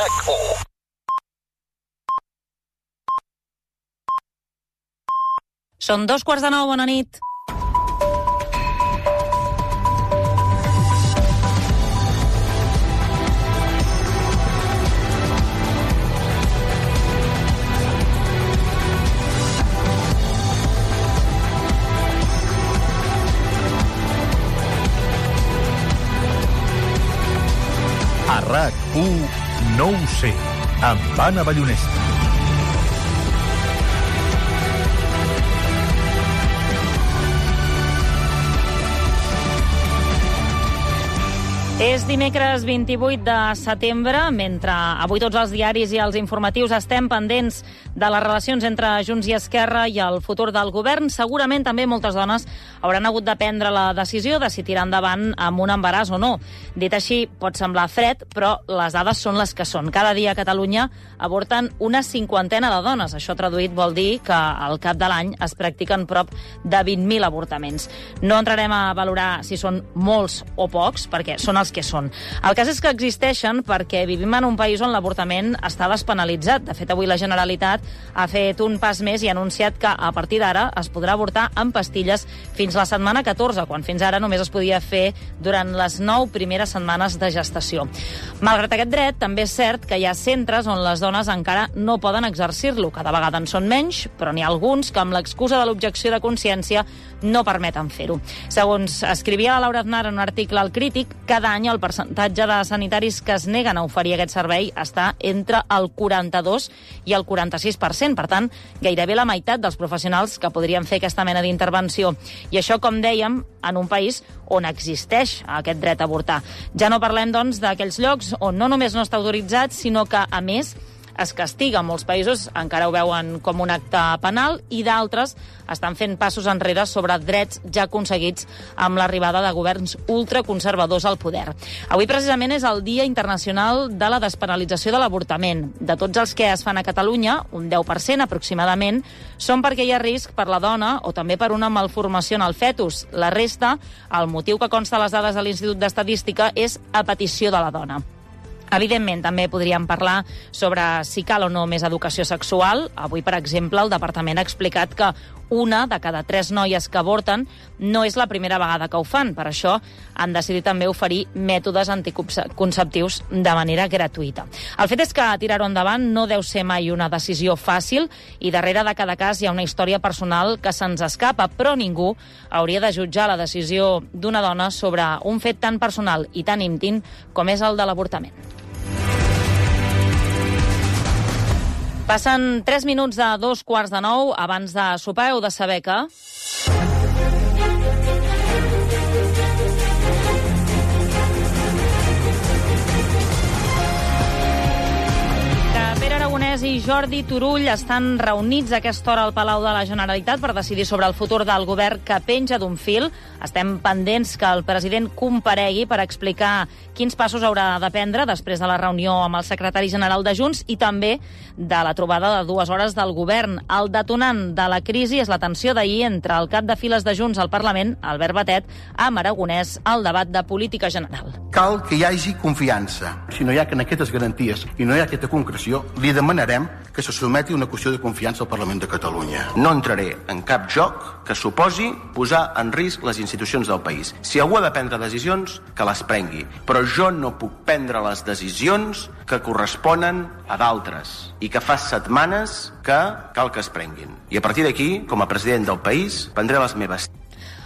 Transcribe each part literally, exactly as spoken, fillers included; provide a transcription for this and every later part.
RAC u. Són dos quarts de nou, bona nit. A RAC u, no ho sé, amb Anna Ballonesta. És dimecres vint-i-vuit de setembre, mentre avui tots els diaris i els informatius estem pendents de les relacions entre Junts i Esquerra i el futur del govern. Segurament també moltes dones hauran hagut de prendre la decisió de si tirar endavant amb un embaràs o no. Dit així, pot semblar fred, però les dades són les que són. Cada dia a Catalunya avorten una cinquantena de dones. Això traduït vol dir que al cap de l'any es practiquen prop de vint mil avortaments. No entrarem a valorar si són molts o pocs, perquè són els que són. El cas és que existeixen perquè vivim en un país on l'avortament està despenalitzat. De fet, avui la Generalitat ha fet un pas més i ha anunciat que a partir d'ara es podrà avortar amb pastilles fins la setmana catorze, quan fins ara només es podia fer durant les nou primeres setmanes de gestació. Malgrat aquest dret, també és cert que hi ha centres on les dones encara no poden exercir-lo. Cada vegada en són menys, però n'hi ha alguns que amb l'excusa de l'objecció de consciència no permeten fer-ho. Segons escrivia la Laura Aznar en un article al Crític, cada any el percentatge de sanitaris que es neguen a oferir aquest servei està entre el quaranta-dos i el quaranta-sis per cent. Per tant, gairebé la meitat dels professionals que podrien fer aquesta mena d'intervenció. I això, com dèiem, en un país on existeix aquest dret a avortar. Ja no parlem, doncs, d'aquells llocs on no només no està autoritzat, sinó que, a més, es castiga. Molts països encara ho veuen com un acte penal i d'altres estan fent passos enrere sobre drets ja aconseguits amb l'arribada de governs ultraconservadors al poder. Avui precisament és el Dia Internacional de la Despenalització de l'Avortament. De tots els que es fan a Catalunya, un deu per cent aproximadament, són perquè hi ha risc per la dona o també per una malformació en el fetus. La resta, el motiu que consta a les dades de l'Institut d'Estadística, és a petició de la dona. Evidentment, també podríem parlar sobre si cal o no més educació sexual. Avui, per exemple, el Departament ha explicat que una de cada tres noies que avorten no és la primera vegada que ho fan. Per això han decidit també oferir mètodes anticonceptius de manera gratuïta. El fet és que tirar-ho endavant no deu ser mai una decisió fàcil i darrere de cada cas hi ha una història personal que se'ns escapa, però ningú hauria de jutjar la decisió d'una dona sobre un fet tan personal i tan íntim com és el de l'avortament. Passen tres minuts de dos quarts de nou. Abans de sopar heu de saber que... Pere Aragonès i Jordi Turull estan reunits a aquesta hora al Palau de la Generalitat per decidir sobre el futur del govern que penja d'un fil. Estem pendents que el president comparegui per explicar quins passos haurà de prendre després de la reunió amb el secretari general de Junts i també de la trobada de dues hores del govern. El detonant de la crisi és la tensió d'ahir entre el cap de files de Junts al Parlament, Albert Batet, amb Aragonès al debat de política general. Cal que hi hagi confiança. Si no hi ha aquestes garanties i no hi ha aquesta concreció, li demanarem que se sotmeti una qüestió de confiança al Parlament de Catalunya. No entraré en cap joc que suposi posar en risc les institucions del país. Si algú ha de prendre decisions, que les prengui. Però jo no puc prendre les decisions que corresponen a d'altres i que fa setmanes que cal que es prenguin. I a partir d'aquí, com a president del país, prendré les meves.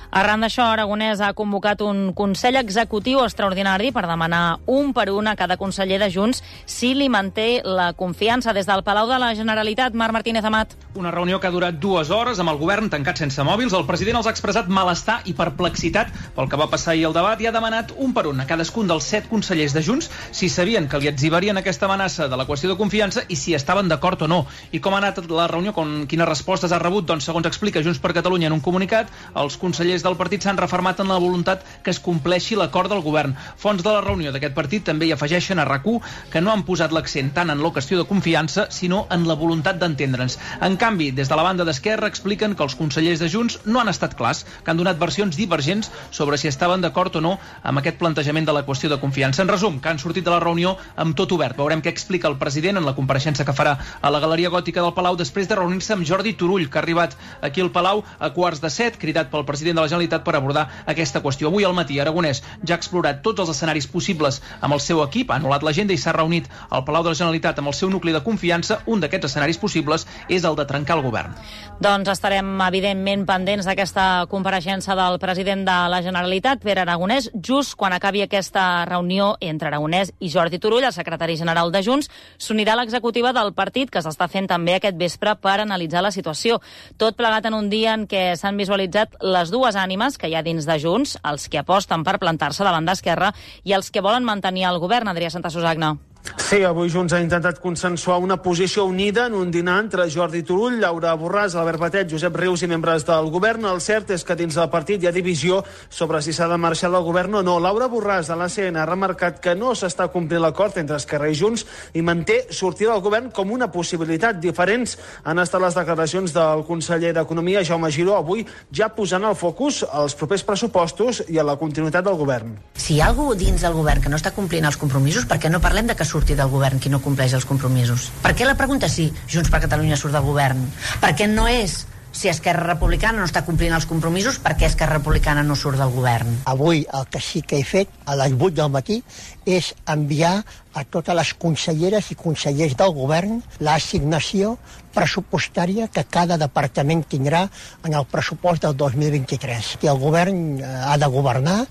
Arran d'això, Aragonès ha convocat un Consell Executiu extraordinari per demanar un per un a cada conseller de Junts si li manté la confiança. Des del Palau de la Generalitat, Marc Martínez Amat. Una reunió que ha durat dues hores amb el govern tancat sense mòbils. El president els ha expressat malestar i perplexitat pel que va passar ahir al debat i ha demanat un per un a cadascun dels set consellers de Junts si sabien que li etzibarien aquesta amenaça de la qüestió de confiança i si estaven d'acord o no. I com ha anat la reunió, com, quines respostes ha rebut? Doncs, segons explica Junts per Catalunya en un comunicat, els consellers des del partit s'han refermat en la voluntat que es compleixi l'acord del govern. Fonts de la reunió d'aquest partit també hi afegeixen a RAC u que no han posat l'accent tant en la qüestió de confiança, sinó en la voluntat d'entendre'ns. En canvi, des de la banda d'Esquerra expliquen que els consellers de Junts no han estat clars, que han donat versions divergents sobre si estaven d'acord o no amb aquest plantejament de la qüestió de confiança. En resum, que han sortit de la reunió amb tot obert. Veurem què explica el president en la compareixença que farà a la Galeria Gòtica del Palau després de reunir-se amb Jordi Turull, que ha arribat aquí al Palau a quarts de set, cridat pel president de la Generalitat per abordar aquesta qüestió. Avui al matí, Aragonès ja ha explorat tots els escenaris possibles amb el seu equip, ha anul·lat l'agenda i s'ha reunit al Palau de la Generalitat amb el seu nucli de confiança. Un d'aquests escenaris possibles és el de trencar el govern. Doncs estarem, evidentment, pendents d'aquesta compareixença del president de la Generalitat, Pere Aragonès, just quan acabi aquesta reunió entre Aragonès i Jordi Turull, el secretari general de Junts. S'unirà l'executiva del partit, que s'està fent també aquest vespre per analitzar la situació. Tot plegat en un dia en què s'han visualitzat les dues ànimes que hi ha dins de Junts, els que aposten per plantar-se davant d'Esquerra i els que volen mantenir el govern. Adrià Santasusagna. Sí, avui Junts ha intentat consensuar una posició unida en un dinar entre Jordi Turull, Laura Borràs, Albert Batet, Josep Rius i membres del govern. El cert és que dins del partit hi ha divisió sobre si s'ha de marxar del govern o no. Laura Borràs, de l'A C N, ha remarcat que no s'està complint l'acord entre Esquerra i Junts i manté sortir del govern com una possibilitat. Diferents han estat les declaracions del conseller d'Economia, Jaume Giró, avui ja posant el focus als propers pressupostos i a la continuïtat del govern. Si hi ha algú dins del govern que no està complint els compromisos, per què no parlem de que surti del govern qui no compleix els compromisos? Per què la pregunta és si Junts per Catalunya surt del govern? Per què no és si Esquerra Republicana no està complint els compromisos, per què Esquerra Republicana no surt del govern? Avui el que sí que he fet a les vuit del matí és enviar a totes les conselleres i consellers del govern l'assignació pressupostària que cada departament tindrà en el pressupost del dos mil vint-i-tres. I el govern ha de governar.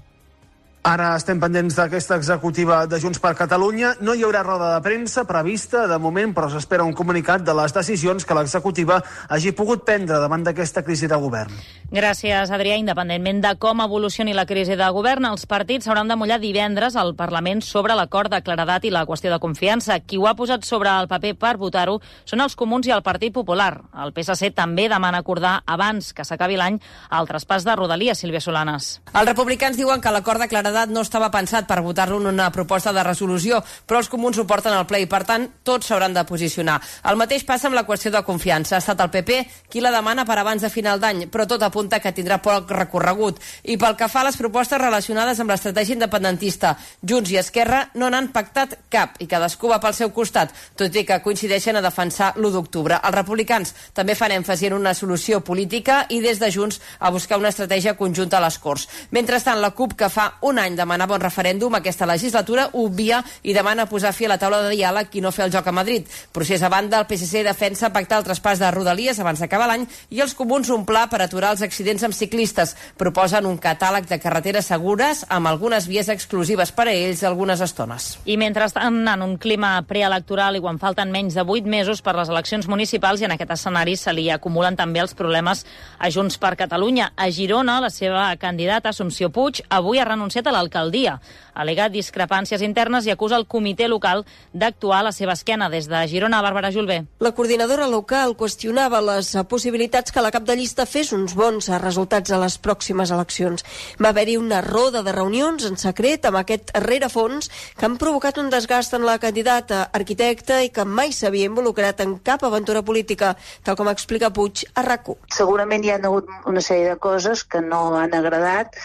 Ara estem pendents d'aquesta executiva de Junts per Catalunya. No hi haurà roda de premsa prevista de moment, però s'espera un comunicat de les decisions que l'executiva hagi pogut prendre davant d'aquesta crisi de govern. Gràcies, Adrià. Independentment de com evolucioni la crisi de govern, els partits s'hauran de mullar divendres al Parlament sobre l'acord de claredat i la qüestió de confiança. Qui ho ha posat sobre el paper per votar-ho són els Comuns i el Partit Popular. El P S C també demana acordar abans que s'acabi l'any el traspàs de Rodalies. Sílvia Solanes. Els republicans diuen que l'acord de claredat no estava pensat per votar-lo en una proposta de resolució, però els comuns ho porten al ple i, per tant, tots s'hauran de posicionar. El mateix passa amb la qüestió de confiança. Ha estat el P P qui la demana per abans de final d'any, però tot apunta que tindrà poc recorregut. I pel que fa a les propostes relacionades amb l'estratègia independentista, Junts i Esquerra no n'han pactat cap i cadascú va pel seu costat, tot i que coincideixen a defensar l'u d'octubre. Els republicans també fan èmfasi en una solució política i des de Junts a buscar una estratègia conjunta a les Corts. Mentrestant, la CUP, que fa un any demanava un referèndum aquesta legislatura, obvia i demana posar fi a la taula de diàleg i no fer el joc a Madrid. Procés a banda, el P S C defensa pactar el traspàs de Rodalies abans d'acabar l'any i els comuns un pla per aturar els accidents amb ciclistes. Proposen un catàleg de carreteres segures amb algunes vies exclusives per a ells algunes estones. I mentrestant, en un clima preelectoral i quan falten menys de vuit mesos per les eleccions municipals, i en aquest escenari se li acumulen també els problemes a Junts per Catalunya. A Girona, la seva candidata, Assumpció Puig, avui ha renunciat a l'alcaldia. Al·lega discrepàncies internes i acusa el comitè local d'actuar a la seva esquena. Des de Girona, Bàrbara Julbé. La coordinadora local qüestionava les possibilitats que la cap de llista fes uns bons resultats a les pròximes eleccions. Va haver-hi una roda de reunions en secret amb aquest rerefons que han provocat un desgast en la candidata arquitecta i que mai s'havia involucrat en cap aventura política, tal com explica Puig a RAC u. Segurament hi ha hagut una sèrie de coses que no han agradat,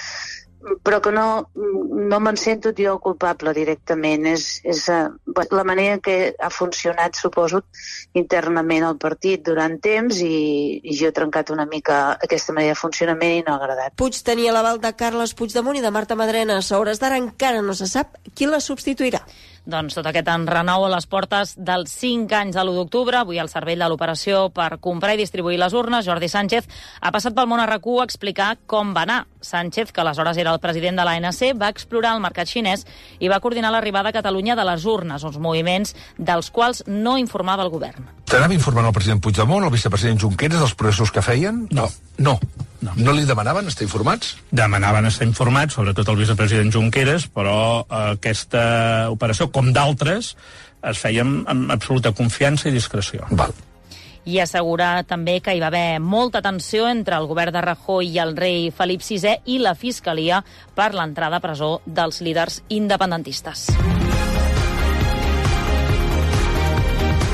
però que no, no me'n sento jo culpable directament. És, és uh, la manera que ha funcionat, suposo, internament el partit durant temps i, i jo he trencat una mica aquesta manera de funcionament i no ha agradat. Puig tenia l'aval de Carles Puigdemont i de Marta Madrenas. A hores d'ara encara no se sap qui la substituirà. Doncs tot aquest enrenou a les portes dels cinc anys de l'u d'octubre. Avui al cervell de l'operació per comprar i distribuir les urnes, Jordi Sánchez ha passat pel món a RAC u a explicar com va anar. Sánchez, que aleshores era el president de l'A N C, va explorar el mercat xinès i va coordinar l'arribada a Catalunya de les urnes, uns moviments dels quals no informava el govern. T'anava informant el president Puigdemont, el vicepresident Junqueras, dels processos que feien? No. No. No. No li demanaven estar informats? Demanaven estar informats, sobretot el vicepresident Junqueras, però eh, aquesta operació, com d'altres, es feia amb, amb absoluta confiança i discreció. Val. i assegura també que hi va haver molta tensió entre el govern de Rajoy i el rei Felip sisè i la Fiscalia per l'entrada a presó dels líders independentistes.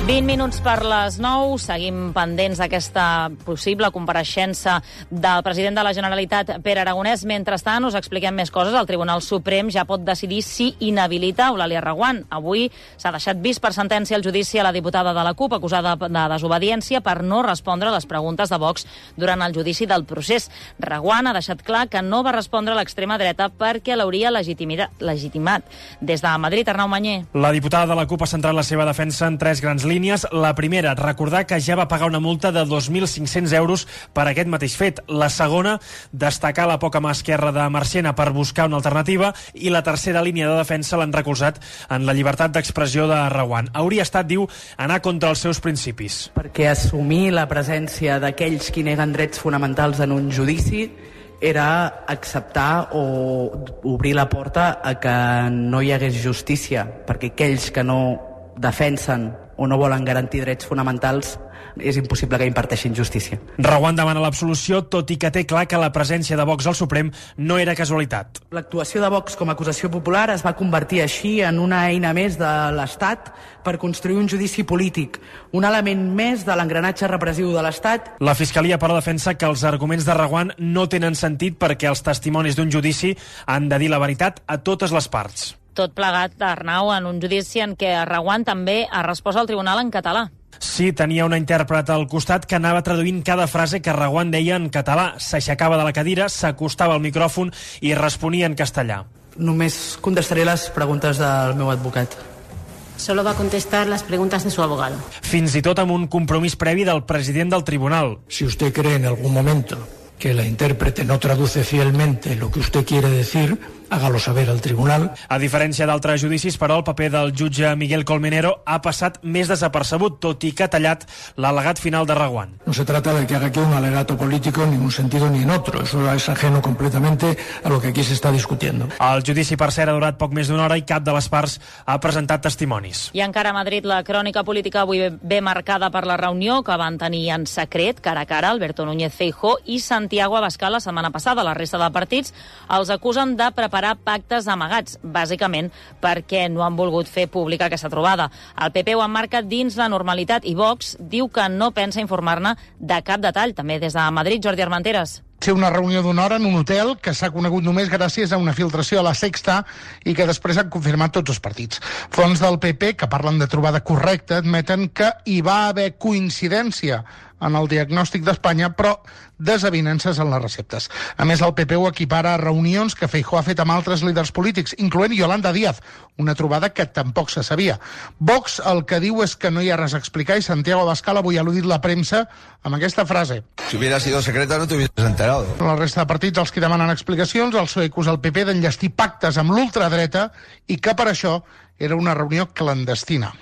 vint minuts per les nou. Seguim pendents d'aquesta possible compareixença del president de la Generalitat, Pere Aragonès. Mentrestant, us expliquem més coses. El Tribunal Suprem ja pot decidir si inhabilita Eulàlia Reguant. Avui s'ha deixat vist per sentència el judici a la diputada de la CUP acusada de desobediència per no respondre a les preguntes de Vox durant el judici del procés. Reguant ha deixat clar que no va respondre a l'extrema dreta perquè l'hauria legitimat. Des de Madrid, Arnau Mañé. La diputada de la CUP ha centrat la seva defensa en tres grans línies. La primera, recordar que ja va pagar una multa de dos mil cinc-cents euros per aquest mateix fet. La segona, destacar la poca mà esquerra de Marchena per buscar una alternativa. I la tercera línia de defensa l'han recolzat en la llibertat d'expressió de Reguant. Hauria estat, diu, anar contra els seus principis. Perquè assumir la presència d'aquells qui neguen drets fonamentals en un judici era acceptar o obrir la porta a que no hi hagués justícia, perquè aquells que no defensen o no volen garantir drets fonamentals és impossible que imparteixin justícia. Reguant demana l'absolució, tot i que té clar que la presència de Vox al Suprem no era casualitat. L'actuació de Vox com a acusació popular es va convertir així en una eina més de l'Estat per construir un judici polític, un element més de l'engranatge repressiu de l'Estat. La Fiscalia, però, defensa que els arguments de Reguant no tenen sentit perquè els testimonis d'un judici han de dir la veritat a totes les parts. Tot plegat, Arnau, en un judici en què Reguant també ha respost al tribunal en català. Sí, tenia una intèrpret al costat que anava traduint cada frase que Reguant deia en català. S'aixecava de la cadira, s'acostava al micròfon i responia en castellà. Només contestaré les preguntes del meu advocat. Solo va a contestar las preguntas de su abogado. Fins i tot amb un compromís previ del president del tribunal. Si usted cree en algún momento que la intérprete no traduce fielmente lo que usted quiere decir, hágalo saber al tribunal. A diferència d'altres judicis, però, el paper del jutge Miguel Colmenero ha passat més desapercebut, tot i que ha tallat l'al·legat final de Reguant. No se trata de que haga aquí un alegato político en ningún sentido ni en otro. Eso es ajeno completamente a lo que aquí se está discutiendo. El judici, per cert, ha durat poc més d'una hora i cap de les parts ha presentat testimonis. I encara a Madrid, la crònica política avui ve marcada per la reunió que van tenir en secret, cara a cara, Alberto Núñez Feijóo i Santiago Abascal la setmana passada. La resta de partits els acusen de preparar pactes amagats, bàsicament perquè no han volgut fer pública aquesta trobada. El P P ho emmarca dins la normalitat i Vox diu que no pensa informar-ne de cap detall. També des de Madrid, Jordi Armenteres. Ser una reunió d'una hora en un hotel que s'ha conegut només gràcies a una filtració a la Sexta i que després han confirmat tots els partits. Fonts del P P, que parlen de trobada correcta, admeten que hi va haver coincidència en el diagnòstic d'Espanya, però desavinences en les receptes. A més, el P P ho equipara a reunions que Feijóo ha fet amb altres líders polítics, incloent Yolanda Díaz, una trobada que tampoc se sabia. Vox el que diu és que no hi ha res a explicar i Santiago Abascal avui ha al·ludit la premsa amb aquesta frase. Si hubiera sido secreta no te hubieras enterado. La resta de partits, els que demanen explicacions, el P S O E acusa el P P d'enllestir pactes amb l'ultradreta i que per això era una reunió clandestina.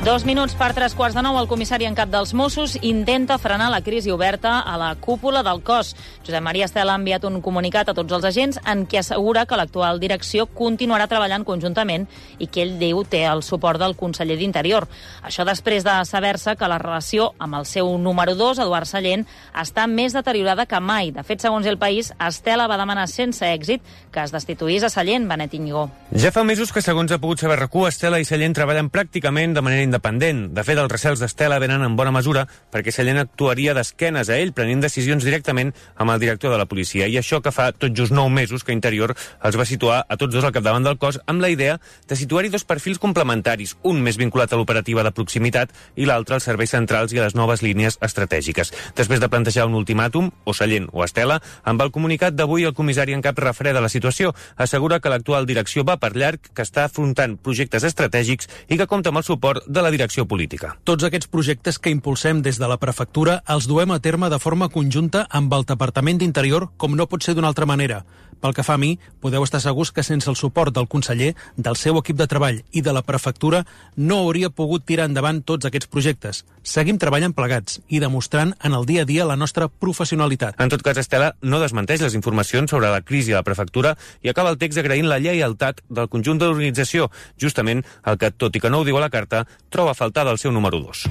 Dos minuts per tres quarts de nou, el comissari en cap dels Mossos intenta frenar la crisi oberta a la cúpula del cos. Josep Maria Estela ha enviat un comunicat a tots els agents en què assegura que l'actual direcció continuarà treballant conjuntament i que ell diu té el suport del conseller d'Interior. Això després de saber-se que la relació amb el seu número dos, Eduard Sallent, està més deteriorada que mai. De fet, segons El País, Estela va demanar sense èxit que es destituís a Sallent, Benet Íñigo. Ja fa mesos que, segons ha pogut saber R A C U, Estela i Sallent treballen pràcticament de manera independent. De fet, els recels d'Estela venen en bona mesura perquè Sallent actuaria d'esquenes a ell, prenent decisions directament amb el director de la policia. I això que fa tot just nou mesos que Interior els va situar a tots dos al capdavant del cos amb la idea de situar-hi dos perfils complementaris, un més vinculat a l'operativa de proximitat i l'altre als serveis centrals i a les noves línies estratègiques. Després de plantejar un ultimàtum, o Sallent o Estela, amb el comunicat d'avui el comissari en cap refreda la situació. Assegura que l'actual direcció va per llarg, que està afrontant projectes estratègics i que compta amb el suport de explica la direcció política. Tots aquests projectes que impulsem des de la prefectura els duem a terme de forma conjunta amb el Departament d'Interior, com no pot ser d'una altra manera. Pel que fa a mi, podeu estar segurs que sense el suport del conseller, del seu equip de treball i de la prefectura no hauria pogut tirar endavant tots aquests projectes. Seguim treballant plegats i demostrant en el dia a dia la nostra professionalitat. En tot cas, Estela no desmenteix les informacions sobre la crisi a la prefectura i acaba el text agraint la lleialtat del conjunt de l'organització, justament el que, tot i que no ho diu a la carta, troba a faltar del seu número dos.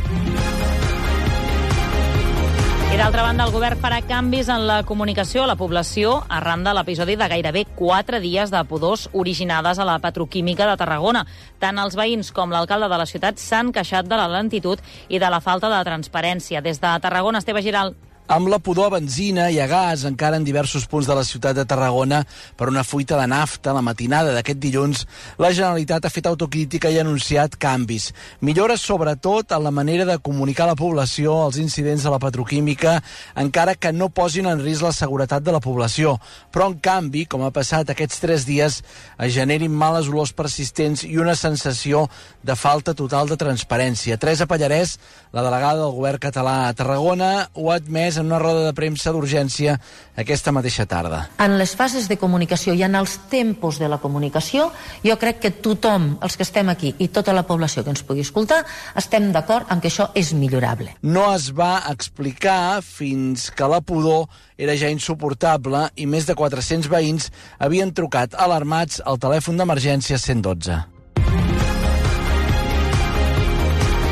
I d'altra banda, el govern farà canvis en la comunicació a la població arran de l'episodi de gairebé quatre dies de pudors originades a la petroquímica de Tarragona. Tant els veïns com l'alcalde de la ciutat s'han queixat de la lentitud i de la falta de transparència. Des de Tarragona, Esteve Giral. Amb la pudor a benzina i a gas encara en diversos punts de la ciutat de Tarragona per una fuita de nafta la matinada d'aquest dilluns, la Generalitat ha fet autocrítica i ha anunciat canvis. Millores sobretot en la manera de comunicar a la població els incidents de la petroquímica, encara que no posin en risc la seguretat de la població. Però, en canvi, com ha passat aquests tres dies, es generin males olors persistents i una sensació de falta total de transparència. Teresa Pallarès, la delegada del govern català a Tarragona, ho ha admès en una roda de premsa d'urgència aquesta mateixa tarda. En les fases de comunicació i en els tempos de la comunicació, jo crec que tothom, els que estem aquí i tota la població que ens pugui escoltar, estem d'acord en que això és millorable. No es va explicar fins que la pudor era ja insuportable i més de quatre-cents veïns havien trucat alarmats al telèfon d'emergència cent dotze.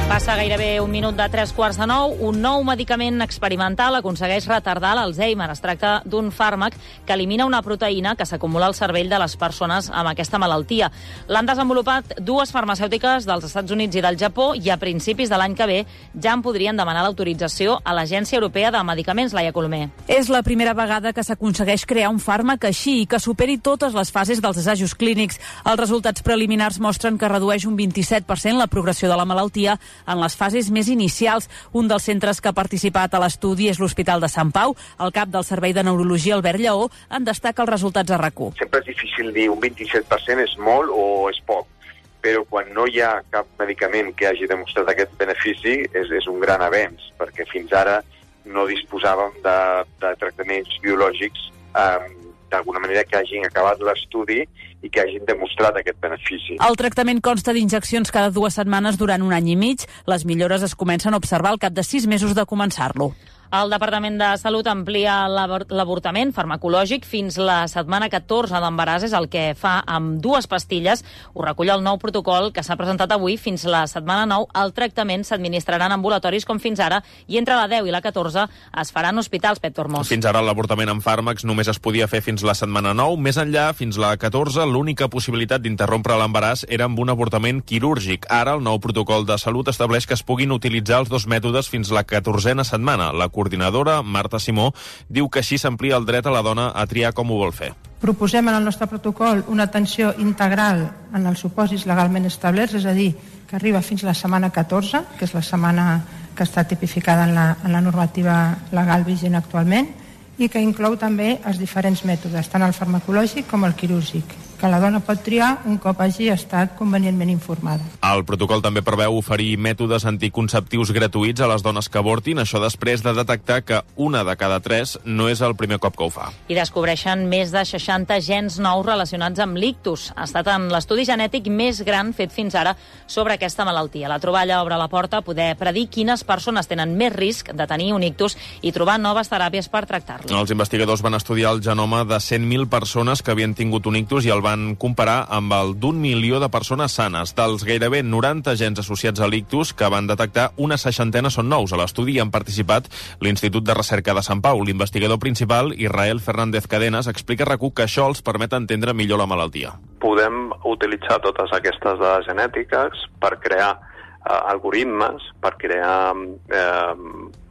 Passa gairebé un minut de tres quarts de nou. Un nou medicament experimental aconsegueix retardar l'Alzheimer. Es tracta d'un fàrmac que elimina una proteïna que s'acumula al cervell de les persones amb aquesta malaltia. L'han desenvolupat dues farmacèutiques dels Estats Units i del Japó i a principis de l'any que ve ja en podrien demanar l'autorització a l'Agència Europea de Medicaments, Laia Colomer. És la primera vegada que s'aconsegueix crear un fàrmac així i que superi totes les fases dels assajos clínics. Els resultats preliminars mostren que redueix un vint-i-set per cent la progressió de la malaltia en les fases més inicials. Un dels centres que ha participat a l'estudi és l'Hospital de Sant Pau. El cap del Servei de Neurologia, Albert Lleó, en destaca els resultats a RAC u. Sempre és difícil dir un vint-i-set per cent és molt o és poc, però quan no hi ha cap medicament que hagi demostrat aquest benefici és, és un gran avenç, perquè fins ara no disposàvem de, de tractaments biològics eh, d'alguna manera que hagin acabat l'estudi i que hagin demostrat aquest benefici. El tractament consta d'injeccions cada dues setmanes durant un any i mig. Les millores es comencen a observar al cap de sis mesos de començar-lo. El Departament de Salut amplia l'avortament farmacològic fins la setmana catorze d'embaràs, és el que fa amb dues pastilles. Ho recull el nou protocol que s'ha presentat avui. Fins la setmana nou el tractament s'administrarà en ambulatoris com fins ara i entre la deu i la catorze es faran hospitals, Pep Tormós. Fins ara l'avortament amb fàrmacs només es podia fer fins la setmana nou. Més enllà, fins la catorze, l'única possibilitat d'interrompre l'embaràs era amb un avortament quirúrgic. Ara el nou protocol de salut estableix que es puguin utilitzar els dos mètodes fins la catorzena setmana. La coordinadora, Marta Simó, diu que així s'amplia el dret a la dona a triar com ho vol fer. Proposem en el nostre protocol una atenció integral en els supòsits legalment establerts, és a dir, que arriba fins la setmana catorze, que és la setmana que està tipificada en la, en la normativa legal vigent actualment, i que inclou també els diferents mètodes, tant el farmacològic com el quirúrgic, que la dona pot triar un cop hagi estat convenientment informada. El protocol també preveu oferir mètodes anticonceptius gratuïts a les dones que avortin, això després de detectar que una de cada tres no és el primer cop que ho fa. I descobreixen més de seixanta gens nous relacionats amb l'ictus. Ha estat en l'estudi genètic més gran fet fins ara sobre aquesta malaltia. La troballa obre la porta a poder predir quines persones tenen més risc de tenir un ictus i trobar noves teràpies per tractar-lo. Els investigadors van estudiar el genoma de cent mil persones que havien tingut un ictus i el van comparar amb el d'un milió de persones sanes. Dels gairebé noranta gens associats a l'ictus que van detectar, una seixantena són nous. A l'estudi hi han participat l'Institut de Recerca de Sant Pau. L'investigador principal, Israel Fernández Cadenas, explica a RAC u que això els permet entendre millor la malaltia. Podem utilitzar totes aquestes dades genètiques per crear eh, algoritmes, per crear eh,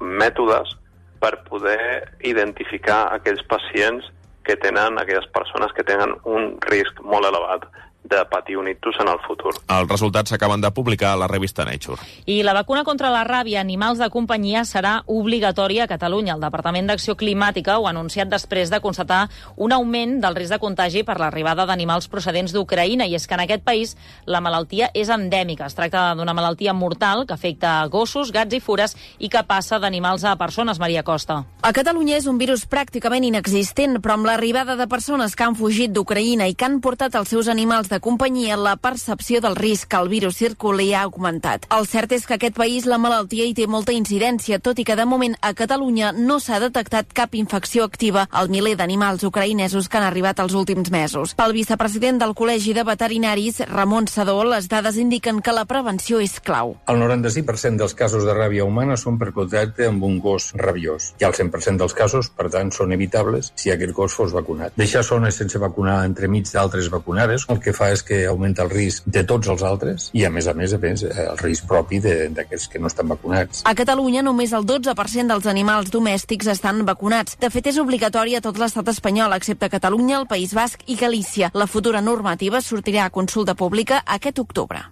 mètodes per poder identificar aquells pacients que tenen, aquelles persones que tenen un risc molt elevat de patir un ictus en el futur. Els resultats s'acaben de publicar a la revista Nature. I la vacuna contra la ràbia a animals de companyia serà obligatòria a Catalunya. El Departament d'Acció Climàtica ho ha anunciat després de constatar un augment del risc de contagi per l'arribada d'animals procedents d'Ucraïna, i és que en aquest país la malaltia és endèmica. Es tracta d'una malaltia mortal que afecta gossos, gats i fures i que passa d'animals a persones. Maria Costa. A Catalunya és un virus pràcticament inexistent, però amb l'arribada de persones que han fugit d'Ucraïna i que han portat els seus animals de companyia, la percepció del risc que el virus circuli ha augmentat. El cert és que aquest país la malaltia hi té molta incidència, tot i que de moment a Catalunya no s'ha detectat cap infecció activa al miler d'animals ucraïnesos que han arribat els últims mesos. Pel vicepresident del Col·legi de Veterinaris, Ramon Sadó, les dades indiquen que la prevenció és clau. El noranta-cinc per cent dels casos de ràbia humana són per contacte amb un gos rabiós. I el cent per cent dels casos, per tant, són evitables si aquest gos fos vacunat. Deixar zones sense vacunar entremig d'altres vacunades el que fa és que augmenta el risc de tots els altres i, a més a més, a més el risc propi d'aquests que no estan vacunats. A Catalunya només el dotze per cent dels animals domèstics estan vacunats. De fet, és obligatori a tot l'estat espanyol, excepte Catalunya, el País Basc i Galícia. La futura normativa sortirà a consulta pública aquest octubre.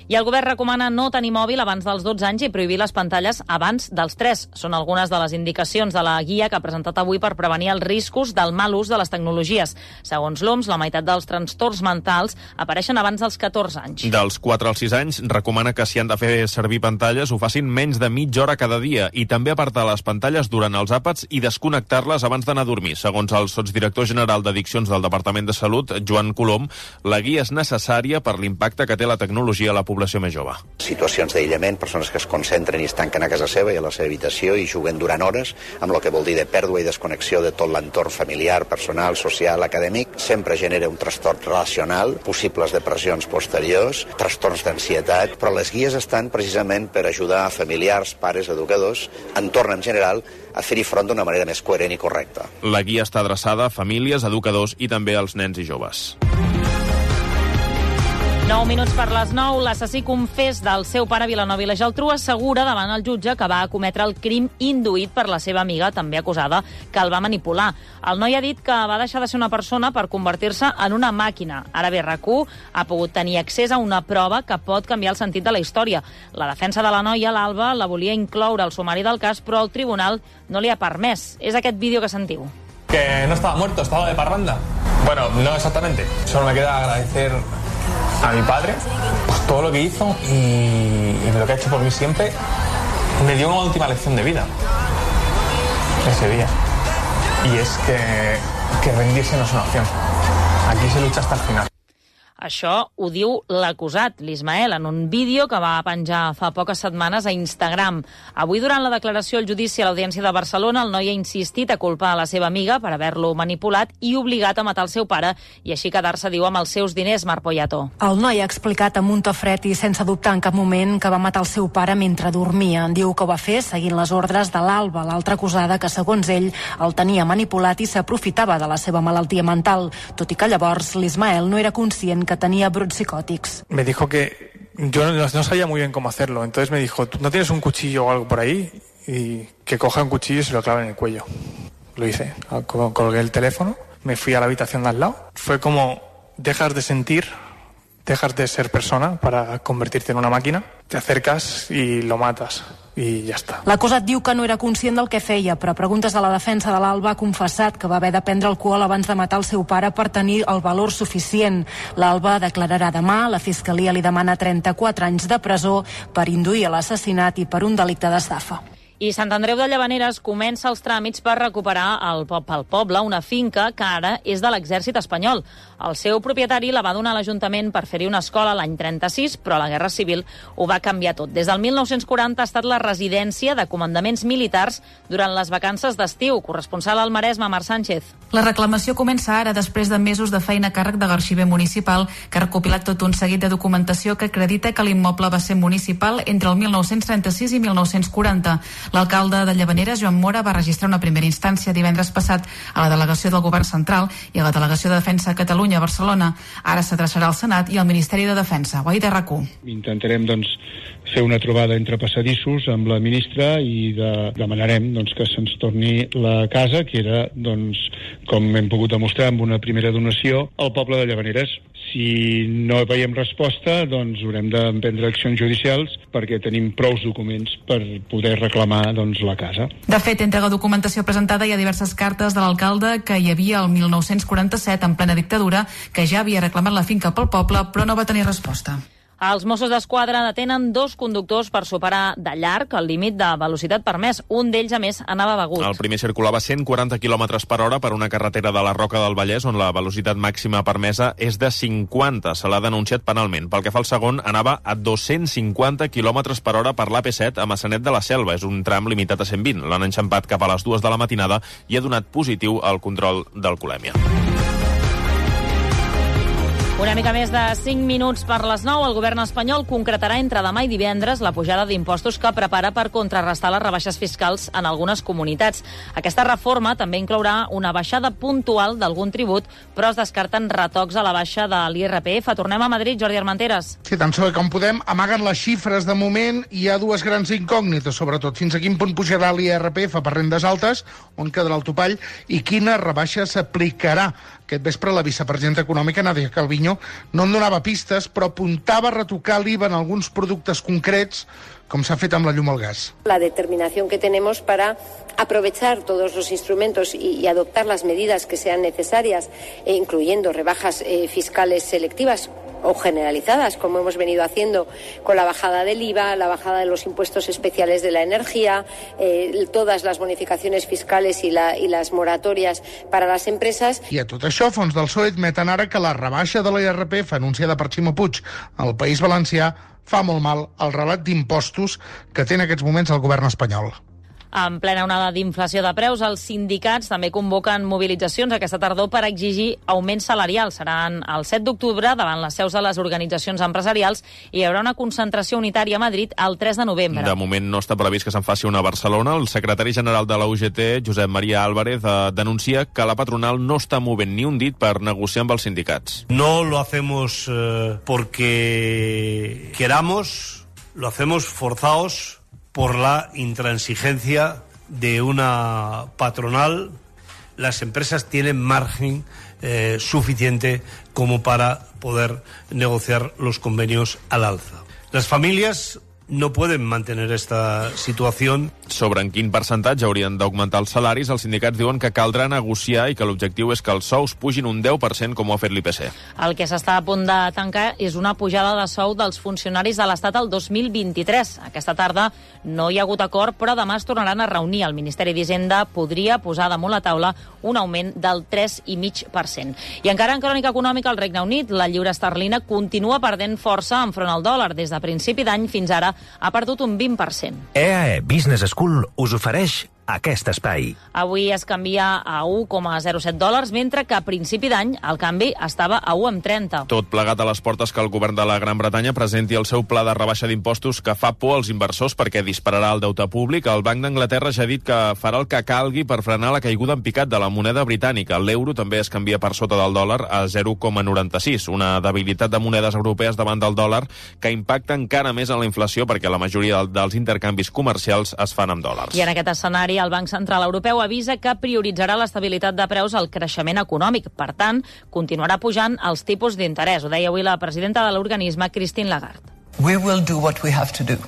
I el govern recomana no tenir mòbil abans dels dotze anys i prohibir les pantalles abans dels tres. Són algunes de les indicacions de la guia que ha presentat avui per prevenir els riscos del mal ús de les tecnologies. Segons l'O M S, la meitat dels trastorns mentals apareixen abans dels catorze anys. Dels quatre als sis anys, recomana que si han de fer servir pantalles ho facin menys de mitja hora cada dia i també apartar les pantalles durant els àpats i desconnectar-les abans d'anar a dormir. Segons el sotsdirector general d'Addiccions del Departament de Salut, Joan Colom, la guia és necessària per l'impacte que té la tecnologia a la població més jove. Situacions d'aïllament, persones que es concentren i es tanquen a casa seva i a la seva habitació i juguen durant hores, amb el que vol dir de pèrdua i desconnexió de tot l'entorn familiar, personal, social, acadèmic, sempre genera un trastorn relacional, possibles depressions posteriors, trastorns d'ansietat, però les guies estan precisament per ajudar a familiars, pares, educadors, entorn en general, a fer-hi front d'una manera més coherent i correcta. La guia està adreçada a famílies, educadors i també als nens i joves. nou minuts per les nou, l'assassí confés del seu pare Vilanova i la Geltrú assegura davant el jutge que va cometre el crim induït per la seva amiga, també acusada, que el va manipular. El noi ha dit que va deixar de ser una persona per convertir-se en una màquina. Ara bé, RAC u ha pogut tenir accés a una prova que pot canviar el sentit de la història. La defensa de la noia, l'Alba, la volia incloure al sumari del cas, però el tribunal no li ha permès. És aquest vídeo que sentiu. Que no estaba muerto, estaba de parranda. Bueno, no exactamente. Solo me queda agradecer a mi padre pues todo lo que hizo y, y lo que ha hecho por mí siempre. Me dio una última lección de vida ese día, y es que, que rendirse no es una opción. Aquí se lucha hasta el final. Això ho diu l'acusat, l'Ismael, en un vídeo que va penjar fa poques setmanes a Instagram. Avui, durant la declaració al judici a l'Audiència de Barcelona, el noi ha insistit a culpar a la seva amiga per haver-lo manipulat i obligat a matar el seu pare i així quedar-se, diu, amb els seus diners, Marc Poyato. El noi ha explicat amb un to fred i sense dubtar en cap moment que va matar el seu pare mentre dormia. Diu que ho va fer seguint les ordres de l'Alba, l'altra acusada que, segons ell, el tenia manipulat i s'aprofitava de la seva malaltia mental, tot i que llavors l'Ismael no era conscient que tenía brots psicóticos. Me dijo que yo no, no sabía muy bien cómo hacerlo, entonces me dijo, ¿no tienes un cuchillo o algo por ahí? Y que coja un cuchillo y se lo clave en el cuello. Lo hice, colgué el teléfono, me fui a la habitación de al lado. Fue como, dejas de sentir, dejas de ser persona para convertirte en una máquina, te acercas y lo matas. I ja està. L'acusat diu que no era conscient del que feia, però a preguntes de la defensa de l'Alba ha confessat que va haver de prendre alcohol abans de matar el seu pare per tenir el valor suficient. L'Alba declararà demà, la Fiscalia li demana trenta-quatre anys de presó per induir a l'assassinat i per un delicte d'estafa. I Sant Andreu de Llavaneres comença els tràmits per recuperar el, pel poble una finca que ara és de l'exèrcit espanyol. El seu propietari la va donar a l'Ajuntament per fer-hi una escola l'any trenta-sis, però la Guerra Civil ho va canviar tot. Des del mil nou-cents quaranta ha estat la residència de comandaments militars durant les vacances d'estiu. Corresponsal al Maresme, Marc Sánchez. La reclamació comença ara, després de mesos de feina a càrrec de l'arxiver municipal, que ha recopilat tot un seguit de documentació que acredita que l'immoble va ser municipal entre el mil nou-cents trenta-sis i mil nou-cents quaranta. L'alcalde de Llavaneres, Joan Mora, va registrar una primera instància divendres passat a la delegació del Govern Central i a la delegació de Defensa a Catalunya a Barcelona. Ara s'adreçarà al Senat i al Ministeri de Defensa. Guaita, RAC u. Intentarem, doncs, fer una trobada entre passadissos amb la ministra i de, demanarem doncs, que se'ns torni la casa, que era, doncs, com hem pogut demostrar amb una primera donació, al poble de Llavaneres. Si no veiem resposta, doncs haurem d'emprendre accions judicials perquè tenim prous documents per poder reclamar doncs, la casa. De fet, entre la documentació presentada hi ha diverses cartes de l'alcalde que hi havia el mil nou-cents quaranta-set, en plena dictadura, que ja havia reclamat la finca pel poble, però no va tenir resposta. Els Mossos d'Esquadra detenen dos conductors per superar de llarg el límit de velocitat permès. Un d'ells, a més, anava begut. El primer circulava a cent quaranta quilòmetres per hora per una carretera de la Roca del Vallès, on la velocitat màxima permesa és de cinquanta. Se l'ha denunciat penalment. Pel que fa al segon, anava a dos-cents cinquanta quilòmetres per hora per l'A P set a Massanet de la Selva. És un tram limitat a cent vint. L'han enxampat cap a les dues de la matinada i ha donat positiu al control d'alcoholèmia. Una mica més de cinc minuts per les nou. El govern espanyol concretarà entre demà i divendres la pujada d'impostos que prepara per contrarrestar les rebaixes fiscals en algunes comunitats. Aquesta reforma també inclourà una baixada puntual d'algun tribut, però es descarten retocs a la baixa de l'I R P F. Tornem a Madrid, Jordi Armenteres. Sí, tant sobre com podem, amaguen les xifres de moment. Hi ha dues grans incògnites, sobretot. Fins a quin punt pujarà l'I R P F per rendes altes, on quedarà el topall, i quina rebaixa s'aplicarà. Aquest vespre la vicepresidenta econòmica, Nadia Calviño, no en donava pistes, però apuntava a retocar l'I V A en alguns productes concrets, com s'ha fet amb la llum al gas. La determinación que tenemos para aprovechar todos los instrumentos y, y adoptar las medidas que sean necesarias, eh, incluyendo rebajas eh, fiscales selectivas o generalizadas, como hemos venido haciendo con la bajada del I V A, la bajada de los impuestos especiales de la energía, eh, todas las bonificaciones fiscales y, la, y las moratorias para las empresas. I a tot això, fons del P S O E admeten ara que la rebaixa de l'I R P F anunciada per Ximo Puig al País Valencià fa molt mal al relat d'impostos que té en aquests moments el govern espanyol. En plena onada d'inflació de preus, els sindicats també convoquen mobilitzacions aquesta tardor per exigir augments salarials. Seran el set d'octubre davant les seus de les organitzacions empresarials i hi haurà una concentració unitària a Madrid el tres de novembre. De moment no està previst que se'n faci una a Barcelona. El secretari general de la U G T, Josep María Álvarez, eh, denuncia que la patronal no està movent ni un dit per negociar amb els sindicats. No lo hacemos eh, porque queramos, lo hacemos forzados por la intransigencia de una patronal. Las empresas tienen margen eh, suficiente como para poder negociar los convenios al alza. Las familias no pueden mantener esta situació. Sobre en quin percentatge haurien d'augmentar els salaris, els sindicats diuen que caldrà negociar i que l'objectiu és que els sous pugin un deu per cent com ho ha fet l'I P C. El que s'està a punt de tancar és una pujada de sou dels funcionaris de l'Estat el dos mil vint-i-tres. Aquesta tarda no hi ha hagut acord, però demà es tornaran a reunir. El Ministeri d'Hisenda podria posar damunt la taula un augment del tres coma cinc per cent. I encara en crònica econòmica, al Regne Unit, la lliura esterlina continua perdent força enfront al dòlar. Des de principi d'any fins ara ha perdut un vint per cent. E A E Business School us ofereix aquest espai. Avui es canvia a un coma zero set dòlars, mentre que a principi d'any el canvi estava a un coma trenta. Tot plegat a les portes que el govern de la Gran Bretanya presenti el seu pla de rebaixa d'impostos que fa por als inversors perquè dispararà el deute públic. El Banc d'Anglaterra ja ha dit que farà el que calgui per frenar la caiguda en picat de la moneda britànica. L'euro també es canvia per sota del dòlar a zero coma noranta-sis, una debilitat de monedes europees davant del dòlar que impacta encara més en la inflació perquè la majoria dels intercanvis comercials es fan amb dòlars. I en aquest escenari el Banc Central Europeu avisa que prioritzarà l'estabilitat de preus al creixement econòmic. Per tant, continuarà pujant els tipus d'interès. Ho deia avui la presidenta de l'organisme, Christine Lagarde. We will do what we have to do.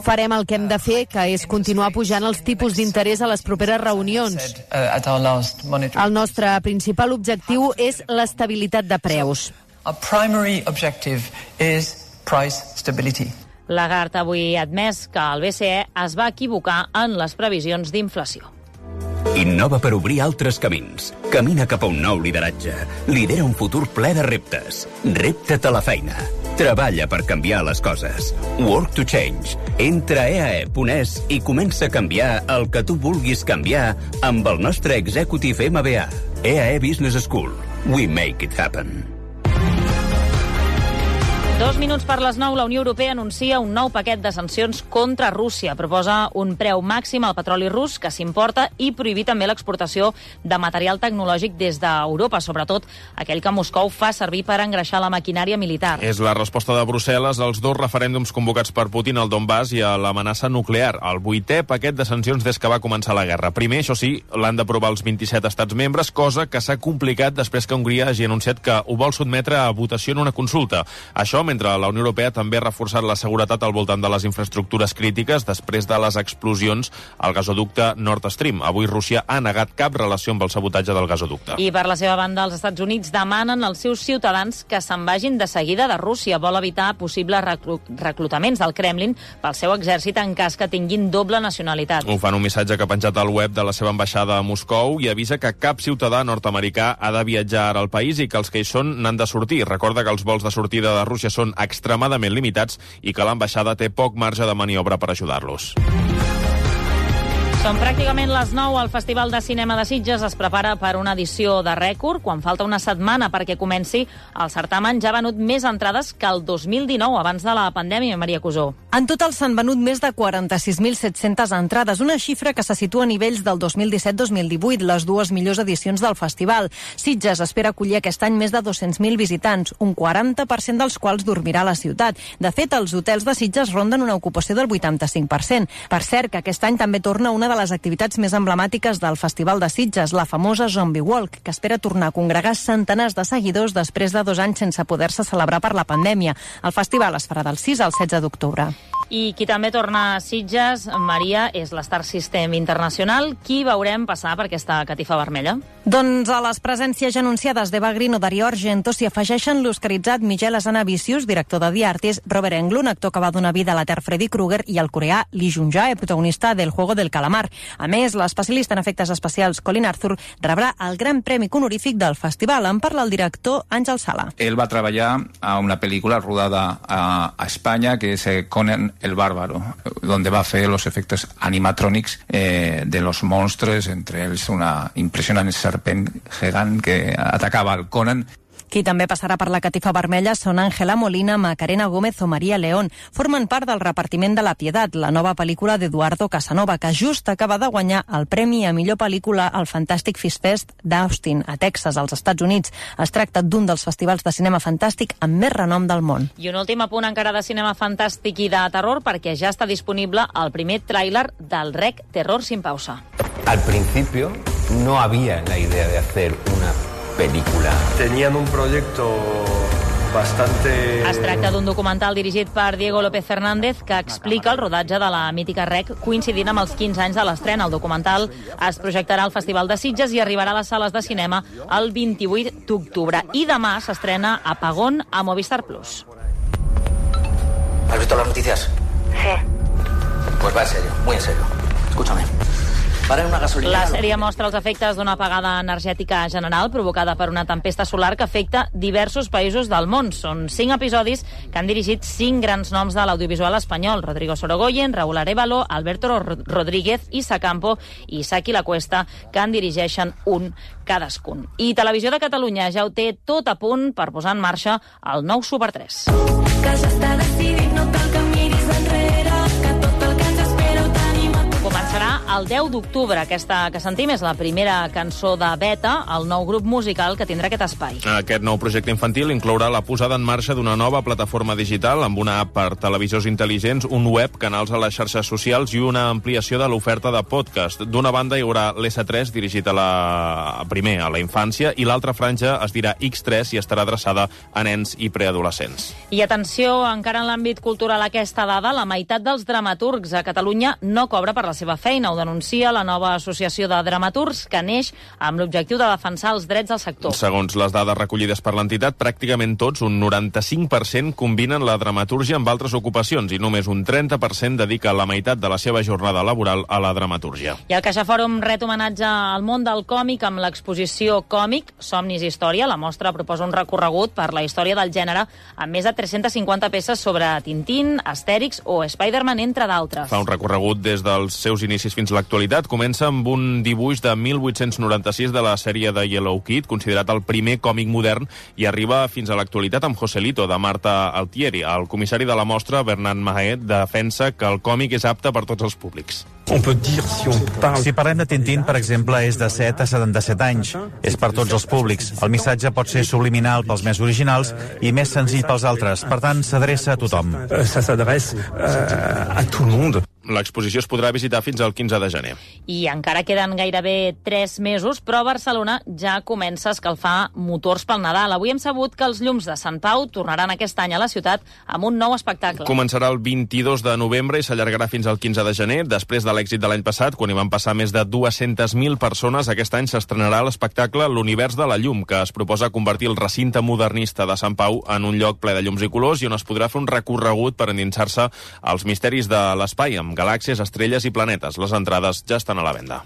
Farem el que hem de fer, que és continuar pujant els tipus d'interès a les properes reunions. El nostre principal objectiu és l'estabilitat de preus. Our primary objective is price stability. Lagarde avui ha admès que el B C E es va equivocar en les previsions d'inflació. Innova per obrir altres camins. Camina cap a un nou lideratge. Lidera un futur ple de reptes. Repta't a la feina. Treballa per canviar les coses. Work to change. Entra a e a e punt es i comença a canviar el que tu vulguis canviar amb el nostre Executive M B A. E A E Business School. We make it happen. Dos minuts per les nou, la Unió Europea anuncia un nou paquet de sancions contra Rússia. Proposa un preu màxim al petroli rus que s'importa i prohibir també l'exportació de material tecnològic des d'Europa, sobretot aquell que Moscou fa servir per engreixar la maquinària militar. És la resposta de Brussel·les als dos referèndums convocats per Putin al Donbass i a l'amenaça nuclear. El vuitè paquet de sancions des que va començar la guerra. Primer, això sí, l'han d'aprovar els vint-i-set estats membres, cosa que s'ha complicat després que Hongria hagi anunciat que ho vol sotmetre a votació en una consulta. Això mentre la Unió Europea també ha reforçat la seguretat al voltant de les infraestructures crítiques després de les explosions al gasoducte Nord Stream. Avui Rússia ha negat cap relació amb el sabotatge del gasoducte. I per la seva banda, els Estats Units demanen als seus ciutadans que se'n vagin de seguida de Rússia. Vol evitar possibles reclu reclutaments del Kremlin pel seu exèrcit en cas que tinguin doble nacionalitat. Ho fan un missatge que ha penjat al web de la seva ambaixada a Moscou i avisa que cap ciutadà nord-americà ha de viatjar ara al país i que els que hi són n'han de sortir. Recorda que els vols de sortida de Rússia són extremadament limitats i que l'ambaixada té poc marge de maniobra per ajudar-los. Són pràcticament les nou. El Festival de Cinema de Sitges es prepara per una edició de rècord. Quan falta una setmana perquè comenci, el certamen ja ha venut més entrades que el dos mil dinou, abans de la pandèmia, Maria Cusó. En total s'han venut més de quaranta-sis mil set-centes entrades, una xifra que se situa a nivells del dos mil disset dos mil divuit, les dues millors edicions del festival. Sitges espera acollir aquest any més de dos-cents mil visitants, un quaranta per cent dels quals dormirà a la ciutat. De fet, els hotels de Sitges ronden una ocupació del vuitanta-cinc per cent. Per cert, que aquest any també torna una de les activitats més emblemàtiques del Festival de Sitges, la famosa Zombie Walk, que espera tornar a congregar centenars de seguidors després de dos anys sense poder-se celebrar per la pandèmia. El festival es farà del sis al setze d'octubre. I qui també torna a Sitges, Maria, és l'Star System Internacional. Qui veurem passar per aquesta catifa vermella? Doncs a les presències ja anunciades d'Eva Green o Dario Argento s'hi afegeixen l'oscaritzat Miguel Azanavicius, director de The Artist, Robert Englund, actor que va donar vida a la Ter Freddy Krueger, i el coreà Lee Jung-jae, protagonista del Juego del Calamar. A més, l'especialista en efectes especials Colin Arthur rebrà el gran premi honorífic del festival. En parla el director Àngel Sala. Él va a trabajar a una película rodada a, a España, que es Conan el Bárbaro, donde va a hacer los efectos animatronics eh, de los monstruos, entre ellos una impresionante serpent gegant que atacaba al Conan. Qui també passarà per la catifa vermella són Ángela Molina, Macarena Gómez o Maria León. Formen part del repartiment de La Piedad, la nova pel·lícula d'Eduardo Casanova, que just acaba de guanyar el premi a millor pel·lícula al Fantastic Film Fest d'Austin, a Texas, als Estats Units. Es tracta d'un dels festivals de cinema fantàstic amb més renom del món. I un últim apunt encara de cinema fantàstic i de terror, perquè ja està disponible el primer tràiler del Rec Terror sin pausa. Al principio no había la idea de hacer una película. Tenían un proyecto bastante... Es tracta d'un documental dirigit per Diego López Fernández que explica el rodatge de la mítica Rec coincidint amb els quinze anys de l'estrena. El documental es projectarà al Festival de Sitges i arribarà a les sales de cinema el vint-i-vuit d'octubre. I demà s'estrena Apagón a Movistar Plus. ¿Has visto las noticias? Sí. Pues va en serio, muy en serio. Escúchame. La sèrie mostra els efectes d'una apagada energètica general provocada per una tempesta solar que afecta diversos països del món. Són cinc episodis que han dirigit cinc grans noms de l'audiovisual espanyol: Rodrigo Sorogoyen, Raúl Arévalo, Alberto Rodríguez, Isa Campo i Saki La Cuesta, que en dirigeixen un cadascun. I Televisió de Catalunya ja ho té tot a punt per posar en marxa el nou Super tres. Que ja està decidit, no cal que miris enrere, que tot el que ens espera ho tenim a tu. Començarà el deu d'octubre. Aquesta que sentim és la primera cançó de Beta, el nou grup musical que tindrà aquest espai. Aquest nou projecte infantil inclourà la posada en marxa d'una nova plataforma digital amb una app per televisors intel·ligents, un web, canals a les xarxes socials i una ampliació de l'oferta de podcast. D'una banda hi haurà l'S tres, dirigit a la primer a la infància, i l'altra franja es dirà X tres i estarà adreçada a nens i preadolescents. I atenció, encara en l'àmbit cultural, aquesta dada: la meitat dels dramaturgs a Catalunya no cobra per la seva feina. Ho denuncia la nova associació de dramaturgs, que neix amb l'objectiu de defensar els drets del sector. Segons les dades recollides per l'entitat, pràcticament tots, un noranta-cinc per cent, combinen la dramatúrgia amb altres ocupacions i només un trenta per cent dedica la meitat de la seva jornada laboral a la dramatúrgia. I el CaixaFòrum ret homenatge al món del còmic amb l'exposició Còmic, Somnis i Història. La mostra proposa un recorregut per la història del gènere amb més de tres-centes cinquanta peces sobre Tintín, Astèrix o Spider-Man, entre d'altres. Fa un recorregut des dels seus inicis fins l'actualitat. Comença amb un dibuix de mil vuit-cents noranta-sis de la sèrie de Yellow Kid, considerat el primer còmic modern, i arriba fins a l'actualitat amb Joselito, de Marta Altieri. El comissari de la mostra, Bernat Mahet, defensa que el còmic és apte per tots els públics. Si parlem de Tintín, per exemple, és de set a setanta-set anys. És per tots els públics. El missatge pot ser subliminal pels més originals i més senzill pels altres. Per tant, s'adreça a tothom. L'exposició es podrà visitar fins al quinze de gener. I encara queden gairebé tres mesos, però Barcelona ja comença a escalfar motors pel Nadal. Avui hem sabut que els llums de Sant Pau tornaran aquest any a la ciutat amb un nou espectacle. Començarà el vint-i-dos de novembre i s'allargarà fins al quinze de gener. Després de l'èxit de l'any passat, quan hi van passar més de dues-centes mil persones, aquest any s'estrenarà l'espectacle L'Univers de la Llum, que es proposa convertir el recinte modernista de Sant Pau en un lloc ple de llums i colors i on es podrà fer un recorregut per endinsar-se als misteris de l'espai, amb galàxies, estrelles i planetes. Les entrades ja estan a la venda.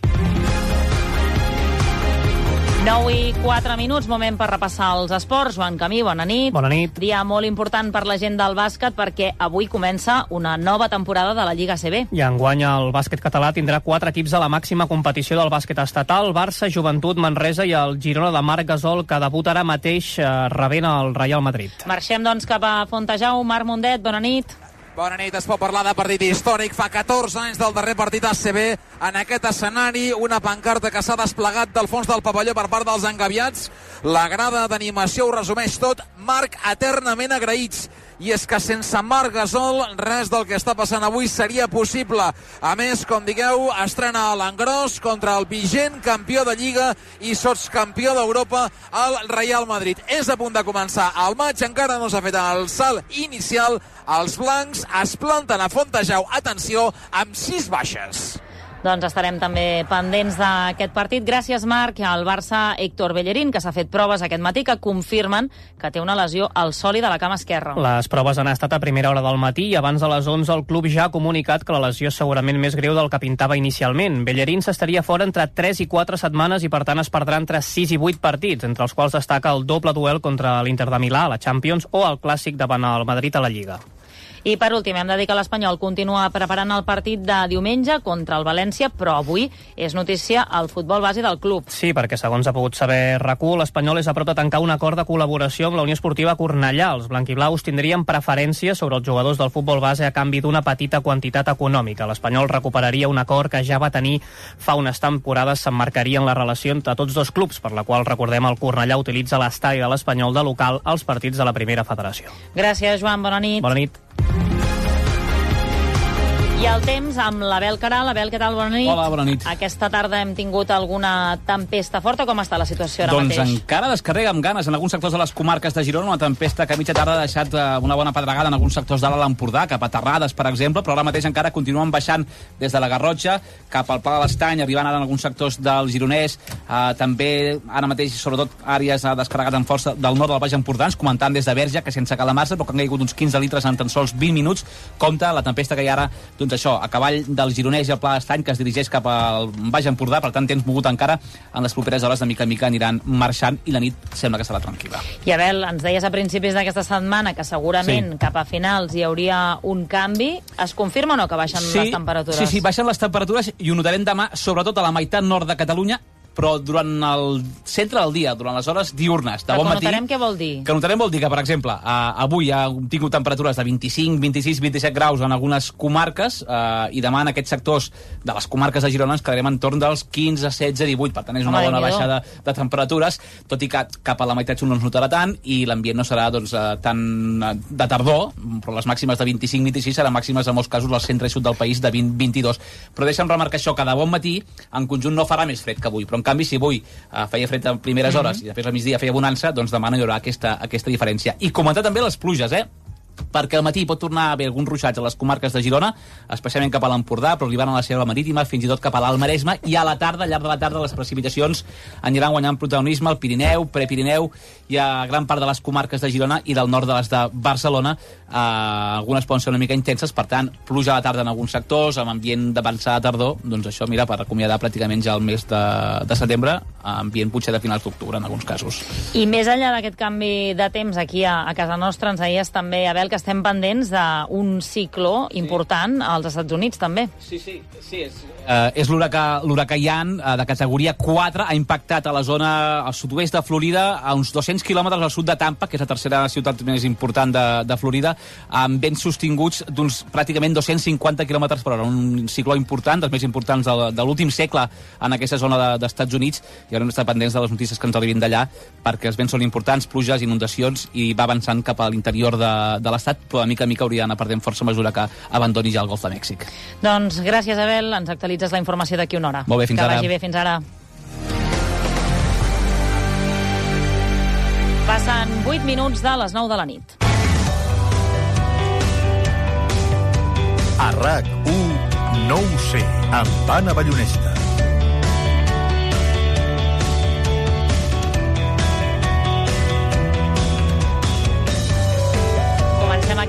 nou i quatre minuts, moment per repassar els esports. Joan Camí, bona nit. Bona nit. Dia molt important per la gent del bàsquet perquè avui comença una nova temporada de la Lliga A C B. I enguany el bàsquet català tindrà quatre equips a la màxima competició del bàsquet estatal: Barça, Joventut, Manresa i el Girona de Marc Gasol, que debuta ara mateix eh, rebent el Real Madrid. Marxem doncs cap a Fontejau. Marc Mundet, bona nit. Bona nit, es pot parlar de partit històric. Fa catorze anys del darrer partit A C B en aquest escenari, una pancarta que s'ha desplegat del fons del pavelló per part dels engabiats. La grada d'animació ho resumeix tot. Marc, eternament agraïts. I és que sense Marc Gasol res del que està passant avui seria possible. A més, com digueu, estrena a l'engròs contra el vigent campió de Lliga i sotscampió d'Europa, el Real Madrid. És a punt de començar el maig, encara no s'ha fet el salt inicial. Els blancs es planten a Fontejau, atenció, amb sis baixes. Doncs estarem també pendents d'aquest partit. Gràcies, Marc. Al Barça, Héctor Bellerín, que s'ha fet proves aquest matí, que confirmen que té una lesió al sòlid de la cama esquerra. Les proves han estat a primera hora del matí i abans de les onze el club ja ha comunicat que la lesió és segurament més greu del que pintava inicialment. Bellerín s'estaria fora entre tres i quatre setmanes i per tant es perdrà entre sis i vuit partits, entre els quals destaca el doble duel contra l'Inter de Milà a la Champions o el clàssic davant el Madrid a la Lliga. I per últim, hem de dir que l'Espanyol continua preparant el partit de diumenge contra el València, però avui és notícia el futbol base del club. Sí, perquè segons ha pogut saber RAC u, l'Espanyol és a prop de tancar un acord de col·laboració amb la Unió Esportiva Cornellà. Els blanquiblaus tindrien preferència sobre els jugadors del futbol base a canvi d'una petita quantitat econòmica. L'Espanyol recuperaria un acord que ja va tenir fa unes temporades, s'emmarcaria en la relació entre tots dos clubs, per la qual, recordem, el Cornellà utilitza l'estadi de l'Espanyol de local als partits de la primera federació. Gràcies, Joan. Bona nit. Bona nit. I el temps amb l'Abel Caral. Abel, què tal? Bona nit. Hola, bona nit. Aquesta tarda hem tingut alguna tempesta forta. Com està la situació ara doncs mateix? Doncs encara descarrega amb ganes en alguns sectors de les comarques de Girona. Una tempesta que a mitja tarda ha deixat una bona pedregada en alguns sectors de l'Alt Empordà, cap a Terrades, per exemple, però ara mateix encara continuen baixant des de la Garrotxa cap al Pla de l'Estany, arribant ara en alguns sectors del Gironès. Eh, també ara mateix, sobretot, àrees ha descarregat amb força del nord del Baix Empordà, ens comentant des de Verge, que sense calamar-se, però que han caigut uns quinze litres en tan sols vint minuts. Compte la tempesta que hi ha ara, doncs això, a cavall del Gironès i el Pla d'Estany, que es dirigeix cap al Baix Empordà, per tant temps mogut encara. En les properes hores de mica en mica aniran marxant i la nit sembla que serà tranquil·la. I Abel, ens deies a principis d'aquesta setmana que segurament sí. cap a finals hi hauria un canvi. Es confirma o no que baixen sí, les temperatures? Sí, sí, baixen les temperatures i ho notarem demà, sobretot a la meitat nord de Catalunya, però durant el centre del dia, durant les hores diurnes, de però bon que matí... notarem què vol dir? Que notarem vol dir que, per exemple, eh, avui ha tingut temperatures de vint-i-cinc, vint-i-sis, vint-i-set graus en algunes comarques eh, i demà en aquests sectors de les comarques de Girona ens quedarem en torn dels quinze, setze, divuit. Per tant, és una Home, bona baixa de, de temperatures, tot i que cap a la meitat sud no es notarà tant i l'ambient no serà doncs, eh, tan de tardor, però les màximes de vint-i-cinc, vint-i-sis seran màximes en molts casos al centre i sud del país de vint, vint-i-dos. Però deixa'm remarcar això, que de bon matí en conjunt no farà més fred que avui, però en canvi si avui Uh, feia fred a primeres hores mm-hmm. i després al migdia feia bonança, doncs demà no hi haurà aquesta, aquesta diferència. I comentar també les pluges, eh? perquè al matí pot tornar a haver alguns ruixats a les comarques de Girona, especialment cap a l'Empordà, però arribant a la Selva Marítima, fins i tot cap a l'Alt Maresme, i a la tarda, al llarg de la tarda, les precipitacions aniran guanyant protagonisme al Pirineu, Prepirineu i a gran part de les comarques de Girona i del nord de les de Barcelona. Eh, algunes poden ser una mica intenses, per tant, pluja a la tarda en alguns sectors, amb ambient d'avançada tardor, doncs això, mira, per acomiadar pràcticament ja el mes de, de setembre, ambient potser de finals d'octubre en alguns casos. I més enllà d'aquest canvi de temps aquí a, a casa nostra, ens deies també, Abel, que estem pendents d'un cicló important als Estats Units, també. Sí, sí, sí, és... Uh, és l'huracà l'huracà Ian, uh, de categoria quatre, ha impactat a la zona al sud-oest de Florida, a uns dos-cents quilòmetres al sud de Tampa, que és la tercera ciutat més important de, de Florida, amb vents sostinguts d'uns pràcticament dos-cents cinquanta quilòmetres per hora. Un cicló important, dels més importants de, de l'últim segle en aquesta zona de, d'Estats Units, i haurem d'estar pendents de les notícies que ens arribin d'allà, perquè els vents són importants, pluges, inundacions, i va avançant cap a l'interior de, de l'estat, però de mica a mica hauria d'anar perdent força a mesura que abandoni ja el Golf de Mèxic. Doncs gràcies, Abel. Ens actualitzes la informació d'aquí una hora. Molt bé, fins que ara. Que vagi bé, fins ara. Passen vuit minuts de les nou de la nit. A RAC u, no ho sé, amb Anna Ballonesta.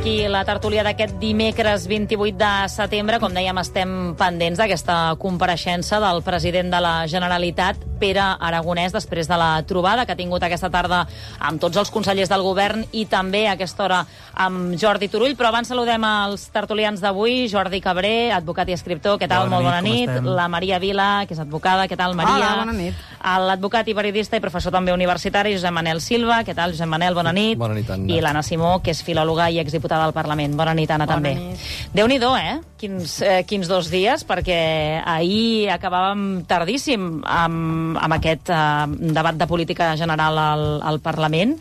Aquí la tertúlia d'aquest dimecres vint-i-vuit de setembre. Com dèiem, estem pendents d'aquesta compareixença del president de la Generalitat, Pere Aragonès, després de la trobada que ha tingut aquesta tarda amb tots els consellers del govern i també a aquesta hora amb Jordi Turull. Però abans saludem els tertulians d'avui. Jordi Cabré, advocat i escriptor, què tal? Bona Molt nit, bona nit. com estem? La Maria Vila, que és advocada, què tal, Maria? Hola, bona nit. L'advocat i periodista i professor també universitari, Josep Manel Silva, què tal, Josep Manel? Bona nit. Bona nit, Anna. I l'Anna Simó, que és filòloga i exdiputada del Parlament. Bona nit, Anna, Bona també. nit. Déu-n'hi-do, eh? Quins, eh? Quins dos dies, perquè ahir acabàvem tardíssim amb, amb aquest eh, debat de política general al, al Parlament,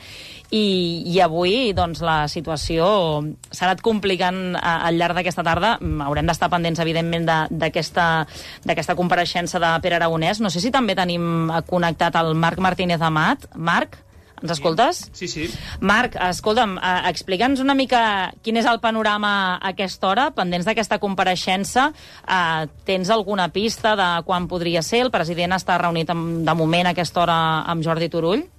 i, i avui doncs, la situació s'ha anat complicant a, al llarg d'aquesta tarda. Haurem d'estar pendents, evidentment, d'aquesta compareixença de Pere Aragonès. No sé si també tenim connectat el Marc Martínez Amat. Marc, ens escoltes? Sí, sí. Marc, escolta'm, eh, explica'ns una mica quin és el panorama a aquesta hora, pendents d'aquesta compareixença. Eh, tens alguna pista de quan podria ser? El president està reunit amb, de moment a aquesta hora amb Jordi Turull?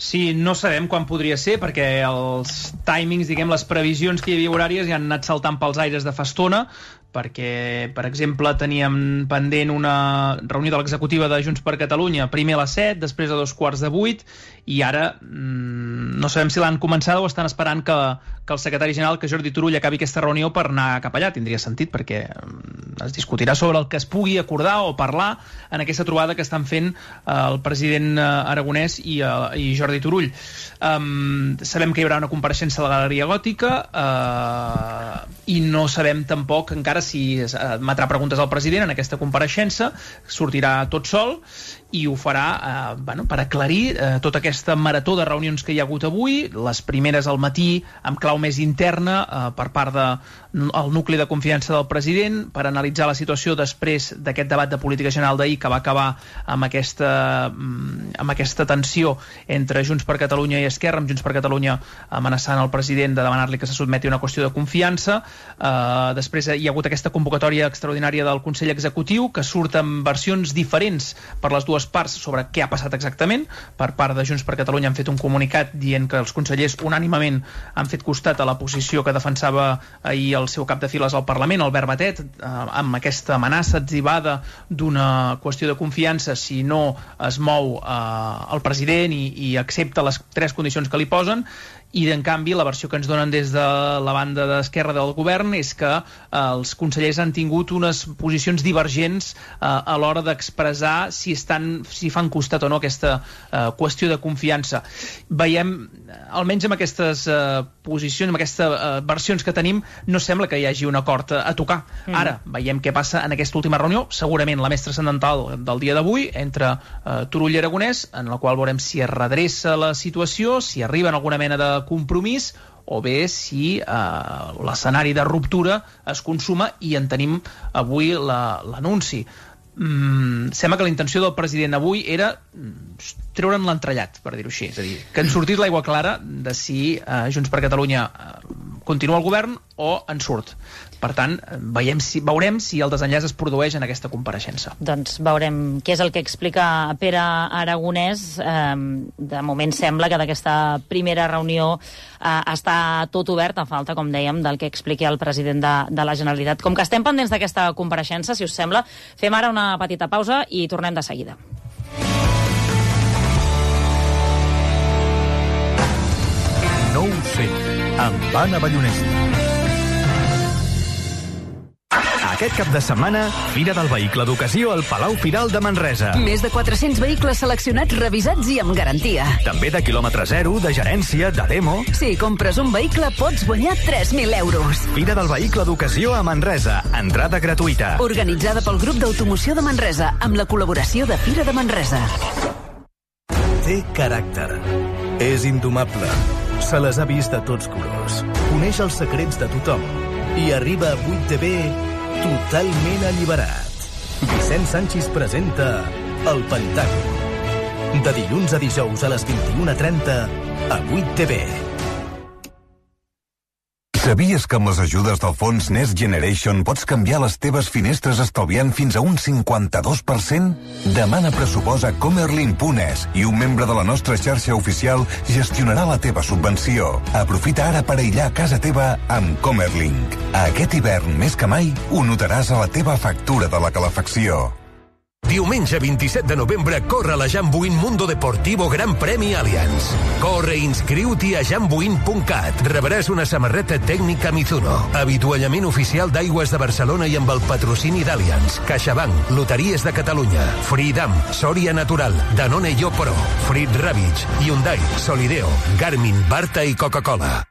Sí, no sabem quan podria ser, perquè els timings, diguem, les previsions que hi havia horàries ja han anat saltant pels aires de fa estona, perquè, per exemple, teníem pendent una reunió de l'executiva de Junts per Catalunya, primer a les set, després a dos quarts de vuit, i ara mmm, no sabem si l'han començada o estan esperant que, que el secretari general, que Jordi Turull, acabi aquesta reunió per anar cap allà. Tindria sentit, perquè mm, es discutirà sobre el que es pugui acordar o parlar en aquesta trobada que estan fent eh, el president eh, Aragonès i, eh, i Jordi Turull. Um, sabem que hi haurà una compareixença a la Galeria Gòtica eh, i no sabem tampoc encara si emetrà preguntes al president en aquesta compareixença, sortirà tot sol i ho farà eh, bueno, per aclarir eh, tota aquesta marató de reunions que hi ha hagut avui, les primeres al matí amb clau més interna eh, per part del de, nucli de confiança del president, per analitzar la situació després d'aquest debat de política general d'ahir que va acabar amb aquesta, amb aquesta tensió entre Junts per Catalunya i Esquerra, amb Junts per Catalunya amenaçant el president de demanar-li que se sotmeti a una qüestió de confiança. Eh, després hi ha hagut aquesta convocatòria extraordinària del Consell Executiu, que surt amb versions diferents per les dues parts sobre què ha passat exactament. Per part de Junts per Catalunya han fet un comunicat dient que els consellers unànimement han fet costat a la posició que defensava ahir el seu cap de files al Parlament, Albert Batet, eh, amb aquesta amenaça atzivada d'una qüestió de confiança si no es mou eh, el president i, i accepta les tres condicions que li posen. I, en canvi, la versió que ens donen des de la banda d'esquerra del govern és que eh, els consellers han tingut unes posicions divergents eh, a l'hora d'expressar si, estan, si fan costat o no aquesta eh, qüestió de confiança. Veiem, almenys amb aquestes eh, posicions, amb aquestes eh, versions que tenim, no sembla que hi hagi un acord a, a tocar. Mm. Ara, veiem què passa en aquesta última reunió, segurament la més transcendental del dia d'avui, entre eh, Turull i Aragonès, en la qual veurem si es redreça la situació, si arriba en alguna mena de compromís, o bé si eh, l'escenari de ruptura es consuma i en tenim avui l'anunci. Mm, sembla que la intenció del president avui era treure'n l'entrellat, per dir-ho així, és a dir, que en sortís l'aigua clara de si eh, Junts per Catalunya eh, continua al govern o en surt. Per tant, veiem si, veurem si el desenllaç es produeix en aquesta compareixença. Doncs veurem què és el que explica Pere Aragonès. Eh, de moment sembla que d'aquesta primera reunió eh, està tot obert, a falta, com dèiem, del que expliqui el president de, de la Generalitat. Com que estem pendents d'aquesta compareixença, si us sembla, fem ara una petita pausa i tornem de seguida. No ho sé, amb Anna Ballonesta. Aquest cap de setmana, Fira del Vehicle d'Ocasió al Palau Firal de Manresa. Més de quatre-cents vehicles seleccionats, revisats i amb garantia. També de quilòmetre zero, de gerència, de demo. Si compres un vehicle, pots guanyar tres mil euros. Fira del Vehicle d'Ocasió a Manresa. Entrada gratuïta. Organitzada pel Grup d'Automoció de Manresa, amb la col·laboració de Fira de Manresa. Té caràcter. És indomable. Se les ha vist de tots colors. Coneix els secrets de tothom. I arriba a vuit T V totalment alliberat. Vicent Sanchis presenta El Pentàgon. De dilluns a dijous a les vint-i-una trenta a vuit T V. Sabies que amb les ajudes del fons Next Generation pots canviar les teves finestres estalviant fins a un cinquanta-dos per cent? Demana pressupost a comerlin punt es i un membre de la nostra xarxa oficial gestionarà la teva subvenció. Aprofita ara per aïllar casa teva amb Comerlink. Aquest hivern, més que mai, ho notaràs a la teva factura de la calefacció. Diumenge vint-i-set de novembre corre la Jambuin Mundo Deportivo Gran Premi Allianz. Corre i inscriu-t'hi a jambuin punt cat. Rebràs una samarreta tècnica Mizuno, avituallament oficial d'Aigües de Barcelona i amb el patrocini d'Allianz, CaixaBank, Loteries de Catalunya, Freedom, Soria Natural, Danone i Oporo, Frit Ravitch, Hyundai, Solideo, Garmin, Barta i Coca-Cola.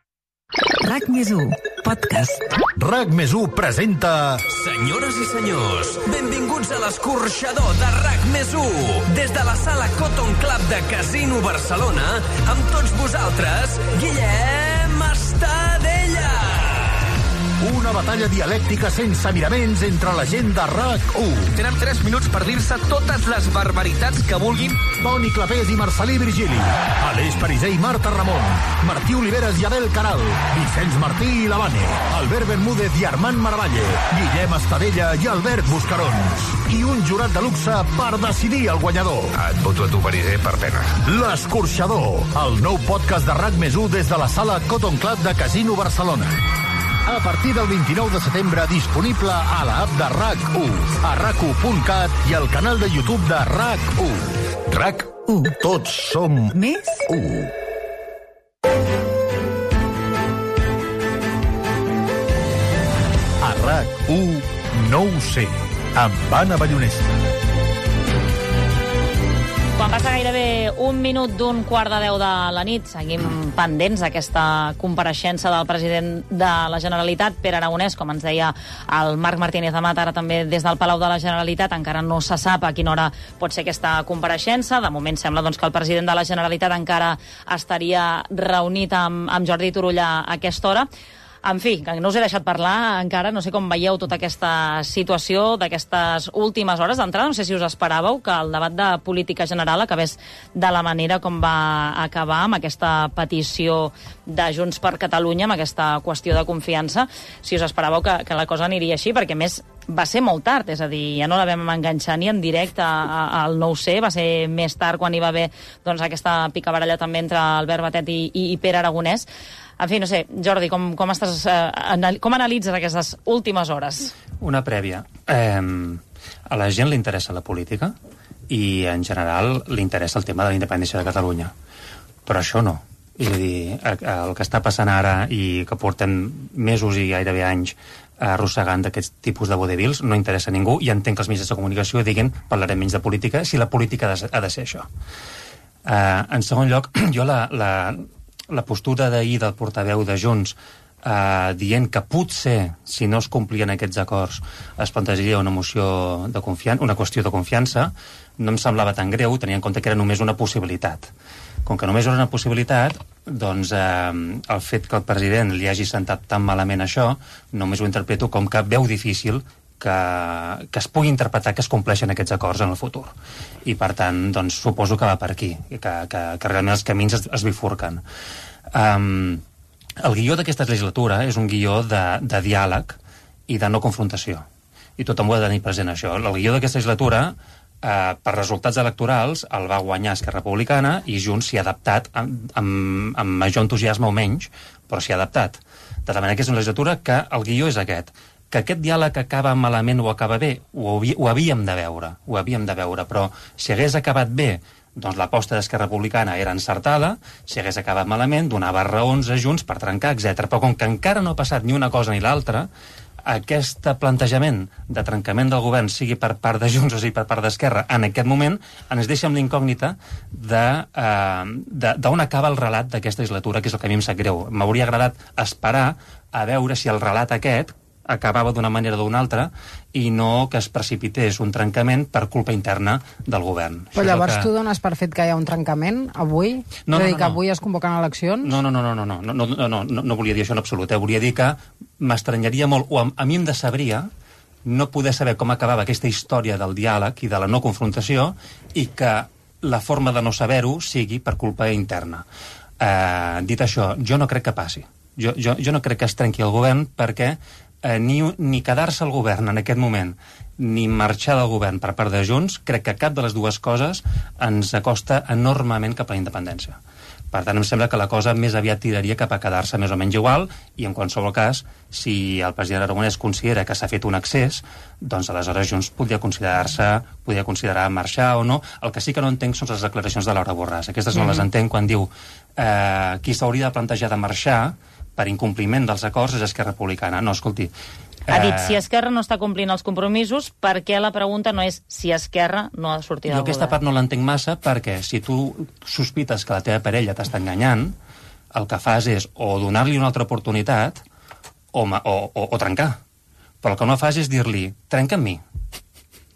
RAC més u, podcast. RAC més u presenta... Senyores i senyors, benvinguts a l'escorxador de RAC més u. Des de la sala Cotton Club de Casino Barcelona, amb tots vosaltres, Guillem Estadella. Una batalla dialèctica sense miraments entre la gent de RAC u. Tenen tres minuts per dir-se totes les barbaritats que vulguin. Toni Clapés i Marcelí Virgili. Aleix Pariser i Marta Ramon. Martí Oliveres i Abel Caral. Vicenç Martí i Lavane. Albert Bermúdez i Armand Marvalle. Guillem Estadella i Albert Buscarons. I un jurat de luxe per decidir el guanyador. Et voto a tu, Pariser, per pena. L'Escorxador, el nou podcast de RAC més u des de la sala Cotton Club de Casino Barcelona. A partir del vint-i-nou de setembre, disponible a l'app de RAC u, a rac u punt cat i al canal de YouTube de RAC u. RAC u. Tots som més u. A RAC u, no ho sé, amb Anna Ballonesta. Quan passa gairebé un minut d'un quart de deu de la nit, seguim pendents d'aquesta compareixença del president de la Generalitat, Pere Aragonès, com ens deia el Marc Martínez Amat, ara també des del Palau de la Generalitat. Encara no se sap a quina hora pot ser aquesta compareixença. De moment sembla doncs, que el president de la Generalitat encara estaria reunit amb, amb Jordi Turull a aquesta hora. En fi, que no us he deixat parlar encara, no sé com veieu tota aquesta situació d'aquestes últimes hores. D'entrada, no sé si us esperàveu que el debat de política general acabés de la manera com va acabar, amb aquesta petició de Junts per Catalunya, amb aquesta qüestió de confiança. Si us esperàveu que, que la cosa aniria així, perquè més va ser molt tard, és a dir, ja no la vam enganxar ni en directe al nou C, va ser més tard quan hi va haver doncs, aquesta picabaralla també entre Albert Batet i, i, i Pere Aragonès. En fi, no sé, Jordi, com, com, estàs, eh, com analitzes aquestes últimes hores? Una prèvia. Eh, a la gent li interessa la política i, en general, li interessa el tema de la independència de Catalunya. Però això no. És a dir, el que està passant ara i que portem mesos i gairebé anys arrossegant d'aquests tipus de vodevils no interessa a ningú, i entenc que els mitjans de comunicació diguin parlarem menys de política si la política ha de, ha de ser això. Eh, en segon lloc, jo la... la la postura d'ahir del portaveu de Junts eh, dient que potser, si no es complien aquests acords, es plantejaria una moció de confiança, una qüestió de confiança, no em semblava tan greu, tenia en compte que era només una possibilitat. Com que només era una possibilitat, doncs eh, el fet que el president li hagi sentat tan malament això, només ho interpreto com que veu difícil que, que es pugui interpretar que es compleixen aquests acords en el futur. I, per tant, doncs, suposo que va per aquí, que, que, que realment els camins es, es bifurquen. Um, el guió d'aquesta legislatura és un guió de, de diàleg i de no confrontació. I tothom ho ha de tenir present, això. El guió d'aquesta legislatura, eh, per resultats electorals, el va guanyar Esquerra Republicana i Junts s'hi ha adaptat amb, amb, amb major entusiasme o menys, però s'hi ha adaptat. De la manera que és una legislatura que el guió és aquest. Que aquest diàleg acaba malament o acaba bé, ho, ho havíem de veure, ho havíem de veure, però si hagués acabat bé, doncs l'aposta d'Esquerra Republicana era encertada, si hagués acabat malament, donava raons a Junts per trencar, etcètera. Però com que encara no ha passat ni una cosa ni l'altra, aquest plantejament de trencament del govern, sigui per part de Junts o sigui per part d'Esquerra, en aquest moment ens deixa amb l'incògnita d'on acaba el relat d'aquesta legislatura, que és el que a mi em sap greu. M'hauria agradat esperar a veure si el relat aquest acabava d'una manera o d'una altra i no que es precipités un trencament per culpa interna del govern. Però llavors que... tu dones per fet que hi ha un trencament avui? No, és a dir, no, no, que no. avui es convoquen eleccions? No, no, no, no, no, no, no, no, no, no, no volia dir això en absolut. Eh? Volia dir que m'estranyaria molt, o a, a mi em decebria no poder saber com acabava aquesta història del diàleg i de la no confrontació i que la forma de no saber-ho sigui per culpa interna. Eh, dit això, jo no crec que passi. Jo, jo, jo no crec que es trenqui el govern perquè eh, ni, ni quedar-se al govern en aquest moment ni marxar del govern per part de Junts, crec que cap de les dues coses ens acosta enormement cap a la independència. Per tant, em sembla que la cosa més aviat tiraria cap a quedar-se més o menys igual i, en qualsevol cas, si el president Aragonès considera que s'ha fet un excés, doncs aleshores Junts podria considerar-se, podria considerar marxar o no. El que sí que no entenc són les declaracions de Laura Borràs. Aquestes no mm-hmm. les entenc quan diu eh, qui s'hauria de plantejar de marxar per incompliment dels acords és Esquerra Republicana. No, escolti... Ha dit, si Esquerra no està complint els compromisos, per què la pregunta no és si Esquerra no ha de sortir del govern? Jo aquesta part no l'entenc massa perquè si tu sospites que la teva parella t'està enganyant, el que fas és o donar-li una altra oportunitat o, o, o, o trencar. Però el que no fas és dir-li, trenca amb mi.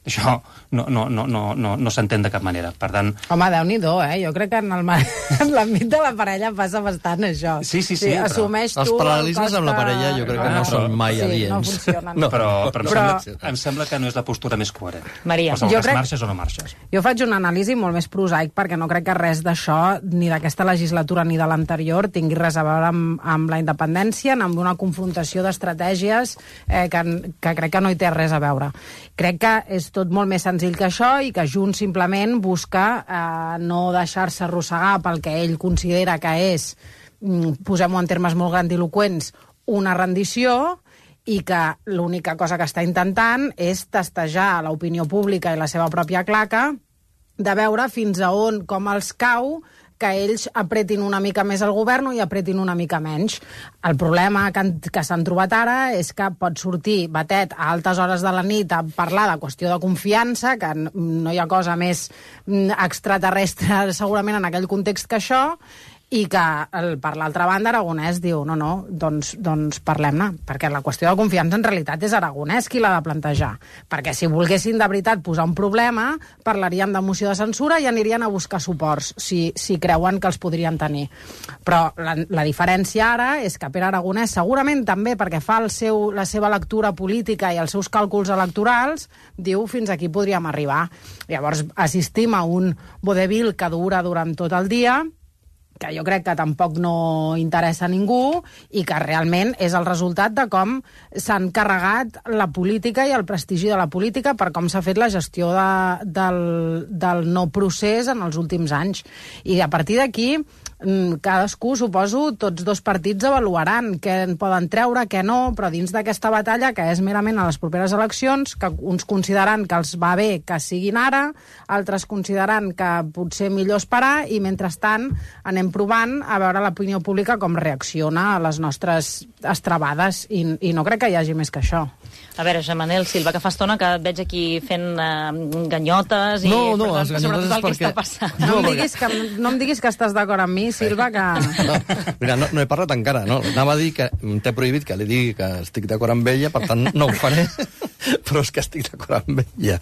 Això no, no, no, no, no, no s'entén de cap manera. Per tant... Home, Déu-n'hi-do, eh? Jo crec que en l'àmbit de la parella passa bastant això. Sí, sí, sí. sí assumeix però... tu... Els paral·lelismes amb la parella jo crec que no, no són mai sí, adients. No funcionen. No, però, però, però... Em, sembla, em sembla que no és la postura més coherent. Maria, jo crec... marxes o no marxes? Jo faig una anàlisi molt més prosaic perquè no crec que res d'això, ni d'aquesta legislatura ni de l'anterior, tingui res a veure amb, amb la independència, amb una confrontació d'estratègies eh, que, que crec que no hi té res a veure. Crec que és tot molt més senzill que això i que Junts simplement busca eh, no deixar-se arrossegar pel que ell considera que és, posem-ho en termes molt grandiloquents, una rendició i que l'única cosa que està intentant és testejar l'opinió pública i la seva pròpia claca de veure fins a on, com els cau que ells apretin una mica més el govern i apretin una mica menys. El problema que, que s'han trobat ara és que pot sortir Batet a altes hores de la nit a parlar de qüestió de confiança, que no hi ha cosa més extraterrestre segurament en aquell context que això, i que, el, per l'altra banda, Aragonès diu, no, no, doncs, doncs parlem-ne, perquè la qüestió de confiança en realitat és Aragonès qui l'ha de plantejar, perquè si volguessin de veritat posar un problema, parlaríem de moció de censura i anirien a buscar suports, si, si creuen que els podrien tenir. Però la, la diferència ara és que Pere Aragonès, segurament també perquè fa el seu, la seva lectura política i els seus càlculs electorals, diu fins aquí podríem arribar. Llavors assistim a un vodevil que dura durant tot el dia, que jo crec que tampoc no interessa a ningú i que realment és el resultat de com s'han carregat la política i el prestigi de la política per com s'ha fet la gestió de, del, del no procés en els últims anys. I a partir d'aquí, cadascú, suposo, tots dos partits avaluaran què en poden treure, què no, però dins d'aquesta batalla, que és merament a les properes eleccions, que uns consideraran que els va bé que siguin ara, altres consideraran que potser millor esperar, i mentrestant anem provant a veure l'opinió pública com reacciona a les nostres estrabades, i, i no crec que hi hagi més que això. A veure, Manel Silva, que fa estona que et veig aquí fent uh, ganyotes i... No, no, tant, les ganyotes és perquè... Està no, em diguis que, no em diguis que estàs d'acord amb mi, Silva, que... No, mira, no, no he parlat encara, no? Anava a dir que t'he prohibit que li digui que estic d'acord amb ella, per tant no ho faré, però és que estic d'acord amb ella.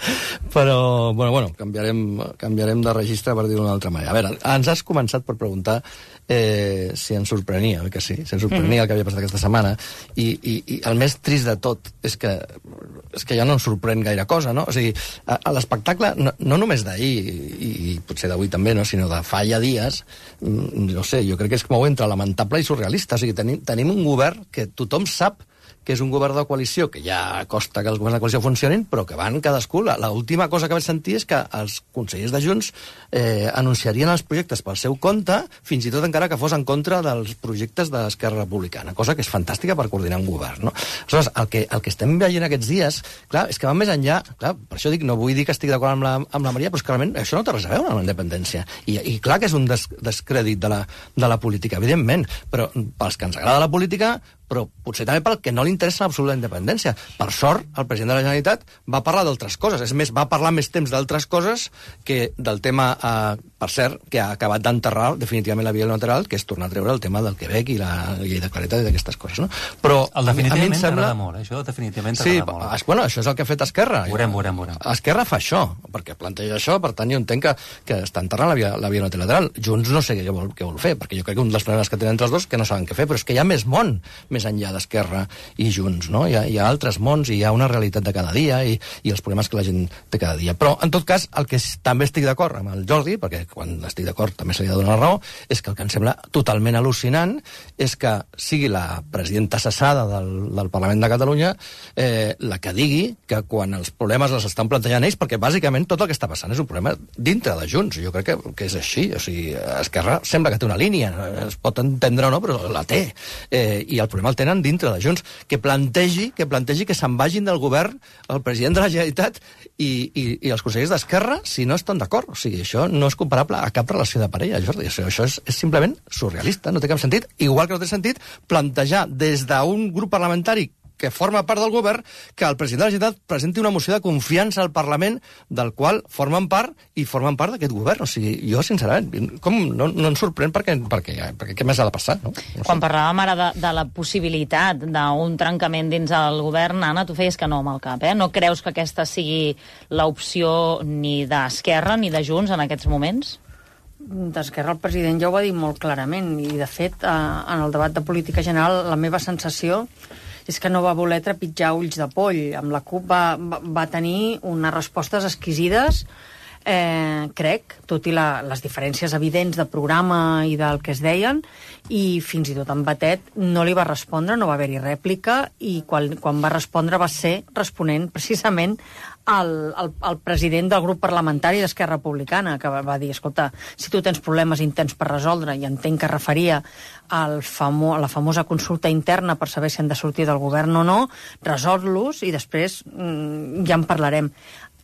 Però, bueno, bueno, canviarem, canviarem de registre per dir-ho d'una altra manera. A veure, ens has començat per preguntar eh, si ens sorprenia, oi que sí? Si ens sorprenia mm. el que havia passat aquesta setmana, i, i, i el més trist de tot és que és que ja no ens sorprèn gaire cosa, no? O sigui, a, a l'espectacle, no, no només d'ahir, i, i potser d'avui també, no? Sinó de fa ja dies, no sé, jo crec que és com entre lamentable i surrealista. O sigui, tenim, tenim un govern que tothom sap que és un govern de coalició, que ja costa que els governs de coalició funcionin, però que van cadascú. L'última cosa que vaig sentir és que els consellers de Junts eh, anunciarien els projectes pel seu compte, fins i tot encara que fos en contra dels projectes de l'Esquerra Republicana, cosa que és fantàstica per coordinar un govern, no? Aleshores, el que, el que estem veient aquests dies, clar, és que va més enllà, clar, per això dic, no vull dir que estic d'acord amb la, amb la Maria, però és que realment això no té res a veure amb la independència. I, i clar que és un des, descrèdit de la, de la política, evidentment, però pels que ens agrada la política, però potser també pel que no li interessa l'absoluta independència. Per sort, el president de la Generalitat va parlar d'altres coses. És més, va parlar més temps d'altres coses que del tema, eh, per cert, que ha acabat d'enterrar definitivament la via unilateral, que és tornar a treure el tema del Quebec i la llei de claretat i d'aquestes coses, no? Però el definitivament a mi em sembla... t'agrada molt, eh? Això definitivament sí, t'agrada molt. Sí, bueno, això és el que ha fet Esquerra. Veurem, veurem, veurem. Esquerra fa això, perquè planteja això, per tant, jo entenc que, que està enterrant la via, la via unilateral. Junts no sé què vol, què vol fer, perquè jo crec que un dels problemes que tenen entre els dos que no saben què fer, però és que hi ha més món més enllà d'Esquerra i Junts, no? Hi ha, hi ha altres mons i hi ha una realitat de cada dia i, i els problemes que la gent té cada dia. Però, en tot cas, el que també estic d'acord amb el Jordi, perquè quan estic d'acord també se li ha de donar la raó, és que el que em sembla totalment al·lucinant és que sigui la presidenta cessada del, del Parlament de Catalunya eh, la que digui que quan els problemes els estan plantejant ells, perquè bàsicament tot el que està passant és un problema dintre de Junts. Jo crec que, que és així. O sigui, Esquerra sembla que té una línia, es pot entendre o no, però la té. Eh, I el problema el tenen dintre de Junts. Que plantegi que plantegi que se'n vagin del govern el president de la Generalitat i, i, i els consellers d'Esquerra si no estan d'acord. O sigui, això no és comparable a cap relació de parella, Jordi. Això, això és, és simplement surrealista, no té cap sentit. Igual que no té sentit plantejar des d'un grup parlamentari que forma part del govern, que el president de la Generalitat presenti una moció de confiança al Parlament del qual formen part i formen part d'aquest govern. O sigui, jo, sincerament, com no, no em sorprèn perquè, perquè, perquè què més ha de passar, no? no sé. Quan parlàvem ara de, de la possibilitat d'un trencament dins el govern, Anna, tu feies que no amb el cap, eh? No creus que aquesta sigui l'opció ni d'Esquerra ni de Junts en aquests moments? D'Esquerra el president ja ho va dir molt clarament i, de fet, eh, en el debat de política general la meva sensació és que no va voler trepitjar ulls de poll. Amb la CUP va, va, va tenir unes respostes exquisides, eh, crec, tot i la, les diferències evidents de programa i del que es deien, i fins i tot en Batet no li va respondre, no va haver-hi rèplica, i quan, quan va respondre va ser responent precisament al, al, al president del grup parlamentari d'Esquerra Republicana, que va, va dir, escolta, si tu tens problemes intents per resoldre, i entenc que referia al famo, a la famosa consulta interna per saber si han de sortir del govern o no, resol-los i després mm, ja en parlarem.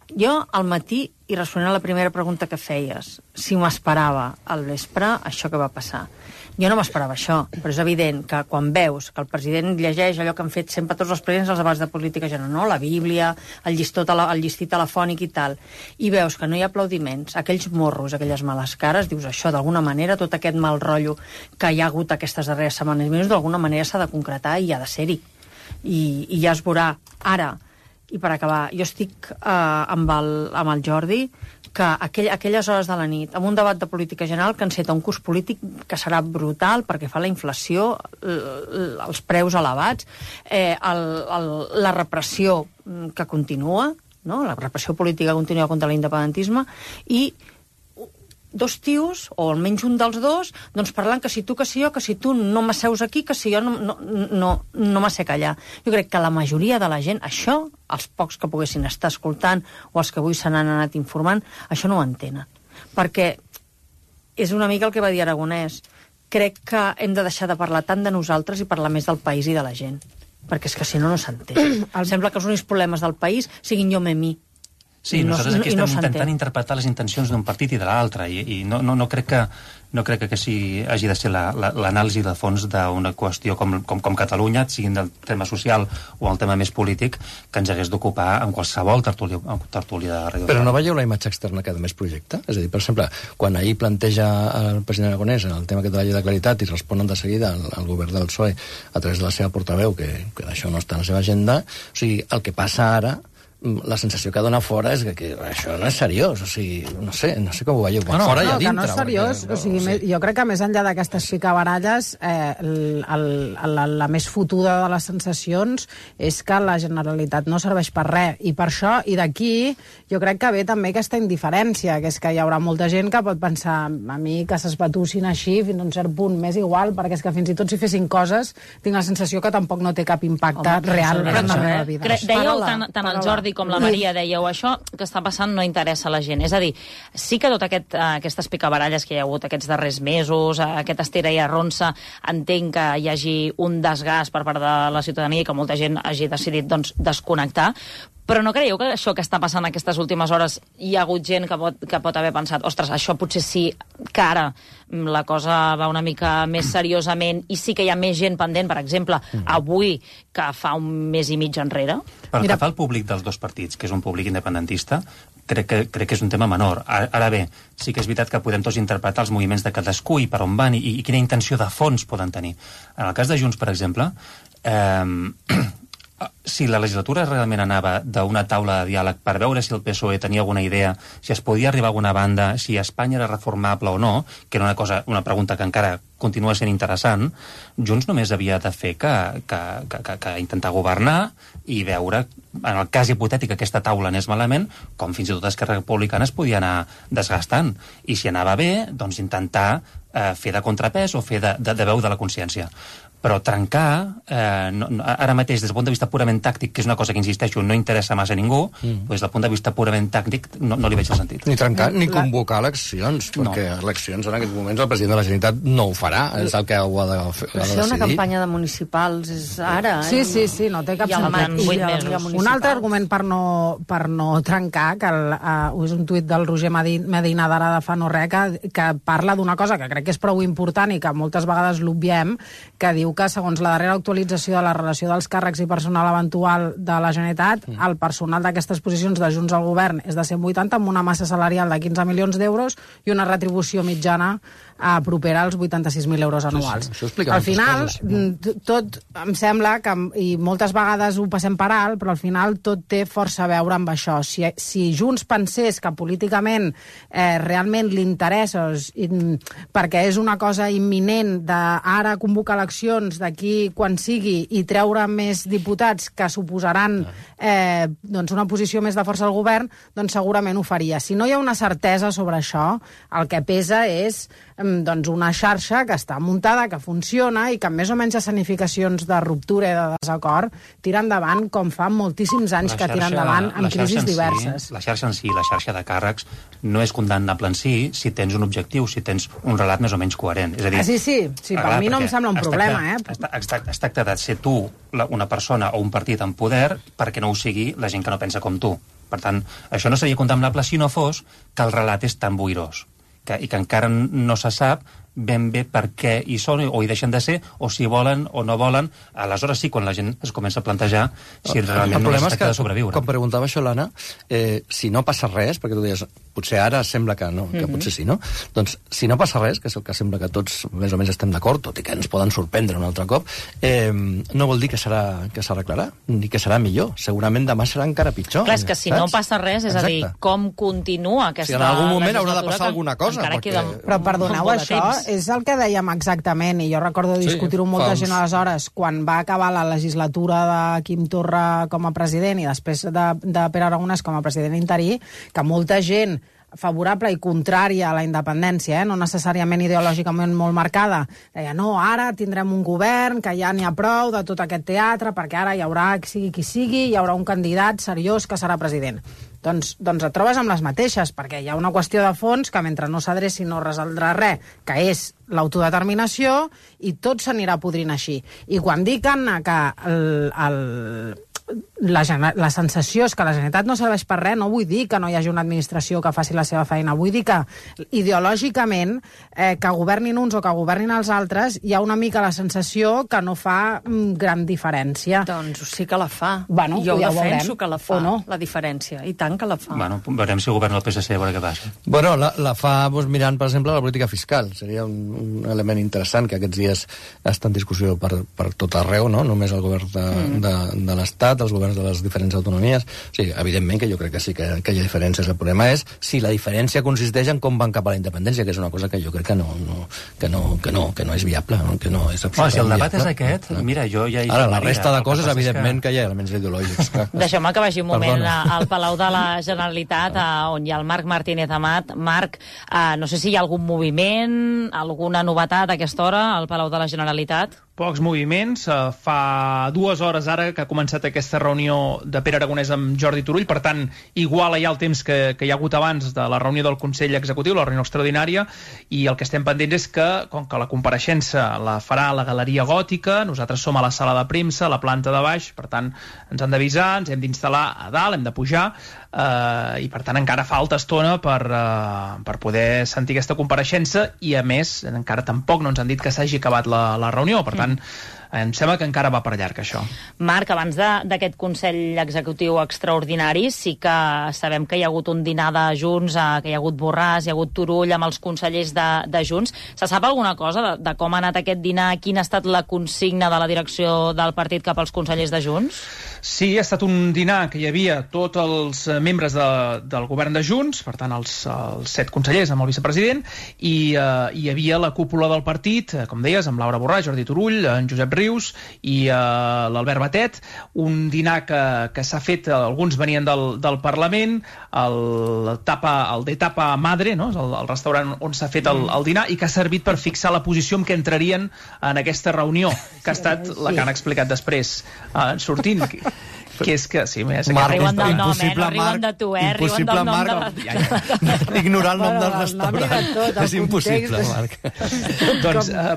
Jo, al matí, i responent a la primera pregunta que feies, si m'esperava al vespre això que va passar. Jo no m'esperava això, però és evident que quan veus que el president llegeix allò que han fet sempre tots els presidents als debats de política general, no? La Bíblia, el, llistó, el llistí telefònic i tal, i veus que no hi ha aplaudiments, aquells morros, aquelles males cares, dius això, d'alguna manera, tot aquest mal rotllo que hi ha hagut aquestes darreres setmanes i mesos, d'alguna manera s'ha de concretar i ha de ser-hi. I, i ja es veurà. Ara, i per acabar, jo estic eh, amb, el, amb el Jordi, que aquell, aquelles hores de la nit, amb un debat de política general que enceta un curs polític que serà brutal perquè fa la inflació, els preus elevats, eh, el, el, la repressió que continua, no? La repressió política continua contra l'independentisme, i dos tios, o almenys un dels dos, doncs parlant que si tu, que si jo, que si tu no m'asseus aquí, que si jo no, no, no, no m'assec allà. Jo crec que la majoria de la gent, això, els pocs que poguessin estar escoltant o els que avui se n'han anat informant, això no ho entenen. Perquè és una mica el que va dir Aragonès. Crec que hem de deixar de parlar tant de nosaltres i parlar més del país i de la gent. Perquè és que si no, no s'entén. Sembla que els únics problemes del país siguin jo me mi. Sí, no, nosaltres aquí estem no intentant interpretar les intencions d'un partit i de l'altre, i, i no, no, no crec que no crec que sí, hagi de ser l'anàlisi de fons d'una qüestió com, com, com Catalunya, siguin del tema social o el tema més polític, que ens hagués d'ocupar en qualsevol tertúlia, tertúlia de ràdio. Però no veieu la imatge externa que a més projecta? És a dir, per exemple, quan ahir planteja el president Aragonès el tema que de la llei de claritat i responen de seguida al, al govern del P S O E a través de la seva portaveu, que, que això no està en la seva agenda, o sigui, el que passa ara la sensació que dona fora és que, que això no és seriós, o sigui, no sé, no sé com ho veieu, no, fora no, i a dintre. Que no és seriós, perquè, o sigui, sí. Jo crec que més enllà d'aquestes picabaralles, eh, el, el, la, la més fotuda de les sensacions és que la Generalitat no serveix per res, i per això, i d'aquí, jo crec que ve també aquesta indiferència, que és que hi haurà molta gent que pot pensar, a mi que s'esbatussin així fins a un cert punt, m'és igual, perquè és que fins i tot si fessin coses, tinc la sensació que tampoc no té cap impacte Home, real en la meva vida. Cre dèieu tant, tant el Jordi com la Maria, dèieu, això que està passant no interessa a la gent. És a dir, sí que tot aquest, aquestes picabaralles que hi ha hagut aquests darrers mesos, aquest estira i arronsa, entenc que hi hagi un desgast per part de la ciutadania i que molta gent hagi decidit doncs, desconnectar, però no creieu que això que està passant aquestes últimes hores hi ha hagut gent que pot, que pot haver pensat ostres, això potser sí que ara la cosa va una mica més seriosament i sí que hi ha més gent pendent, per exemple, avui que fa un mes i mig enrere? Pel que fa al públic dels dos partits, que és un públic independentista, crec que, crec que és un tema menor. Ara, ara bé, sí que és veritat que podem tots interpretar els moviments de cadascú i per on van i, i quina intenció de fons poden tenir. En el cas de Junts, per exemple, eh, si la legislatura realment anava d'una taula de diàleg per veure si el P S O E tenia alguna idea, si es podia arribar a alguna banda, si Espanya era reformable o no, que era una cosa, una pregunta que encara continua sent interessant, Junts només havia de fer que, que, que, que, que intentar governar i veure, en el cas hipotètic que aquesta taula anés malament, com fins i tot Esquerra Republicana es podia anar desgastant. I si anava bé, doncs intentar eh, fer de contrapès o fer de, de, de veu de la consciència. Però trencar, eh, no, ara mateix, des del punt de vista purament tàctic, que és una cosa que, insisteixo, no interessa massa a ningú, mm. doncs, des del punt de vista purament tàctic no, no li veig el sentit. Ni trencar, ni convocar eleccions, perquè no. eleccions en aquests moments el president de la Generalitat no ho farà, és el que ho ha de, ha de decidir. Ser una campanya de municipals és ara, eh? Sí, sí, sí, no té cap sentit. Un altre argument per no, per no trencar, que el, uh, és un tuit del Roger Medina d'ara de fa no res, que, que parla d'una cosa que crec que és prou important i que moltes vegades l'obviem, que diu que, segons la darrera actualització de la relació dels càrrecs i personal eventual de la Generalitat, mm. el personal d'aquestes posicions de Junts al govern és de cent vuitanta, amb una massa salarial de quinze milions d'euros i una retribució mitjana eh, propera als vuitanta-sis mil euros anuals. Sí, sí. Al final, coses. tot em sembla que, i moltes vegades ho passem per alt, però al final tot té força a veure amb això. Si, si Junts pensés que políticament eh, realment li interessa, perquè és una cosa imminent d'ara convocar eleccions d'aquí quan sigui i treure més diputats que suposaran eh, doncs una posició més de força al govern, doncs segurament ho faria. Si no hi ha una certesa sobre això, el que pesa és doncs una xarxa que està muntada, que funciona i que amb més o menys escenificacions de ruptura i de desacord tira endavant com fa moltíssims anys xarxa, que tira endavant amb crisis en diverses. Si, la xarxa en si, la xarxa de càrrecs, no és condemnable en si si tens un objectiu, si tens un relat més o menys coherent. És a dir, ah, sí, sí, sí, per mi no em sembla un problema. Eh? Es tracta de ser tu una persona o un partit en poder perquè no ho sigui la gent que no pensa com tu. Per tant, això no seria condemnable si no fos que el relat és tan boirós que, i que encara no se sap ben bé per què hi són o hi deixen de ser, o si volen o no volen. Aleshores sí, quan la gent es comença a plantejar si realment no es tracta de sobreviure. Com preguntava això l'Anna, eh, si no passa res, perquè tu deies, potser ara sembla que no, que mm-hmm. potser sí, no? Doncs, si no passa res, que és el que sembla que tots més o menys estem d'acord, tot i que ens poden sorprendre un altre cop, eh, no vol dir que serà que s'arreglarà, ni que serà millor. Segurament demà serà encara pitjor. Clar, és que si saps? No passa res, és Exacte. A dir, com continua aquesta legislatura... Si en algun moment haurà de passar alguna cosa. Perquè... Queda... Però perdoneu, això és el que dèiem exactament, i jo recordo discutir-ho amb molta gent aleshores, quan va acabar la legislatura de Quim Torra com a president i després de, de Pere Aragonès com a president interí, que molta gent favorable i contrària a la independència, eh? no necessàriament ideològicament molt marcada, deia, no, ara tindrem un govern que ja n'hi ha prou de tot aquest teatre, perquè ara hi haurà, sigui qui sigui, hi haurà un candidat seriós que serà president. Doncs, doncs et trobes amb les mateixes, perquè hi ha una qüestió de fons que mentre no s'adreci no resoldrà res, que és l'autodeterminació, i tot s'anirà podrint així. I quan dic, Anna, que el... el La, la sensació és que la Generalitat no serveix per res, no vull dir que no hi hagi una administració que faci la seva feina, vull dir que ideològicament eh, que governin uns o que governin els altres hi ha una mica la sensació que no fa mm, gran diferència. Doncs sí que la fa. Bueno, jo ja defenso que la fa, no? La diferència, i tant que la fa. Bueno, veurem si governa el P S C a veure què passa. Bueno, la, la fa doncs, mirant, per exemple, la política fiscal. Seria un, un element interessant que aquests dies està en discussió per, per tot arreu, no? Només el govern de, mm. de, de l'Estat, els governs governs de les diferents autonomies. Sí, evidentment que jo crec que sí que, que hi ha diferències. El problema és si la diferència consisteix en com van cap a la independència, que és una cosa que jo crec que no, no, que no, que no, que no és viable, no? Que no és absolutament si el debat viable. és aquest, mira, jo ja hi... Ara, la resta de coses, evidentment, que... que hi ha elements ideològics. Deixeu-me que vagi un moment Perdona. al Palau de la Generalitat, on hi ha el Marc Martínez Amat. Marc, eh, no sé si hi ha algun moviment, alguna novetat a aquesta hora al Palau de la Generalitat? Pocs moviments. Uh, fa dues hores ara que ha començat aquesta reunió de Pere Aragonès amb Jordi Turull, per tant, iguala ja el temps que, que hi ha hagut abans de la reunió del Consell Executiu, la reunió extraordinària, i el que estem pendents és que, com que la compareixença la farà a la Galeria Gòtica, nosaltres som a la sala de premsa, a la planta de baix, per tant, ens han d'avisar, ens hem d'instal·lar a dalt, hem de pujar, eh, i per tant encara falta estona per, eh, per poder sentir aquesta compareixença, i a més, encara tampoc no ens han dit que s'hagi acabat la, la reunió, per tant, em sembla que encara va per llarg, això. Marc, abans d'aquest Consell Executiu extraordinari, sí que sabem que hi ha hagut un dinar de Junts, que hi ha hagut Borràs, hi ha hagut Turull amb els consellers de, de Junts. Se sap alguna cosa de, de com ha anat aquest dinar? Quina ha estat la consigna de la direcció del partit cap als consellers de Junts? Sí, ha estat un dinar que hi havia tots els membres de, del govern de Junts, per tant, els, els set consellers amb el vicepresident, i eh, hi havia la cúpula del partit, com deies, amb Laura Borràs, Jordi Turull, en Josep Rius i eh, l'Albert Batet, un dinar que, que s'ha fet, alguns venien del, del Parlament, el, tapa, el de Tapa Madre, no? el, el restaurant on s'ha fet el, el dinar, i que ha servit per fixar la posició en què entrarien en aquesta reunió, que ha estat la que han explicat després, eh, sortint, que és que... Sí, és que riuen del nom, eh? No riuen de tu, eh? Riuen del nom de la... Ja, ja. Ignorar el nom del restaurant. Tot, és impossible, Marc. Doncs, eh,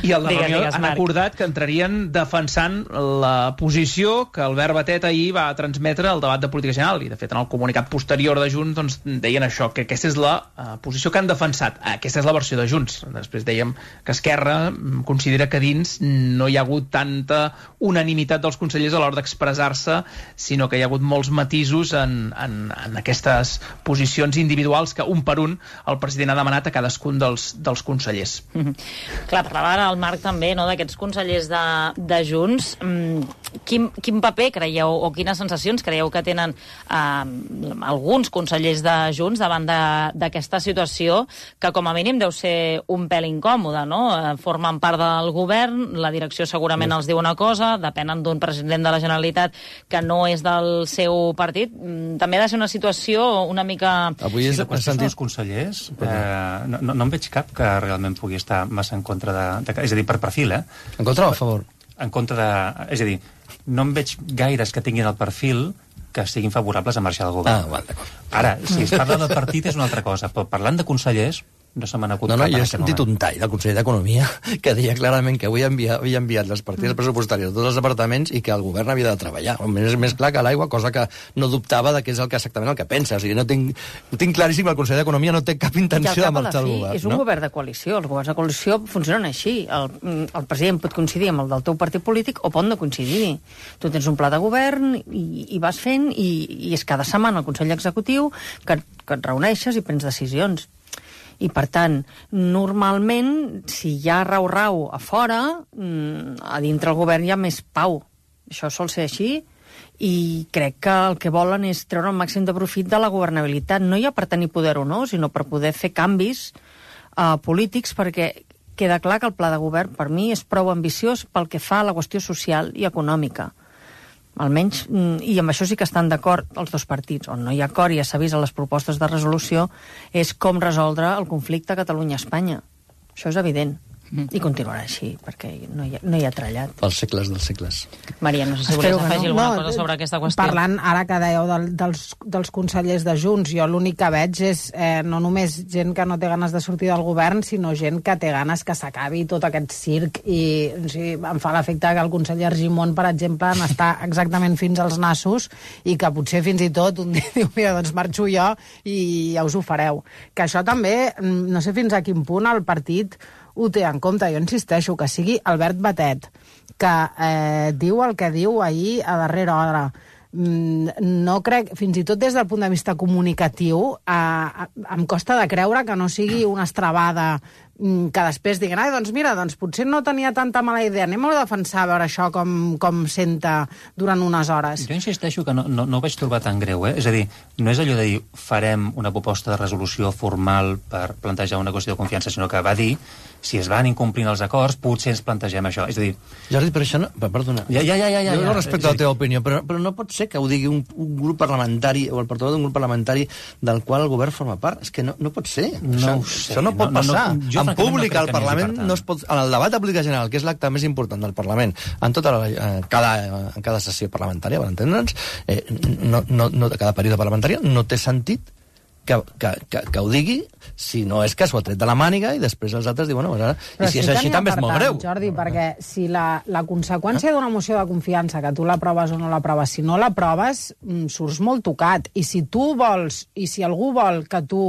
i a la Digues, reunió digues, han Marc. acordat que entrarien defensant la posició que Albert Batet ahir va transmetre al debat de política general, i de fet en el comunicat posterior de Junts doncs, deien això, que aquesta és la uh, posició que han defensat. Aquesta és la versió de Junts. Després dèiem que Esquerra considera que dins no hi ha hagut tanta unanimitat dels consellers a l'hora d'expressar-se, sinó que hi ha hagut molts matisos en, en, en aquestes posicions individuals que un per un el president ha demanat a cadascun dels, dels consellers. Mm -hmm. Clar, parlava ara el Marc també, no?, d'aquests consellers de, de Junts. Mm, quin, quin paper creieu, o quines sensacions creieu que tenen eh, alguns consellers de Junts davant d'aquesta situació, que com a mínim deu ser un pèl incòmode, no? Eh, formen part del govern, la direcció segurament els diu una cosa, depenen d'un president de la Generalitat que no és del seu partit. També ha de ser una situació una mica... Avui és, sí, de sentit... els consellers, eh, no, no, no en veig cap que realment pugui estar massa en contra de... de és a dir, per perfil, eh? En contra o a favor? En contra de... És a dir, no en veig gaires que tinguin el perfil que siguin favorables a marxar del govern. Ah, val, d'acord. Ara, si es parla del partit és una altra cosa, però parlant de consellers... no se m'ha acudit no, no, cap jo en he aquest sentit moment. un tall del conseller d'Economia que deia clarament que avui havia, havia enviat les partides pressupostàries a tots els departaments i que el govern havia de treballar. És més clar que l'aigua, cosa que no dubtava de què és el que exactament el que pensa. O sigui, no tinc, no tinc claríssim que el conseller d'Economia no té cap intenció de marxar del govern. És un no? govern de coalició. Els governs de coalició funcionen així. El, el president pot coincidir amb el del teu partit polític o pot no coincidir. Tu tens un pla de govern i, i vas fent i, i és cada setmana el Consell Executiu que, que et reuneixes i prens decisions. I, per tant, normalment, si hi ha rau-rau a fora, a dintre el govern hi ha més pau. Això sol ser així, i crec que el que volen és treure el màxim de profit de la governabilitat, no ja per tenir poder o no, sinó per poder fer canvis uh, polítics, perquè queda clar que el pla de govern, per mi, és prou ambiciós pel que fa a la qüestió social i econòmica. Almenys, i amb això sí que estan d'acord els dos partits. On no hi ha acord, ja s'ha vist a les propostes de resolució, és com resoldre el conflicte Catalunya-Espanya. Això és evident. I continuarà així, perquè no hi ha, no hi ha trellat. Els segles dels segles. Maria, no sé si volies afegir no, alguna no, cosa sobre aquesta qüestió. Parlant, ara que dèieu del, dels, dels consellers de Junts, jo l'únic que veig és eh, no només gent que no té ganes de sortir del govern, sinó gent que té ganes que s'acabi tot aquest circ, i o sigui, em fa l'efecte que el conseller Argimon, per exemple, n'està exactament fins als nassos, i que potser fins i tot un dia diu, mira, doncs marxo jo i ja us ho fareu. Que això també, no sé fins a quin punt el partit ho té en compte. Jo insisteixo, que sigui Albert Batet, que eh, diu el que diu ahir a darrera hora. Mm, no crec, fins i tot des del punt de vista comunicatiu, eh, em costa de creure que no sigui una estrabada que després diguin, ai, doncs mira, doncs potser no tenia tanta mala idea, anem a defensar a veure això com, com senta durant unes hores. Jo insisteixo que no, no, no ho vaig trobar tan greu, eh? És a dir, no és allò de dir farem una proposta de resolució formal per plantejar una qüestió de confiança, sinó que va dir si es van incomplint els acords, potser ens plantegem això. És a dir... Jordi, però això no... Perdona. Ja, ja, ja, ja, ja, jo no ja. respecto la teva opinió, però, però no pot ser que ho digui un, un grup parlamentari o el portaveu d'un grup parlamentari del qual el govern forma part. És que no, no pot ser. No això, ho sé. Això no pot no, passar. No, no, jo, en públic, no al Parlament, no es pot... En el debat de política general, que és l'acte més important del Parlament, en tota la, eh, cada, en cada sessió parlamentària, per entendre'ns, eh, no, no, no, cada període parlamentari, no té sentit que, que, que, que ho digui, si no és que s'ho ha tret de la màniga i després els altres diuen, bueno, i si sí és així també és molt greu. Jordi, perquè si la, la conseqüència d'una moció de confiança, que tu l'aproves o no l'aproves, si no l'aproves, surts molt tocat. I si tu vols, i si algú vol que tu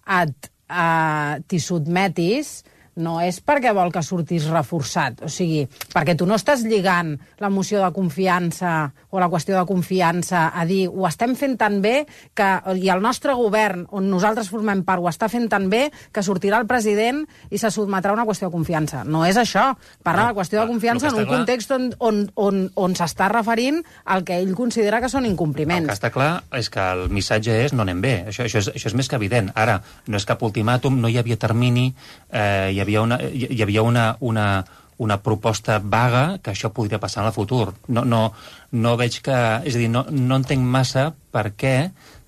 et, eh, t'hi sotmetis, no és perquè vol que surtis reforçat, o sigui, perquè tu no estàs lligant la moció de confiança o la qüestió de confiança a dir ho estem fent tan bé que, i el nostre govern, on nosaltres formem part, ho està fent tan bé que sortirà el president i se sotmetrà una qüestió de confiança. No és això. Parla de la qüestió de confiança en un context on, on, on, on s'està referint al que ell considera que són incompliments. El que està clar és que el missatge és no anem bé. Això, això, és, això és més que evident. Ara, no és cap ultimàtum, no hi havia termini, eh, hi havia Hi havia una, hi havia una, una, una proposta vaga que això podria passar en el futur. No, no, no veig que... És a dir, no, no entenc massa per què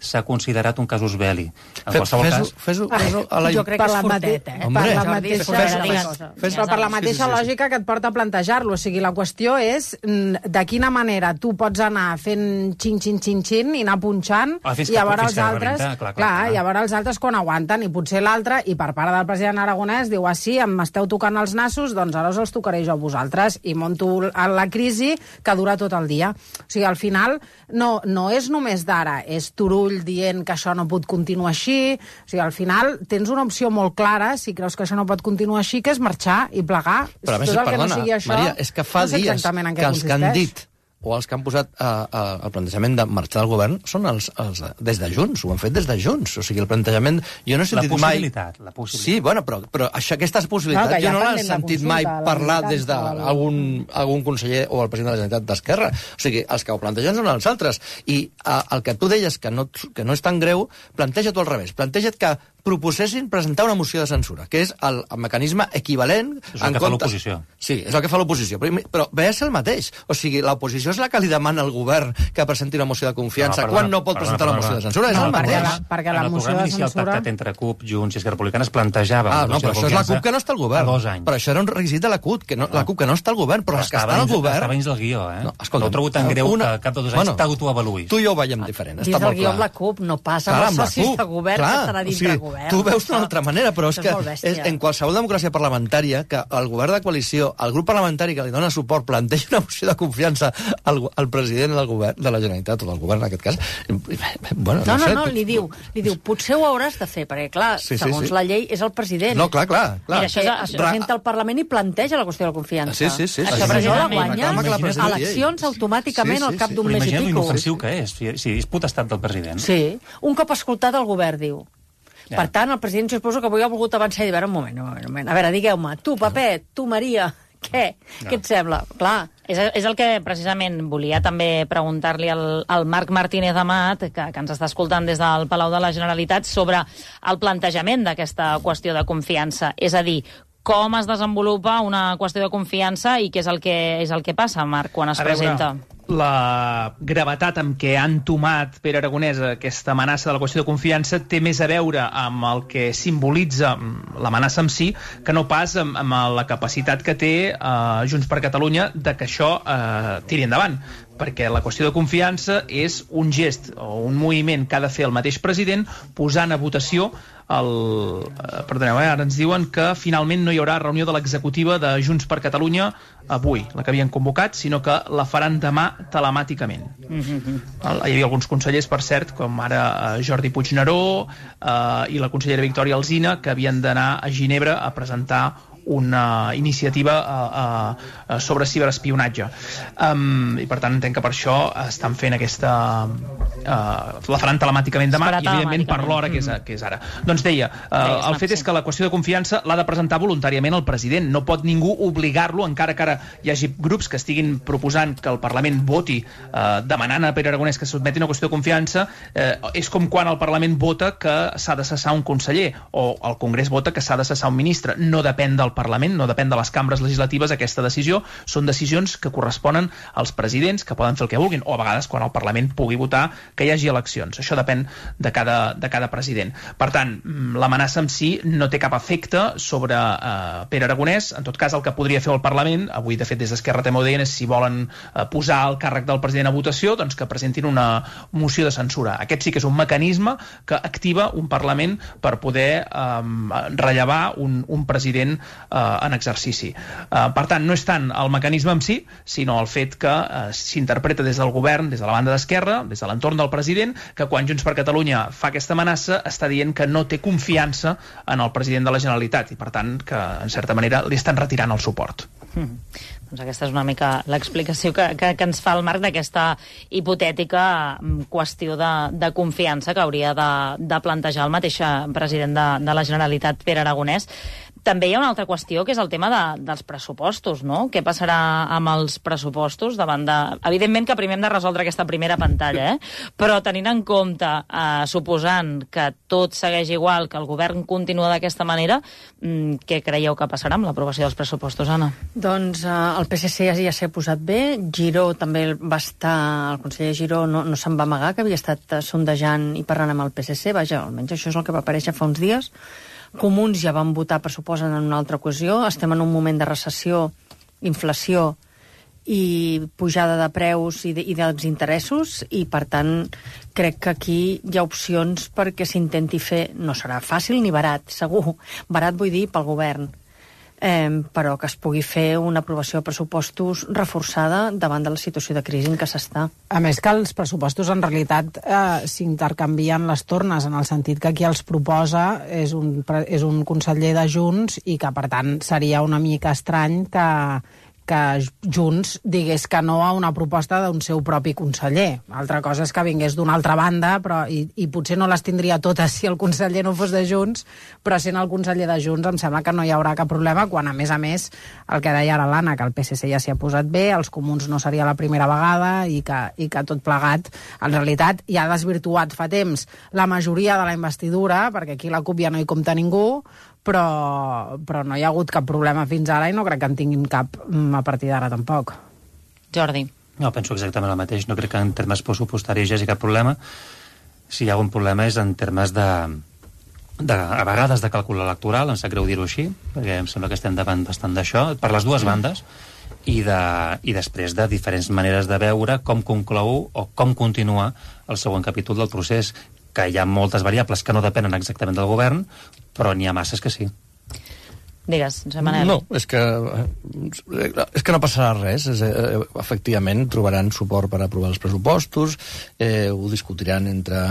s'ha considerat un casus belli. En qualsevol cas... Fes-ho a la... Jo crec que és fortet, eh? Per la mateixa, per la mateixa lògica que et porta a plantejar-lo. O sigui, la qüestió és de quina manera tu pots anar fent xin-xin-xin-xin i anar punxant i a veure els altres... Clar, i a veure els altres quan aguanten. I potser l'altre, i per part del president Aragonès, diu, ah, sí, em esteu tocant els nassos, doncs ara us els tocaré jo a vosaltres. I monto la crisi que dura tot el dia. O sigui, al final, no, no és només d'ara, és Turull dient que això no pot continuar així. O sigui, al final tens una opció molt clara, si creus que això no pot continuar així, que és marxar i plegar. Però a més, tot el perdona, que no sigui això, Maria, és que fa no sé dies que els que han dit o els que han posat eh, eh, el plantejament de marxar del govern són els, els des de Junts, ho han fet des de Junts. O sigui, el plantejament... Jo no he sentit la possibilitat, mai... La possibilitat. Sí, bueno, però, però això, aquestes possibilitats no, jo no l'he de sentit consulta, mai parlar de des d'algun algun conseller o el president de la Generalitat d'Esquerra. O sigui, els que ho plantegen són els altres. I eh, el que tu deies que no, que no és tan greu, planteja-t'ho al revés. Planteja't que proposessin presentar una moció de censura, que és el, el mecanisme equivalent... És el que fa l'oposició. Sí, és el que fa l'oposició, però, però ve a ser el mateix. O sigui, l'oposició és la que li demana al govern que presenti una moció de confiança, no, perdona, quan no pot presentar perdona, la moció de censura, és no, el mateix. Perquè la, perquè la moció de censura... En el pactat entre CUP, Junts i Esquerra Republicana es plantejava... Ah, no, però això és la CUP que no està al govern. Però això era un requisit de la CUP, que no, la CUP que no està al govern, però, però els que estan al govern... Estava dins del guió, eh? No, escolta, no ho trobo tan greu una... que cap de dos anys bueno, t'autoavaluïs. Tu i jo ho veiem diferent, està molt clar. Dins del guió amb la CUP no passa amb els socis de govern que estarà dins del govern. Tu veus d'una altra manera, però és que és, en qualsevol democràcia parlamentària que el govern de coalició, el grup parlamentari que li dona suport planteja una moció de confiança al, al president del govern de la Generalitat, o del govern en aquest cas, bueno, no, no, no, sé, no, tu... li diu, li diu, potser ho hauràs de fer, perquè clar, sí, sí, segons sí. la llei és el president. No, clar, clar. clar. Mira, això es, es presenta al Parlament i planteja la qüestió de la confiança. Sí, sí, sí. Això, però jo la guanya, eleccions automàticament al cap d'un mes i pico. Imagina't l'inofensiu que és, si és potestat del president. Sí, un cop escoltat el govern diu. Ja. Per tant, el president, jo suposo que avui ha volgut avançar i dir, a veure, un moment, un moment, un moment. A veure, digueu-me, tu, Pepet, tu, Maria, què? No. Què et sembla? Clar. És, és el que precisament volia també preguntar-li al, al Marc Martínez Amat, que, que ens està escoltant des del Palau de la Generalitat, sobre el plantejament d'aquesta qüestió de confiança. És a dir, com es desenvolupa una qüestió de confiança i què és el que, és el que passa, Marc, quan es a presenta? Veure, la gravetat amb què han tomat Pere Aragonès aquesta amenaça de la qüestió de confiança té més a veure amb el que simbolitza l'amenaça en si que no pas amb, amb la capacitat que té eh, Junts per Catalunya de que això eh, tiri endavant, perquè la qüestió de confiança és un gest o un moviment que ha de fer el mateix president posant a votació el... Eh, perdoneu, eh, ara ens diuen que finalment no hi haurà reunió de l'executiva de Junts per Catalunya avui, la que havien convocat, sinó que la faran demà telemàticament. Mm-hmm. Hi havia alguns consellers, per cert, com ara eh, Jordi Puigneró eh, i la consellera Victòria Alsina, que havien d'anar a Ginebra a presentar una iniciativa uh, uh, sobre ciberespionatge. Um, I per tant entenc que per això estan fent aquesta... Uh, la faran telemàticament demà i evidentment per l'hora que, és, que és ara. Doncs deia, uh, el fet és que la qüestió de confiança l'ha de presentar voluntàriament el president. No pot ningú obligar-lo, encara que ara hi hagi grups que estiguin proposant que el Parlament voti uh, demanant a Pere Aragonès que sotmeti una qüestió de confiança. Uh, és com quan el Parlament vota que s'ha de cessar un conseller o el Congrés vota que s'ha de cessar un ministre. No depèn del Parlament, no depèn de les cambres legislatives aquesta decisió. Són decisions que corresponen als presidents, que poden fer el que vulguin, o a vegades quan el Parlament pugui votar que hi hagi eleccions. Això depèn de cada, de cada president. Per tant, l'amenaça en si no té cap efecte sobre eh, Pere Aragonès. En tot cas, el que podria fer el Parlament, avui de fet des d'Esquerra també ho deien, és si volen eh, posar el càrrec del president a votació, doncs que presentin una moció de censura. Aquest sí que és un mecanisme que activa un Parlament per poder eh, rellevar un, un president eh, en exercici. Eh, per tant, no és tant el mecanisme en si, sinó el fet que eh, s'interpreta des del govern, des de la banda d'Esquerra, des de l'entorn del president, que quan Junts per Catalunya fa aquesta amenaça està dient que no té confiança en el president de la Generalitat i per tant que en certa manera li estan retirant el suport. Mm. Doncs aquesta és una mica l'explicació que, que, que ens fa el Marc d'aquesta hipotètica qüestió de, de confiança que hauria de, de plantejar el mateix president de, de la Generalitat, Pere Aragonès. També hi ha una altra qüestió, que és el tema de, dels pressupostos, no? Què passarà amb els pressupostos davant de... Evidentment que primer hem de resoldre aquesta primera pantalla, eh? Però tenint en compte, eh, suposant que tot segueix igual, que el govern continua d'aquesta manera, mmm, què creieu que passarà amb l'aprovació dels pressupostos, Anna? Doncs eh, el P S C ja, ja s'ha posat bé, Giró també va estar... El conseller Giró no, no se'n va amagar, que havia estat sondejant i parlant amb el P S C, vaja, almenys això és el que va aparèixer fa uns dies. Comuns ja van votar pressupost en una altra ocasió. Estem en un moment de recessió, inflació i pujada de preus i, de, i dels interessos i, per tant, crec que aquí hi ha opcions perquè s'intenti fer... No serà fàcil ni barat, segur. Barat vull dir pel govern. Eh, però que es pugui fer una aprovació de pressupostos reforçada davant de la situació de crisi en què s'està. A més que els pressupostos en realitat eh, s'intercanvien les tornes, en el sentit que qui els proposa és un, és un conseller de Junts i que per tant seria una mica estrany que, que Junts digués que no a una proposta d'un seu propi conseller. Altra cosa és que vingués d'una altra banda, però i, i potser no les tindria totes si el conseller no fos de Junts, però sent el conseller de Junts em sembla que no hi haurà cap problema, quan a més a més el que deia ara l'Anna, que el P S C ja s'hi ha posat bé, els comuns no seria la primera vegada i que, i que tot plegat en realitat ja ha desvirtuat fa temps la majoria de la investidura, perquè aquí la CUP ja no hi compta ningú, però, però no hi ha hagut cap problema fins ara i no crec que en tinguin cap a partir d'ara tampoc. Jordi. No, penso exactament el mateix. No crec que en termes pressupostaris hi hagi cap problema. Si hi ha un problema és en termes de, de a vegades de càlcul electoral, em sap greu dir-ho així, perquè em sembla que estem davant bastant d'això, per les dues bandes, i, de, i després de diferents maneres de veure com conclou o com continua el següent capítol del procés, que hi ha moltes variables que no depenen exactament del govern, però n'hi ha masses que sí. Digues, Josep Manel. No, és que, és que no passarà res. És, eh, efectivament, trobaran suport per aprovar els pressupostos, eh, ho discutiran entre,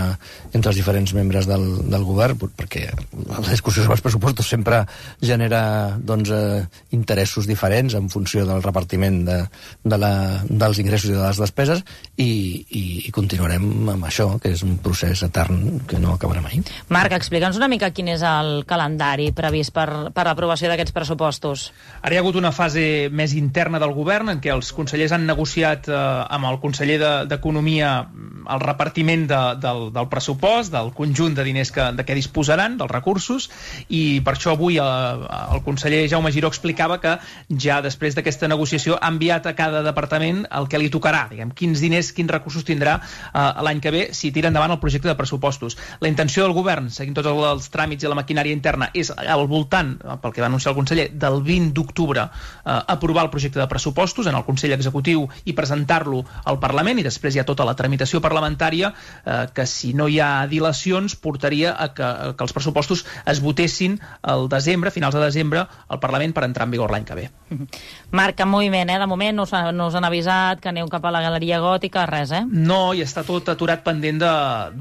entre els diferents membres del, del govern, perquè la discussió sobre els pressupostos sempre genera doncs, eh, interessos diferents en funció del repartiment de, de la, dels ingressos i de les despeses, i, i, i continuarem amb això, que és un procés etern que no acabarà mai. Marc, explica'ns una mica quin és el calendari previst per, per l'aprovació d'aquests pressupostos. Ara hi ha hagut una fase més interna del govern en què els consellers han negociat eh, amb el conseller d'Economia el repartiment de, del, del pressupost, del conjunt de diners que, de què disposaran, dels recursos, i per això avui eh, el conseller Jaume Giró explicava que ja després d'aquesta negociació ha enviat a cada departament el que li tocarà, diguem, quins diners, quins recursos tindrà eh, l'any que ve si tira endavant el projecte de pressupostos. La intenció del govern, seguint tots els tràmits i la maquinària interna, és al voltant, pel que va anunciar el conseller, del vint d'octubre eh, aprovar el projecte de pressupostos en el Consell Executiu i presentar-lo al Parlament, i després hi ha tota la tramitació parlamentària parlamentària eh, que, si no hi ha dilacions, portaria a que, a que els pressupostos es votessin al desembre, a finals de desembre, al Parlament per entrar en vigor l'any que ve. Marc, en moviment, eh? De moment no us, no us han avisat que aneu cap a la Galeria Gòtica, res, eh? No, i està tot aturat pendent de,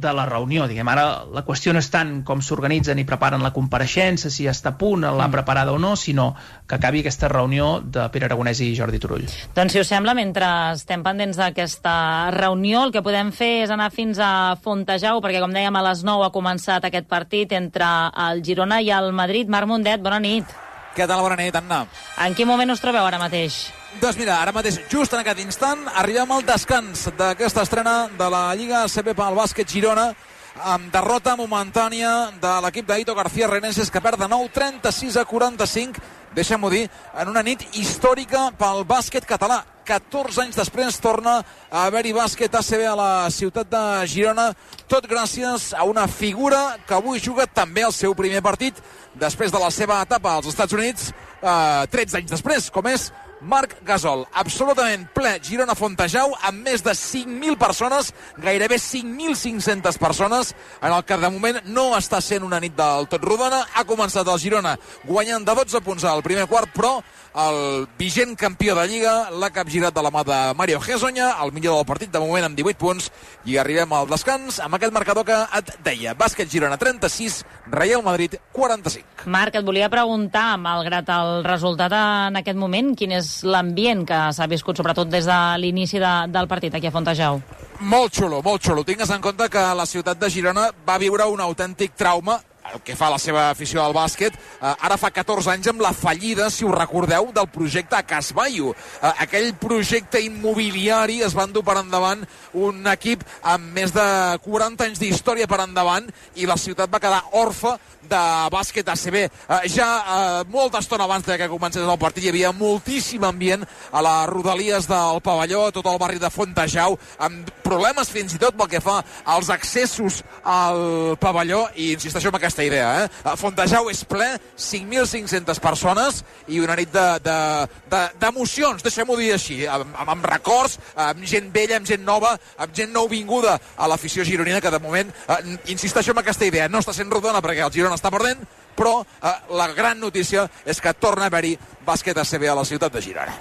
de la reunió. Diguem, ara la qüestió no és tant com s'organitzen i preparen la compareixença, si està a punt, l'han preparada o no, sinó que acabi aquesta reunió de Pere Aragonès i Jordi Turull. Doncs, si us sembla, mentre estem pendents d'aquesta reunió, el que podem fer és anar fins a Fontejau, perquè, com dèiem, a les nou ha començat aquest partit entre el Girona i el Madrid. Marc Mundet, bona nit. Què tal? Bona nit, Anna. En quin moment us trobeu ara mateix? Doncs mira, ara mateix, just en aquest instant, arribem al descans d'aquesta estrena de la Lliga A C B pel bàsquet Girona, amb derrota momentània de l'equip d'Aito García Reneses, que perd de nou trenta-sis a quaranta-cinc, deixem-ho dir, en una nit històrica pel bàsquet català. catorze anys després torna a haver-hi bàsquet A C B a la ciutat de Girona, tot gràcies a una figura que avui juga també el seu primer partit després de la seva etapa als Estats Units, eh, tretze anys després, com és Marc Gasol. Absolutament ple Girona Fontejau, amb més de cinc mil persones, gairebé cinc mil cinc-centes persones, en el que de moment no està sent una nit del tot rodona. Ha començat el Girona guanyant de dotze punts al primer quart, però el vigent campió de Lliga l'ha capgirat de la mà de Mario Hezonja, el millor del partit de moment amb divuit punts, i arribem al descans amb aquest marcador que et deia. Bàsquet Girona trenta-sis, Real Madrid quaranta-cinc. Marc, et volia preguntar, malgrat el resultat en aquest moment, quin és l'ambient que s'ha viscut, sobretot des de l'inici de, del partit aquí a Fontejau? Molt xulo, molt xulo. Tingues en compte que la ciutat de Girona va viure un autèntic trauma el que fa la seva afició al bàsquet, eh, ara fa catorze anys amb la fallida, si us recordeu, del projecte Casbaio. Eh, aquell projecte immobiliari es va endur per endavant un equip amb més de quaranta anys d'història per endavant, i la ciutat va quedar orfa de bàsquet A C B. Eh, ja eh, molta estona abans que comencés el partit hi havia moltíssim ambient a les rodalies del pavelló, a tot el barri de Fontejau, amb problemes fins i tot pel que fa als accessos al pavelló, i insisteixo en aquesta idea, eh? Fontejau és ple, cinc mil cinc-centes persones, i una nit d'emocions, de, de, deixem-ho dir així, amb, amb records, amb gent vella, amb gent nova, amb gent nouvinguda a l'afició gironina, que de moment, eh, insisteixo en aquesta idea, no està sent rodona perquè el Girona està perdent, però eh, la gran notícia és que torna a haver-hi bàsquet A C B a la ciutat de Girona.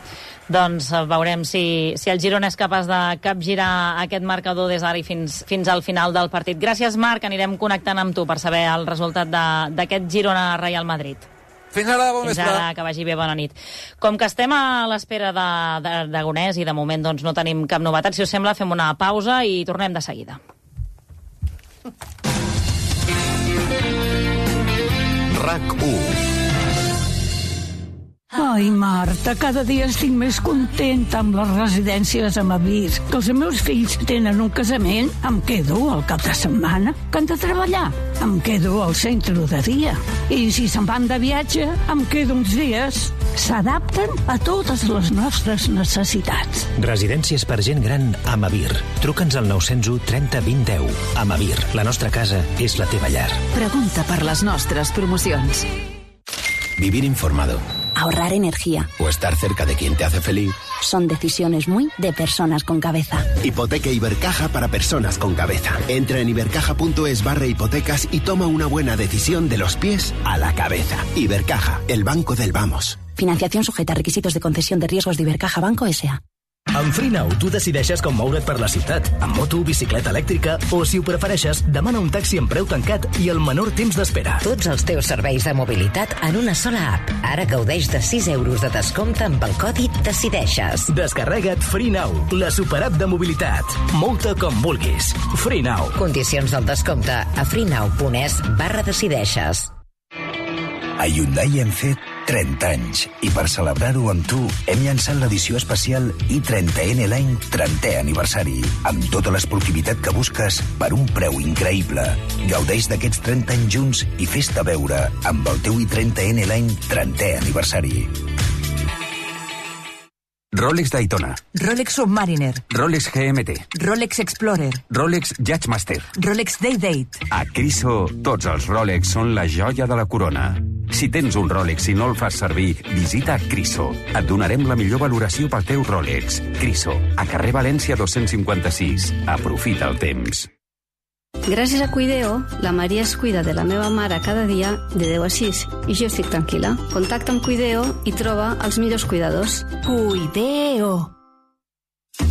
Doncs veurem si, si el Girona és capaç de capgirar aquest marcador des d'ara i fins, fins al final del partit. Gràcies, Marc, anirem connectant amb tu per saber el resultat d'aquest Girona-Real Madrid. Fins ara, bon Fins vespre. ara, que vagi bé, bona nit. Com que estem a l'espera d'Aragonès i de moment doncs, no tenim cap novetat, si us sembla fem una pausa i tornem de seguida. RAC u. Ai, Marta, cada dia estic més contenta amb les residències a Mavir. Que els meus fills tenen un casament, em quedo al cap de setmana. Que han de treballar, em quedo al centre de dia. I si se'n van de viatge, em quedo uns dies. S'adapten a totes les nostres necessitats. Residències per gent gran a Mavir. Truca'ns al nou zero u trenta vint deu. A Mavir, la nostra casa és la teva llar. Pregunta per les nostres promocions. Vivir informado. Ahorrar energía. O estar cerca de quien te hace feliz. Son decisiones muy de personas con cabeza. Hipoteca Ibercaja para personas con cabeza. Entra en ibercaja.es barra hipotecas y toma una buena decisión de los pies a la cabeza. Ibercaja, el banco del vamos. Financiación sujeta a requisitos de concesión de riesgos de Ibercaja Banco S A Amb FreeNow tu decideixes com moure't per la ciutat, amb moto, bicicleta elèctrica, o si ho prefereixes, demana un taxi amb preu tancat i el menor temps d'espera. Tots els teus serveis de mobilitat en una sola app. Ara gaudeix de sis euros de descompte amb el codi Decideixes. Descarrega't FreeNow, la superapp de mobilitat. Mou-te com vulguis. FreeNow. Condicions del descompte a freenow.es barra Decideixes. A Hyundai hem fet trenta anys i per celebrar-ho amb tu hem llançat l'edició especial i trenta ena l'any trentè aniversari, amb tota l'esportivitat que busques per un preu increïble. Gaudeix d'aquests trenta anys junts i fes-te veure amb el teu i trenta ena l'any trentè aniversari. Rolex Daytona, Rolex Submariner, Rolex G M T, Rolex Explorer, Rolex Judgemaster, Rolex Day-Date. A Criso, tots els Rolex són la joia de la corona. Si tens un Rolex i no el fas servir, visita Criso. Et donarem la millor valoració pel teu Rolex. Criso, a carrer València dos-cents cinquanta-sis. Aprofita el temps. Gràcies a Cuideo, la Maria es cuida de la meva mare cada dia de deu a sis i jo estic tranquil·la. Contacta amb Cuideo i troba els millors cuidadors. Cuideo.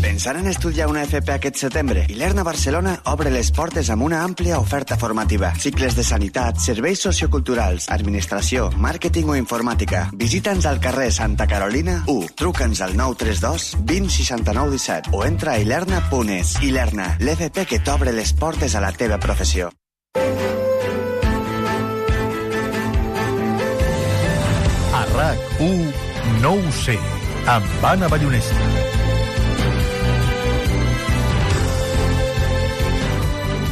Pensant en estudiar una F P aquest setembre? Ilerna Barcelona obre les portes amb una àmplia oferta formativa. Cicles de sanitat, serveis socioculturals, administració, màrqueting o informàtica. Visita'ns al carrer Santa Carolina u. Truca'ns al nou tres dos vint seixanta-nou disset o entra a ilerna punt es. Ilerna, l'F P que t'obre les portes a la teva professió. A RAC u, no ho sé, amb Anna Ballonesta.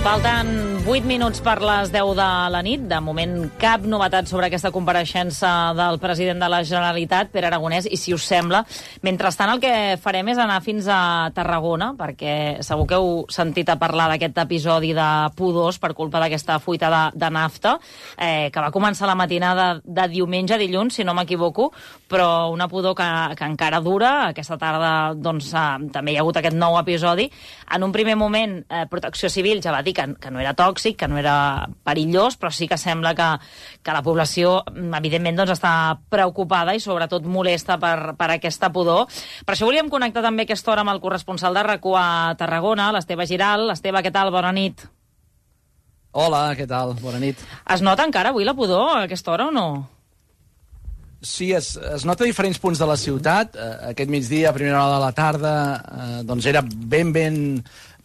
Falten vuit minuts per les deu de la nit. De moment, cap novetat sobre aquesta compareixença del president de la Generalitat, Pere Aragonès, i si us sembla, mentrestant el que farem és anar fins a Tarragona, perquè segur que heu sentit a parlar d'aquest episodi de pudors per culpa d'aquesta fuita de, de nafta, eh, que va començar la matinada de diumenge a dilluns, si no m'equivoco, però una pudor que, que encara dura. Aquesta tarda doncs, eh, també hi ha hagut aquest nou episodi. En un primer moment, eh, Protecció Civil ja va dir que, que no era tòxic, que no era perillós, però sí que sembla que, que la població, evidentment, doncs, està preocupada i sobretot molesta per, per aquesta pudor. Per això volíem connectar també aquesta hora amb el corresponsal de RAC u a Tarragona, l'Esteve Giral. Esteve, què tal? Bona nit. Hola, què tal? Bona nit. Es nota encara avui la pudor a aquesta hora o no? Sí, es, es nota a diferents punts de la ciutat. Eh, aquest migdia, a primera hora de la tarda, eh, doncs era ben, ben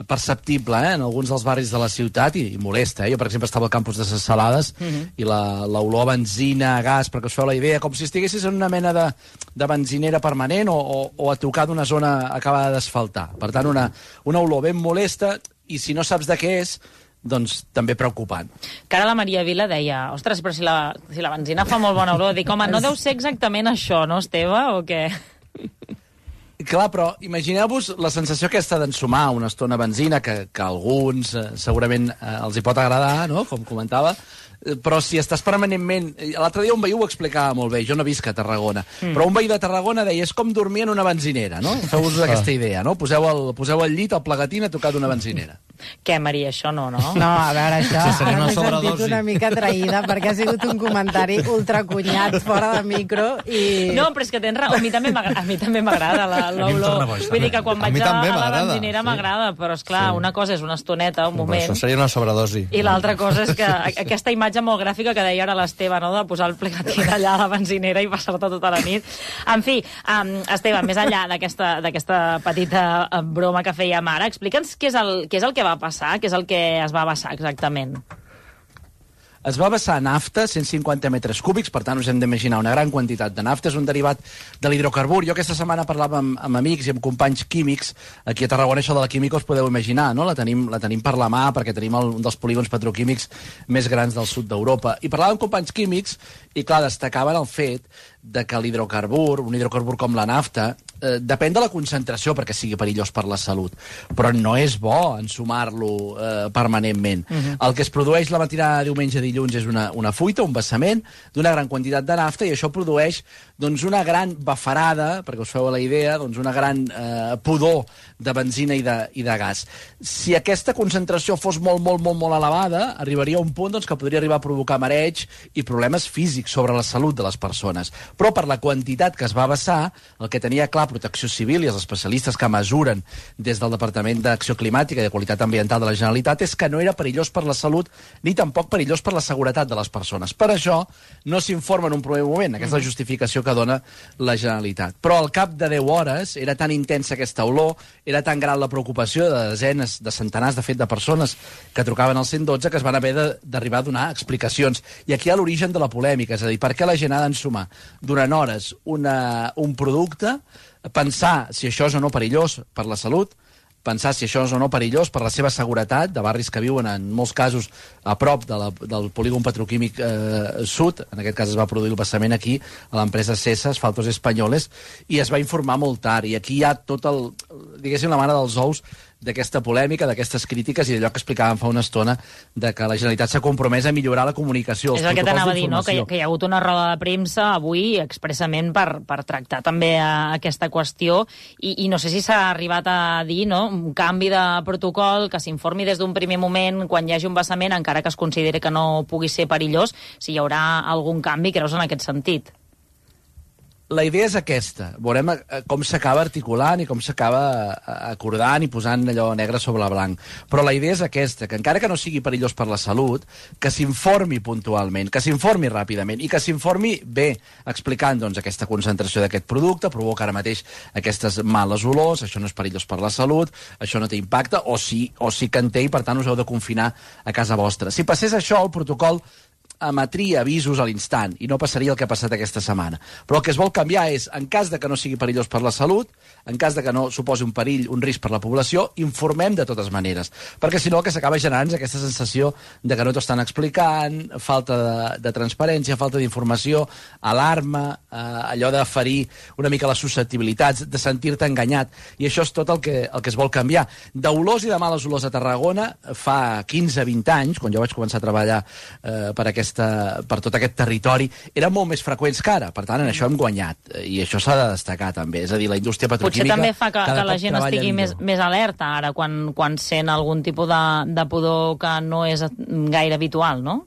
perceptible eh, en alguns dels barris de la ciutat i, i molesta. Eh? Jo, per exemple, estava al campus de Ses Salades uh -huh. i l'olor a benzina, a gas, perquè us feu la idea, com si estiguessis en una mena de, de benzinera permanent o, o, o a tocar d'una zona acabada d'asfaltar. Per tant, una, una olor ben molesta i si no saps de què és, doncs també preocupant. Que ara la Maria Vila deia, ostres, però si la, si la benzina fa molt bona olor, dic, home, no deu ser exactament això, no, Esteve, o què? Clar, però imagineu-vos la sensació aquesta d'ensumar una estona benzina, que, que a alguns eh, segurament eh, els hi pot agradar, no?, com comentava, però si estàs permanentment... L'altre dia un veí ho explicava molt bé, jo no visc a Tarragona, mm. però un veí de Tarragona deia, és com dormir en una benzinera, no? Feu-vos ah. aquesta idea, no? Poseu el, poseu el llit, el plegatín a tocar d'una benzinera. Què, Maria, això no, no? No, a veure, això, sí, ara m'he sentit una mica traïda, perquè ha sigut un comentari ultracunyat, fora de micro, i... No, però és que tens raó, a mi també m'agrada l'olor. Vull dir que quan vaig a, a la benzinera m'agrada, sí. Però, esclar, sí. Una cosa és una estoneta, un moment... Això seria una sobredosi. I l'altra cosa és que aquesta imatge molt gràfica que deia ara l'Esteve, no?, de posar el plegatín allà a la benzinera i passar-te tota la nit. En fi, um, Esteve, més enllà d'aquesta petita broma que fèiem ara, explica'ns què és el, què és el que va passar, què és el que es va vessar exactament. Es va vessar nafta, cent cinquanta metres cúbics, per tant us hem d'imaginar una gran quantitat de nafta, és un derivat de l'hidrocarbur. Jo aquesta setmana parlava amb, amb amics i amb companys químics, aquí a Tarragona això de la química us podeu imaginar, no? La tenim, la tenim per la mà perquè tenim el, un dels polígons petroquímics més grans del sud d'Europa. I parlava amb companys químics i, clar, destacaven el fet de que l'hidrocarbur, un hidrocarbur com la nafta, eh, depèn de la concentració perquè sigui perillós per la salut, però no és bo ensumar-lo eh, permanentment. Uh-huh. El que es produeix la matinada de diumenge a dilluns és una, una fuita, un vessament d'una gran quantitat de nafta i això produeix doncs, una gran bafarada, perquè us feu la idea, doncs, una gran eh, pudor de benzina i de, i de gas. Si aquesta concentració fos molt, molt, molt, molt elevada, arribaria a un punt doncs, que podria arribar a provocar mareig i problemes físics sobre la salut de les persones. Però per la quantitat que es va vessar, el que tenia clar Protecció Civil i els especialistes que mesuren des del Departament d'Acció Climàtica i de Qualitat Ambiental de la Generalitat és que no era perillós per la salut ni tampoc perillós per la seguretat de les persones. Per això no s'informa en un primer moment. Aquesta és la justificació que dona la Generalitat. Però al cap de deu hores era tan intensa aquesta olor, era tan gran la preocupació de desenes, de centenars, de fet, de persones que trucaven al cent i dotze que es van haver d'arribar a donar explicacions. I aquí hi ha l'origen de la polèmica, és a dir, per què la gent ha d'ensumar durant hores una, un producte, pensar si això és o no perillós per la salut, pensar si això és o no perillós per la seva seguretat, de barris que viuen en molts casos a prop de la, del polígon petroquímic eh, sud, en aquest cas es va produir el vessament aquí, a l'empresa Sesa, Asfaltos Espanyoles, i es va informar molt tard, i aquí hi ha tot el, diguéssim, la mare dels ous d'aquesta polèmica, d'aquestes crítiques i d'allò que explicàvem fa una estona, de que la Generalitat s'ha compromès a millorar la comunicació. És el que t'anava a dir, no? Que hi, que hi ha hagut una roda de premsa avui expressament per, per tractar també a, aquesta qüestió i, i no sé si s'ha arribat a dir, no?, un canvi de protocol, que s'informi des d'un primer moment quan hi hagi un vessament, encara que es consideri que no pugui ser perillós, si hi haurà algun canvi, creus, en aquest sentit? La idea és aquesta. Veurem com s'acaba articulant i com s'acaba acordant i posant allò negre sobre blanc. Però la idea és aquesta, que encara que no sigui perillós per la salut, que s'informi puntualment, que s'informi ràpidament i que s'informi bé, explicant doncs, aquesta concentració d'aquest producte, provoca ara mateix aquestes males olors, això no és perillós per la salut, això no té impacte, o sí, o sí que en té i per tant us heu de confinar a casa vostra. Si passés això, el protocol emetria avisos a l'instant i no passaria el que ha passat aquesta setmana. Però el que es vol canviar és, en cas de que no sigui perillós per la salut, en cas de que no suposi un perill, un risc per la població, informem de totes maneres. Perquè si no el que s'acaba generant és aquesta sensació de que no t'ho estan explicant, falta de, de transparència, falta d'informació, alarma, eh, allò de ferir una mica les susceptibilitats, de sentir-te enganyat. I això és tot el que, el que es vol canviar. D'olors i de males olors a Tarragona, fa quinze vint anys, quan jo vaig començar a treballar eh, per aquesta per tot aquest territori, eren molt més freqüents que ara. Per tant, en això hem guanyat. I això s'ha de destacar, també. És a dir, la indústria petroquímica... Potser també fa que, que la gent estigui més, més alerta ara, quan, quan sent algun tipus de, de pudor que no és gaire habitual, no?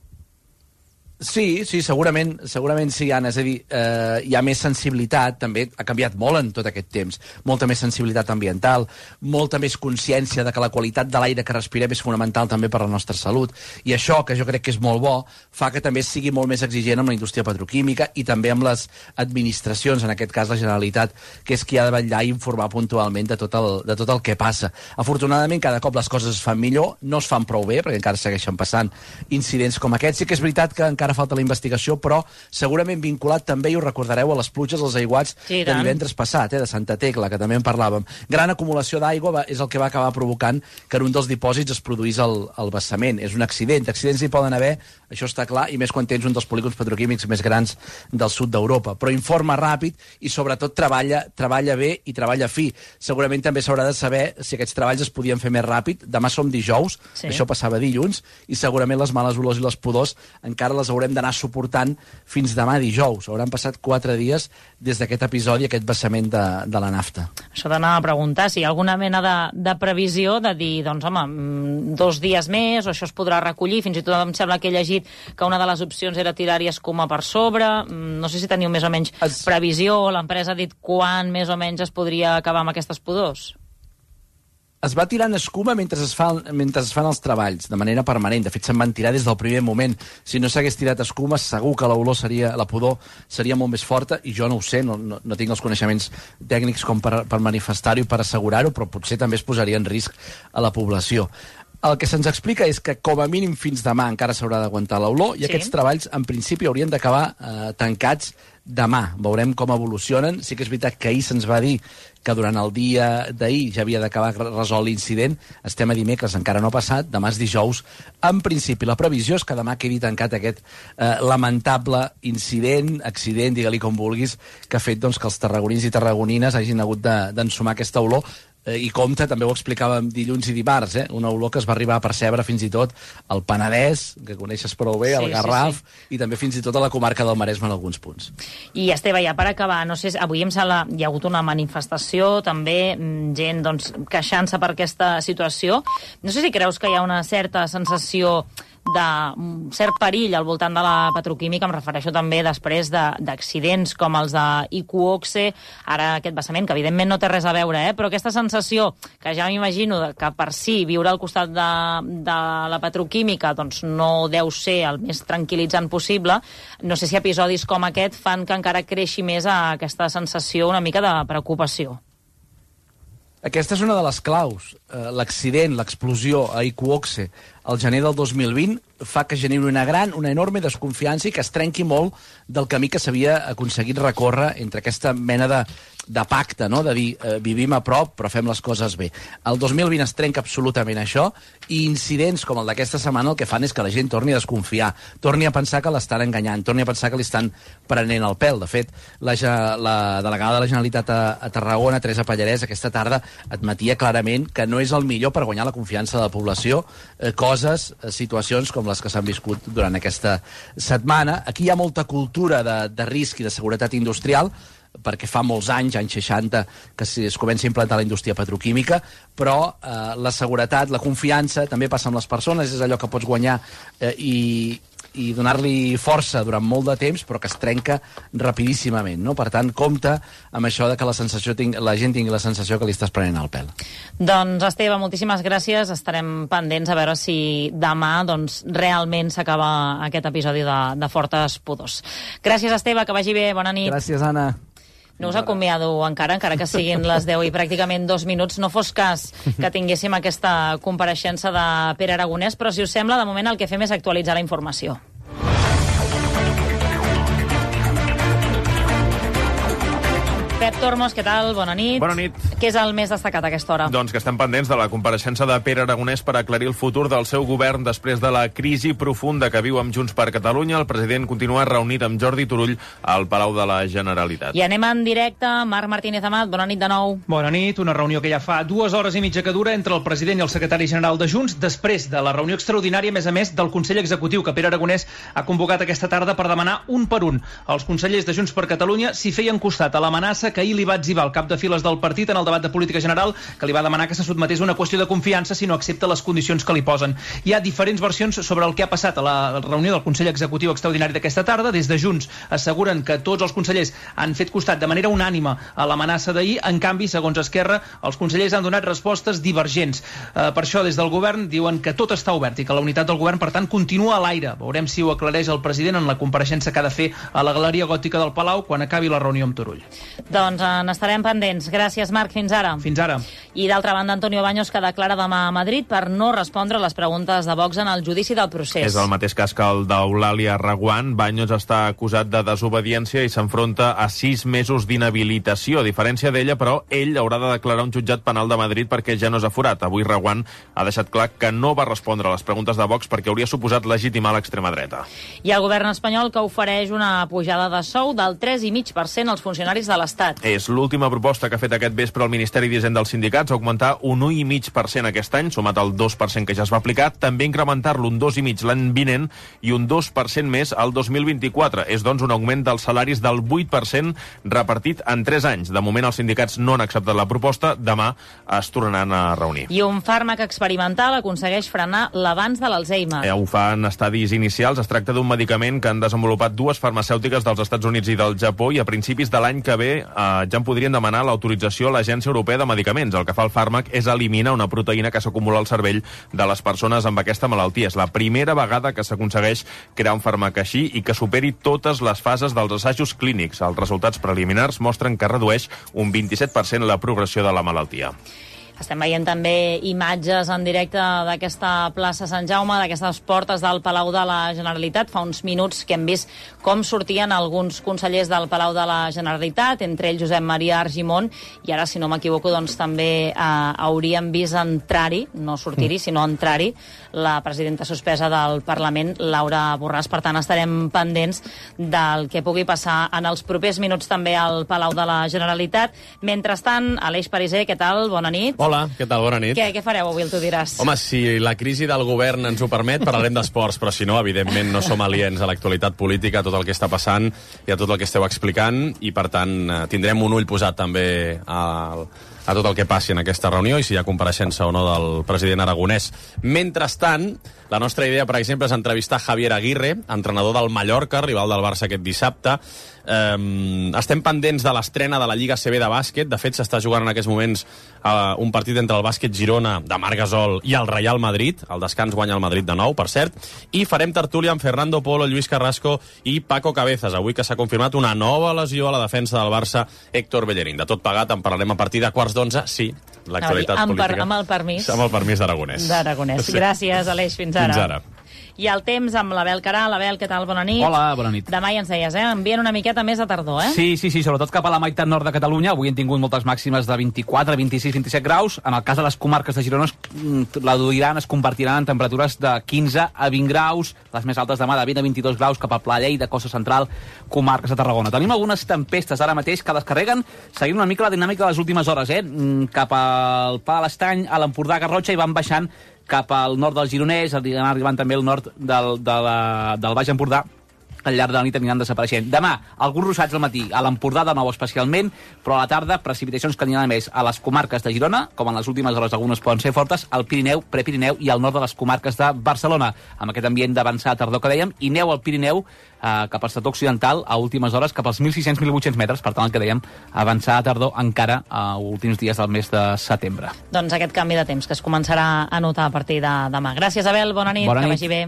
Sí, sí, segurament, segurament sí, Anna. És a dir, eh, hi ha més sensibilitat, també ha canviat molt en tot aquest temps. Molta més sensibilitat ambiental, molta més consciència de que la qualitat de l'aire que respirem és fonamental també per a la nostra salut. I això, que jo crec que és molt bo, fa que també sigui molt més exigent amb la indústria petroquímica i també amb les administracions, en aquest cas la Generalitat, que és qui ha de vetllar i informar puntualment de tot el, de tot el que passa. Afortunadament, cada cop les coses es fan millor, no es fan prou bé, perquè encara segueixen passant incidents com aquests. Sí que és veritat que encara falta la investigació, però segurament vinculat també, i ho recordareu, a les pluges, als aiguats sí, de divendres passat, eh, de Santa Tecla, que també en parlàvem. Gran acumulació d'aigua és el que va acabar provocant que en un dels dipòsits es produís el, el vessament. És un accident. Accidents hi poden haver, això està clar, i més quan tens un dels polígons petroquímics més grans del sud d'Europa. Però informa ràpid i sobretot treballa, treballa bé i treballa fi. Segurament també s'haurà de saber si aquests treballs es podien fer més ràpid. Demà som dijous, sí. Això passava dilluns, i segurament les males olors i les pudors encara les haurem d'anar suportant fins demà dijous. Hauran passat quatre dies des d'aquest episodi, aquest vessament de, de la nafta. Això d'anar a preguntar si hi ha alguna mena de, de previsió de dir, doncs home, dos dies més, o això es podrà recollir. Fins i tot em sembla que he llegit que una de les opcions era tirar-hi escuma per sobre. No sé si teniu més o menys es... previsió, o l'empresa ha dit quan més o menys es podria acabar amb aquestes pudors. Es va tirant escuma mentre es, fa, mentre es fan els treballs, de manera permanent. De fet, se'n van tirar des del primer moment. Si no s'hagués tirat escuma, segur que l'olor seria, la pudor seria molt més forta, i jo no ho sé, no, no, no tinc els coneixements tècnics com per, per manifestar-ho i per assegurar-ho, però potser també es posaria en risc a la població. El que se'ns explica és que com a mínim fins demà encara s'haurà d'aguantar l'olor, i sí. Aquests treballs en principi haurien d'acabar eh, tancats demà. Veurem com evolucionen. Sí que és veritat que ahir se'ns va dir que durant el dia d'ahir ja havia d'acabar resolt l'incident. Estem a dimecres, encara no ha passat, demà és dijous. En principi, la previsió és que demà quedi tancat aquest eh, lamentable incident, accident, digue-li com vulguis, que ha fet doncs, que els tarragonins i tarragonines hagin hagut d'ensumar aquesta olor. I compte, també ho explicàvem dilluns i dimarts, eh? Una olor que es va arribar a percebre fins i tot al Penedès, que coneixes prou bé, sí, al Garraf, sí, sí. I també fins i tot a la comarca del Maresme en alguns punts. I Esteve, ja per acabar, no sé, avui em sembla hi ha hagut una manifestació, també gent doncs, queixant-se per aquesta situació. No sé si creus que hi ha una certa sensació de cert perill al voltant de la petroquímica, em refereixo també després d'accidents com els de Iqoxe, ara aquest vessament, que evidentment no té res a veure, eh? Però aquesta sensació, que ja m'imagino que per si viure al costat de, de la petroquímica doncs no deu ser el més tranquil·litzant possible, no sé si episodis com aquest fan que encara creixi més aquesta sensació una mica de preocupació. Aquesta és una de les claus. L'accident, l'explosió a Iqoxe al gener del dos mil vint fa que generi una gran, una enorme desconfiança i que es trenqui molt del camí que s'havia aconseguit recórrer entre aquesta mena de de pacte, no? De dir, eh, vivim a prop, però fem les coses bé. El dos mil vint es trenca absolutament això, i incidents com el d'aquesta setmana el que fan és que la gent torni a desconfiar, torni a pensar que l'estan enganyant, torni a pensar que li estan prenent el pèl. De fet, la, la delegada de la Generalitat a, a Tarragona, Teresa Pallarès, aquesta tarda admetia clarament que no és el millor per guanyar la confiança de la població, eh, coses, eh, situacions com les que s'han viscut durant aquesta setmana. Aquí hi ha molta cultura de, de risc i de seguretat industrial, perquè fa molts anys, anys seixanta, que es comença a implantar la indústria petroquímica, però eh, la seguretat, la confiança, també passa amb les persones, és allò que pots guanyar eh, i, i donar-li força durant molt de temps, però que es trenca rapidíssimament, no? Per tant, compte amb això de que la, sensació ting la gent tingui la sensació que li estàs prenent el pèl. Doncs, Esteve, moltíssimes gràcies. Estarem pendents a veure si demà doncs, realment s'acaba aquest episodi de, de Fortes Pudors. Gràcies, Esteve, que vagi bé. Bona nit. Gràcies, Anna. No us acomiado encara, encara que siguin les deu i pràcticament dos minuts. No fos cas que tinguéssim aquesta compareixença de Pere Aragonès, però si us sembla, de moment el que fem és actualitzar la informació. Pep Tormos, què tal? Bona nit. Bona nit. Què és el més destacat a aquesta hora? Doncs que estem pendents de la compareixença de Pere Aragonès per aclarir el futur del seu govern després de la crisi profunda que viu amb Junts per Catalunya. El president continua reunit amb Jordi Turull al Palau de la Generalitat. I anem en directe. Marc Martínez Amat, bona nit de nou. Bona nit. Una reunió que ja fa dues hores i mitja que dura entre el president i el secretari general de Junts, després de la reunió extraordinària, a més a més, del Consell Executiu que Pere Aragonès ha convocat aquesta tarda per demanar un per un als consellers de Junts per Catalunya si feien costat a l'amenaça que ahir li va etzibar el cap de files del partit en el debat de política general, que li va demanar que se sotmetés a una qüestió de confiança si no accepta les condicions que li posen. Hi ha diferents versions sobre el que ha passat a la reunió del Consell Executiu Extraordinari d'aquesta tarda. Des de Junts asseguren que tots els consellers han fet costat de manera unànime a l'amenaça d'ahir. En canvi, segons Esquerra, els consellers han donat respostes divergents. Eh, per això, des del govern, diuen que tot està obert i que la unitat del govern, per tant, continua a l'aire. Veurem si ho aclareix el president en la compareixença que ha de fer a la Galeria Gòtica del Palau quan acabi la reunió amb Turull. Doncs n'estarem pendents. Gràcies, Marc. Fins ara. Fins ara. I d'altra banda, Antonio Baños, que declara demà a Madrid per no respondre a les preguntes de Vox en el judici del procés. És el mateix cas que el d'Eulàlia Reguant. Baños està acusat de desobediència i s'enfronta a sis mesos d'inhabilitació. A diferència d'ella, però, ell haurà de declarar un jutjat penal de Madrid perquè ja no és aforat. Avui Reguant ha deixat clar que no va respondre a les preguntes de Vox perquè hauria suposat legitimar l'extrema dreta. I el govern espanyol que ofereix una pujada de sou del tres coma cinc per cent als funcionaris de l'Estat. És l'última proposta que ha fet aquest vespre el Ministeri d'Hisenda dels Sindicats, augmentar un un coma cinc per cent aquest any, sumat al dos per cent que ja es va aplicar, també incrementar-lo un dos coma cinc l'any vinent i un dos per cent més al dos mil vint-i-quatre. És, doncs, un augment dels salaris del vuit per cent repartit en tres anys. De moment, els sindicats no han acceptat la proposta. Demà es tornaran a reunir. I un fàrmac experimental aconsegueix frenar l'avanç de l'Alzheimer. Eh, ho fa en estadis inicials. Es tracta d'un medicament que han desenvolupat dues farmacèutiques dels Estats Units i del Japó i a principis de l'any que ve eh, ja en podrien demanar l'autorització a l'Agència Europea de Medicaments. El que fa el fàrmac és eliminar una proteïna que s'acumula al cervell de les persones amb aquesta malaltia. És la primera vegada que s'aconsegueix crear un fàrmac així i que superi totes les fases dels assajos clínics. Els resultats preliminars mostren que redueix un vint-i-set per cent la progressió de la malaltia. Estem veient també imatges en directe d'aquesta plaça Sant Jaume, d'aquestes portes del Palau de la Generalitat. Fa uns minuts que hem vist com sortien alguns consellers del Palau de la Generalitat, entre ells Josep Maria Argimon, i ara, si no m'equivoco, doncs també eh, hauríem vist entrar-hi, no sortir-hi, sinó entrar-hi, la presidenta suspesa del Parlament, Laura Borràs. Per tant, estarem pendents del que pugui passar en els propers minuts també al Palau de la Generalitat. Mentrestant, Aleix Pariser, què tal? Bona nit. Hola, què tal? Bona nit. Què, què fareu avui, el tu diràs? Home, si la crisi del govern ens ho permet, parlarem d'esports, però si no, evidentment, no som aliens a l'actualitat política, a tot el que està passant i a tot el que esteu explicant, i per tant tindrem un ull posat també al... a tot el que passi en aquesta reunió i si hi ha compareixença o no del president Aragonès. Mentrestant, la nostra idea, per exemple, és entrevistar Javier Aguirre, entrenador del Mallorca, rival del Barça aquest dissabte. Um, estem pendents de l'estrena de la Lliga A C B de bàsquet. De fet, s'està jugant en aquests moments uh, un partit entre el Bàsquet Girona de Marc Gasol i el Real Madrid. El descans guanya el Madrid de nou, per cert. I farem tertúlia amb Fernando Polo, Lluís Carrasco i Paco Cabezas. Avui que s'ha confirmat una nova lesió a la defensa del Barça, Héctor Bellerín. De tot pagat en parlarem a partir de quarts d'onze. Sí, l'actualitat amb, política. Per, amb el permís. Amb el permís d'Aragonès. D'Aragonès. Sí. Gràcies, Aleix. Fins ara. Fins ara. I el temps amb l'Abel Caral. Abel, què tal? Bona nit. Hola, bona nit. Demà ja ens deies, eh? Envien una miqueta més de tardor, eh? Sí, sí, sí, sobretot cap a la meitat nord de Catalunya. Avui hem tingut moltes màximes de vint-i-quatre, vint-i-sis, vint-i-set graus. En el cas de les comarques de Girona, la duiran, es convertiran en temperatures de quinze a vint graus, les més altes demà de vint a vint-i-dos graus cap a Pla Lleida, Costa Central, comarques de Tarragona. Tenim algunes tempestes ara mateix que descarreguen, seguint una mica la dinàmica de les últimes hores, eh? Cap al Pla de l'Estany, a l'Empordà, Garrotxa, i van baixant cap al nord del Gironès, arribant també al nord del, de la, del Baix Empordà. Al llarg de la nit aniran desapareixent. Demà, alguns ruixats al matí, a l'Empordà de nou especialment, però a la tarda precipitacions que aniran més a les comarques de Girona, com en les últimes hores algunes poden ser fortes, al Pirineu, Prepirineu i al nord de les comarques de Barcelona, amb aquest ambient d'avançar a tardor que dèiem, i neu al Pirineu eh, cap al sector occidental a últimes hores cap als mil sis-cents a mil vuit-cents metres, per tant el que dèiem, avançar a tardor encara a últims dies del mes de setembre. Doncs aquest canvi de temps que es començarà a notar a partir de demà. Gràcies, Abel, bona nit, bona que nit. vagi bé.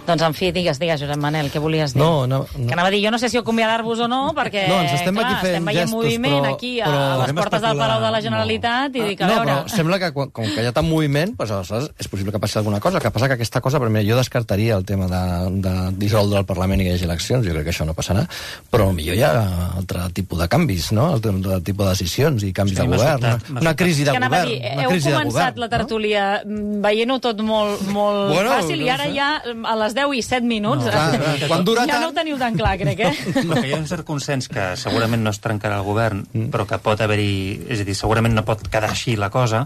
Doncs, en fi, digues, digues, Josep Manel, què volies dir? No, no, no. Que anava a dir, jo no sé si acomiadar-vos o no, perquè, no, ens estem clar, aquí fent estem veient gestos, moviment però, aquí a, però... a les portes del Palau de la Generalitat, no. I dic, a no, veure... però sembla que com, com que hi ha tant moviment, doncs, aleshores és possible que passi alguna cosa. El que passa que aquesta cosa, per mi, jo descartaria el tema de, de dissoldre el Parlament i que hi hagi eleccions, jo crec que això no passarà, però millor hi ha altre tipus de canvis, no? Altre tipus de decisions i canvis sí, de govern. Una, una crisi de govern. Dir, una heu crisi començat govern, la tertúlia no? veient-ho tot molt, molt bueno, fàcil, i ara no sé. Ja a les deu i set minuts... No, clar, clar. Quan dura ja tant... no ho teniu tan clar, crec, eh? No, que hi ha un cert consens que segurament no es trencarà el govern, mm. però que pot haver-hi... És a dir, segurament no pot quedar així la cosa.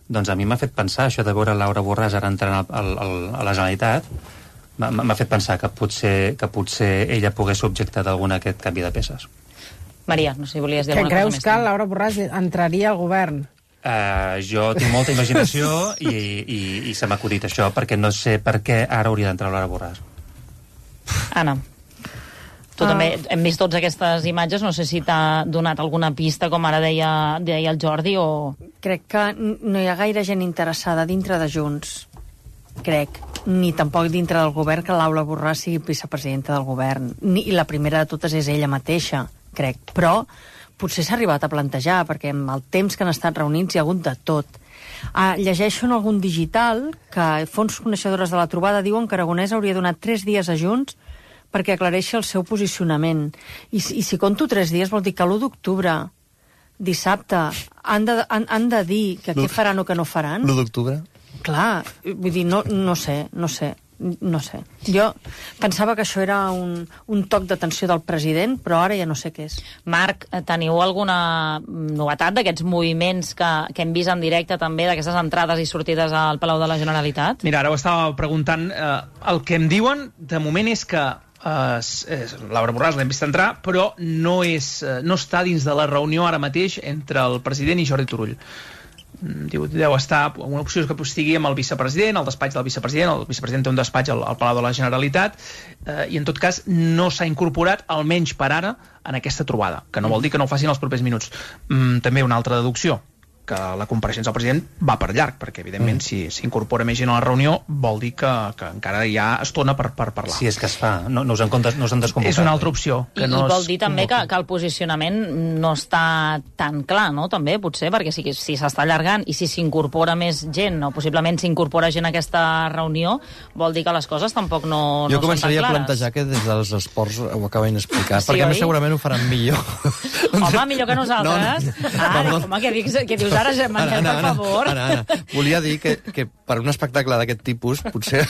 Doncs a mi m'ha fet pensar, això de veure Laura Borràs ara entrant al, al, al, a la Generalitat, m'ha fet pensar que potser, que potser ella pogués ser objecte d'algun aquest canvi de peces. Maria, no sé si volies dir que alguna cosa més. més. Que creus que Laura Borràs entraria al govern? Uh, jo tinc molta imaginació i, i, i se m'ha acudit això, perquè no sé per què ara hauria d'entrar Laura Borràs. Anna, tu ah. també hem vist totes aquestes imatges, no sé si t'ha donat alguna pista, com ara deia, deia el Jordi, o... Crec que no hi ha gaire gent interessada dintre de Junts, crec, ni tampoc dintre del govern que Laura Borràs sigui vicepresidenta del govern, ni, i la primera de totes és ella mateixa, crec, però potser s'ha arribat a plantejar, perquè amb el temps que han estat reunits hi ha hagut de tot. Ah, llegeixo en algun digital que fons coneixedores de la trobada diuen que Aragonès hauria donat tres dies a Junts perquè aclareixi el seu posicionament. I, i si conto tres dies vol dir que l'u d'octubre, dissabte, han de, han, han de dir que què faran o què no faran. l'u d'octubre? Clar, vull dir, no, no sé, no sé. No sé. Jo pensava que això era un, un toc d'atenció del president, però ara ja no sé què és. Marc, teniu alguna novetat d'aquests moviments que, que hem vist en directe també, d'aquestes entrades i sortides al Palau de la Generalitat? Mira, ara ho estava preguntant. Eh, el que em diuen, de moment, és que eh, és, Laura Borràs l'hem vist entrar, però no, és, eh, no està dins de la reunió ara mateix entre el president i Jordi Turull. Diu, deu estar, una opció és que estigui amb el vicepresident, el despatx del vicepresident, el vicepresident té un despatx al, al Palau de la Generalitat, eh, i en tot cas no s'ha incorporat, almenys per ara, en aquesta trobada, que no vol dir que no ho facin els propers minuts. Mm, també una altra deducció, que la compareixença del president va per llarg, perquè evidentment mm. si s'incorpora més gent a la reunió vol dir que, que encara hi ha estona per, per parlar. Si és que es fa, no, no us han, comptes, no us han desconvocat. És una altra opció. Que I, no I vol dir també que, que el posicionament no està tan clar, no? També, potser, perquè si si s'està allargant i si s'incorpora més gent, o possiblement s'incorpora gent a aquesta reunió, vol dir que les coses tampoc no, no són tan clares. Jo començaria a plantejar que des dels esports ho acaben d'explicar, sí, perquè oi? Segurament ho faran millor. Home, millor que nosaltres. No, no. Ara, home, què dius, què dius ara, Gemma, Anna, Anna, per favor. Anna, Anna, volia dir que, que per un espectacle d'aquest tipus potser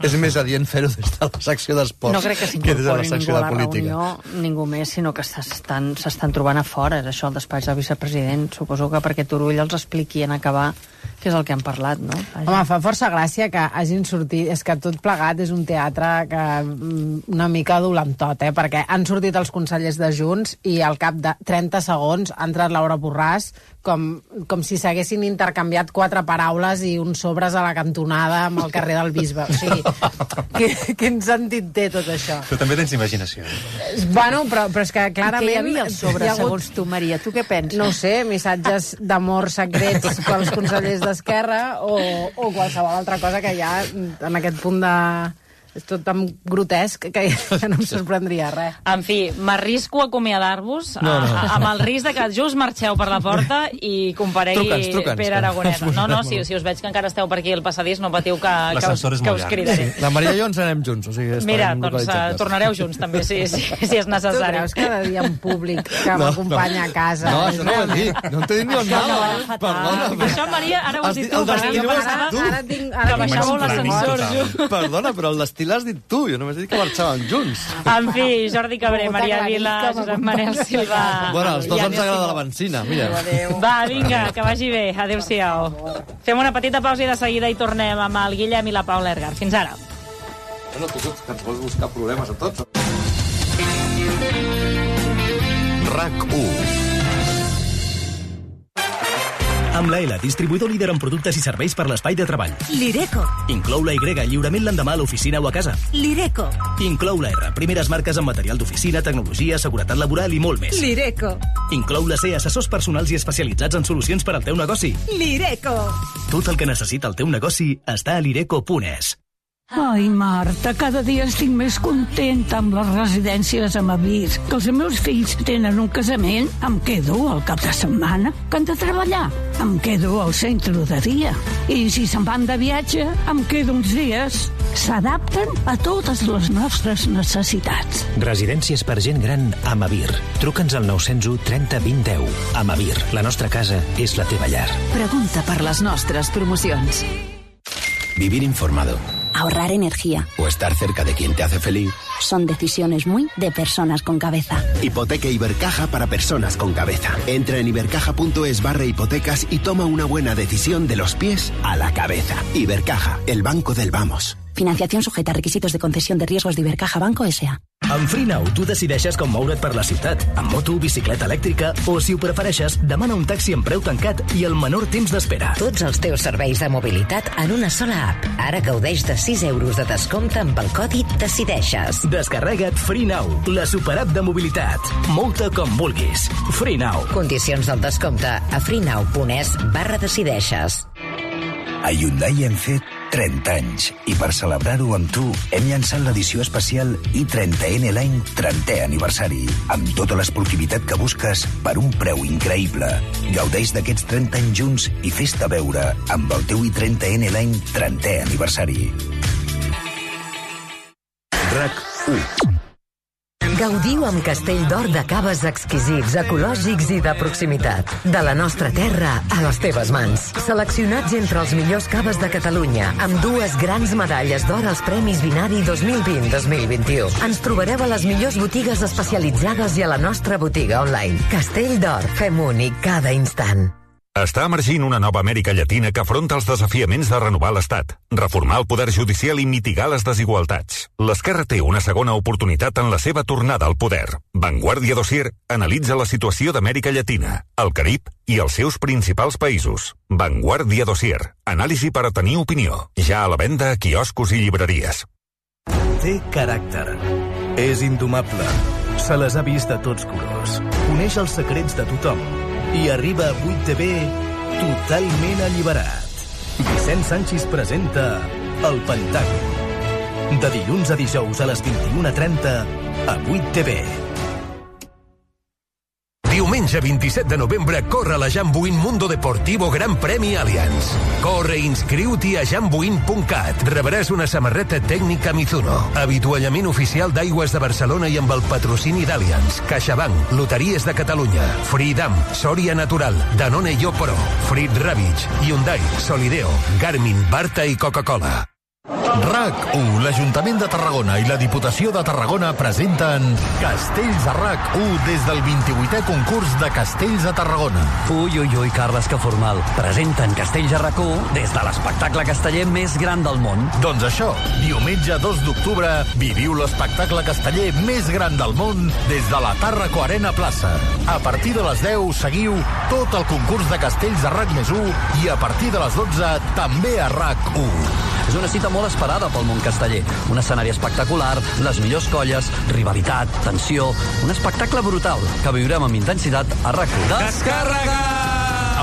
és més adient fer-ho des de la secció d'esports no crec que s'incorpori ningú a la reunió, ningú més, sinó que s'estan trobant a fora, és això, el despatx del vicepresident. Suposo que perquè Turull els expliqui en acabar què és el que han parlat, no? Vaja. Home, fa força gràcia que hagin sortit... És que tot plegat és un teatre que una mica dolentot, eh? Perquè han sortit els consellers de Junts i al cap de trenta segons ha entrat Laura Borràs com, com si s'haguessin intercanviat quatre paraules i uns sobres a la cantonada amb el carrer del Bisbe. O sigui, que, quin sentit té tot això? Tu també tens imaginació. Bueno, però, però és que clarament... I què hi havia al sobre, hagut... segons tu, Maria? Tu què penses? No ho sé, missatges d'amor secrets pels consellers d'Esquerra o, o qualsevol altra cosa que hi ha en aquest punt de, és tot tan grotesc que, que no em sorprendria res. En fi, m'arrisco a acomiadar-vos no, no. amb el risc de que just marxeu per la porta i comparegui truca'ns, truca'ns, Pere Aragonès. No, no, si, si us veig que encara esteu per aquí al passadís, no patiu que, que, us, que us cridaré. Sí. La Maria i jo ens anem junts. O sigui, mira, doncs uh, tornareu junts també, si, si, si és necessari. Tu creus cada dia un públic que no, m'acompanya no. a casa? No, això no ho he dit. No t'he dit ni on anava. Perdona. Això, Maria, ara ho has dit tu, perquè jo pensava que baixàveu l'ascensor. Perdona, però el destí l'has dit tu. Jo només he dit que marxàvem junts. En fi, Jordi Cabré, Maria Vila, Josep Manel Silva... Bueno, als dos ens agrada la benzina, mira. Va, vinga, que vagi bé. Adéu-siau. Fem una petita pausa i de seguida hi tornem amb el Guillem i la Paula Ergar. Fins ara. Bueno, tu que ens vols buscar problemes a tots. RAC u. Amb la L, distribuïdor líder en productes i serveis per l'espai de treball. Lireco. Inclou la Y, lliurament l'endemà a l'oficina o a casa. Lireco. Inclou la R, primeres marques en material d'oficina, tecnologia, seguretat laboral i molt més. Lireco. Inclou la C, assessors personals i especialitzats en solucions per al teu negoci. Lireco. Tot el que necessita el teu negoci està a lireco punt es. Ai, Marta, cada dia estic més contenta amb les residències a Mavir. Que els meus fills tenen un casament, em quedo al cap de setmana. Que han de treballar, em quedo al centre de dia. I si se'n van de viatge, em quedo uns dies. S'adapten a totes les nostres necessitats. Residències per gent gran a Mavir. Truca'ns al nou zero u trenta vint deu. A Mavir, la nostra casa és la teva llar. Pregunta per les nostres promocions. Vivir informado. Ahorrar energía. O estar cerca de quien te hace feliz. Son decisiones muy de personas con cabeza. Hipoteca Ibercaja para personas con cabeza. Entra en ibercaja.es barra hipotecas y toma una buena decisión de los pies a la cabeza. Ibercaja, el banco del vamos. Financiación sujeta a requisitos de concesión de riesgos de Ibercaja Banco S A Amb FreeNow tu decideixes com moure't per la ciutat, amb moto, bicicleta elèctrica o, si ho prefereixes, demana un taxi amb preu tancat i el menor temps d'espera. Tots els teus serveis de mobilitat en una sola app. Ara gaudeix de sis euros de descompte amb el codi Decideixes. Descarrega't FreeNow, la superapp de mobilitat. Mou-te com vulguis. FreeNow. Condicions del descompte a freenow punt es barra decideixes. A Hyundai hem fet trenta anys i per celebrar-ho amb tu hem llançat l'edició especial i trenta N l'any trentè aniversari amb tota l'esportivitat que busques per un preu increïble. Gaudeix d'aquests trenta anys junts i fes-te veure amb el teu i trenta N l'any trentè aniversari. RAC u. Gaudiu amb Castell d'Or de caves exquisits, ecològics i de proximitat. De la nostra terra a les teves mans. Seleccionats entre els millors caves de Catalunya, amb dues grans medalles d'or als Premis Vinari dos mil vint dos mil vint-i-u. Ens trobareu a les millors botigues especialitzades i a la nostra botiga online. Castell d'Or, fem únic cada instant. Està emergint una nova Amèrica Llatina que afronta els desafiaments de renovar l'Estat, reformar el poder judicial i mitigar les desigualtats. L'esquerra té una segona oportunitat en la seva tornada al poder. Vanguardia Dossier analitza la situació d'Amèrica Llatina, el Carib i els seus principals països. Vanguardia Dossier. Anàlisi per a tenir opinió. Ja a la venda a quioscos i llibreries. Té caràcter. És indomable. Se les ha vist de tots colors. Coneix els secrets de tothom. I arriba a vuit T V totalment alliberat. Vicent Sanchis presenta El Pentàgon. De dilluns a dijous a les vint-i-una trenta a vuit T V. Diumenge vint-i-set de novembre corre la Jambuin Mundo Deportivo Gran Premi Allianz. Corre i inscriu-t'hi a jambuin punt cat. Rebràs una samarreta tècnica Mizuno, avituallament oficial d'Aigües de Barcelona i amb el patrocini d'Allianz, CaixaBank, Loteries de Catalunya, Freedom, Soria Natural, Danone Yopro, Frit Ravitch, Hyundai, Solideo, Garmin, Barta i Coca-Cola. RAC u, l'Ajuntament de Tarragona i la Diputació de Tarragona presenten Castells a RAC u des del vint-i-vuitè concurs de Castells a Tarragona. Ui, ui, ui, Carles, que formal. Presenten Castells a RAC u des de l'espectacle casteller més gran del món. Doncs això, diumenge dos d'octubre, viviu l'espectacle casteller més gran del món des de la Tàrraco Arena Plaça. A partir de les deu seguiu tot el concurs de Castells a RAC més u i a partir de les dotze també a RAC u. És una cita molt esperada pel món casteller. Un escenari espectacular, les millors colles, rivalitat, tensió... Un espectacle brutal que viurem amb intensitat a RAC u. Descàrrega!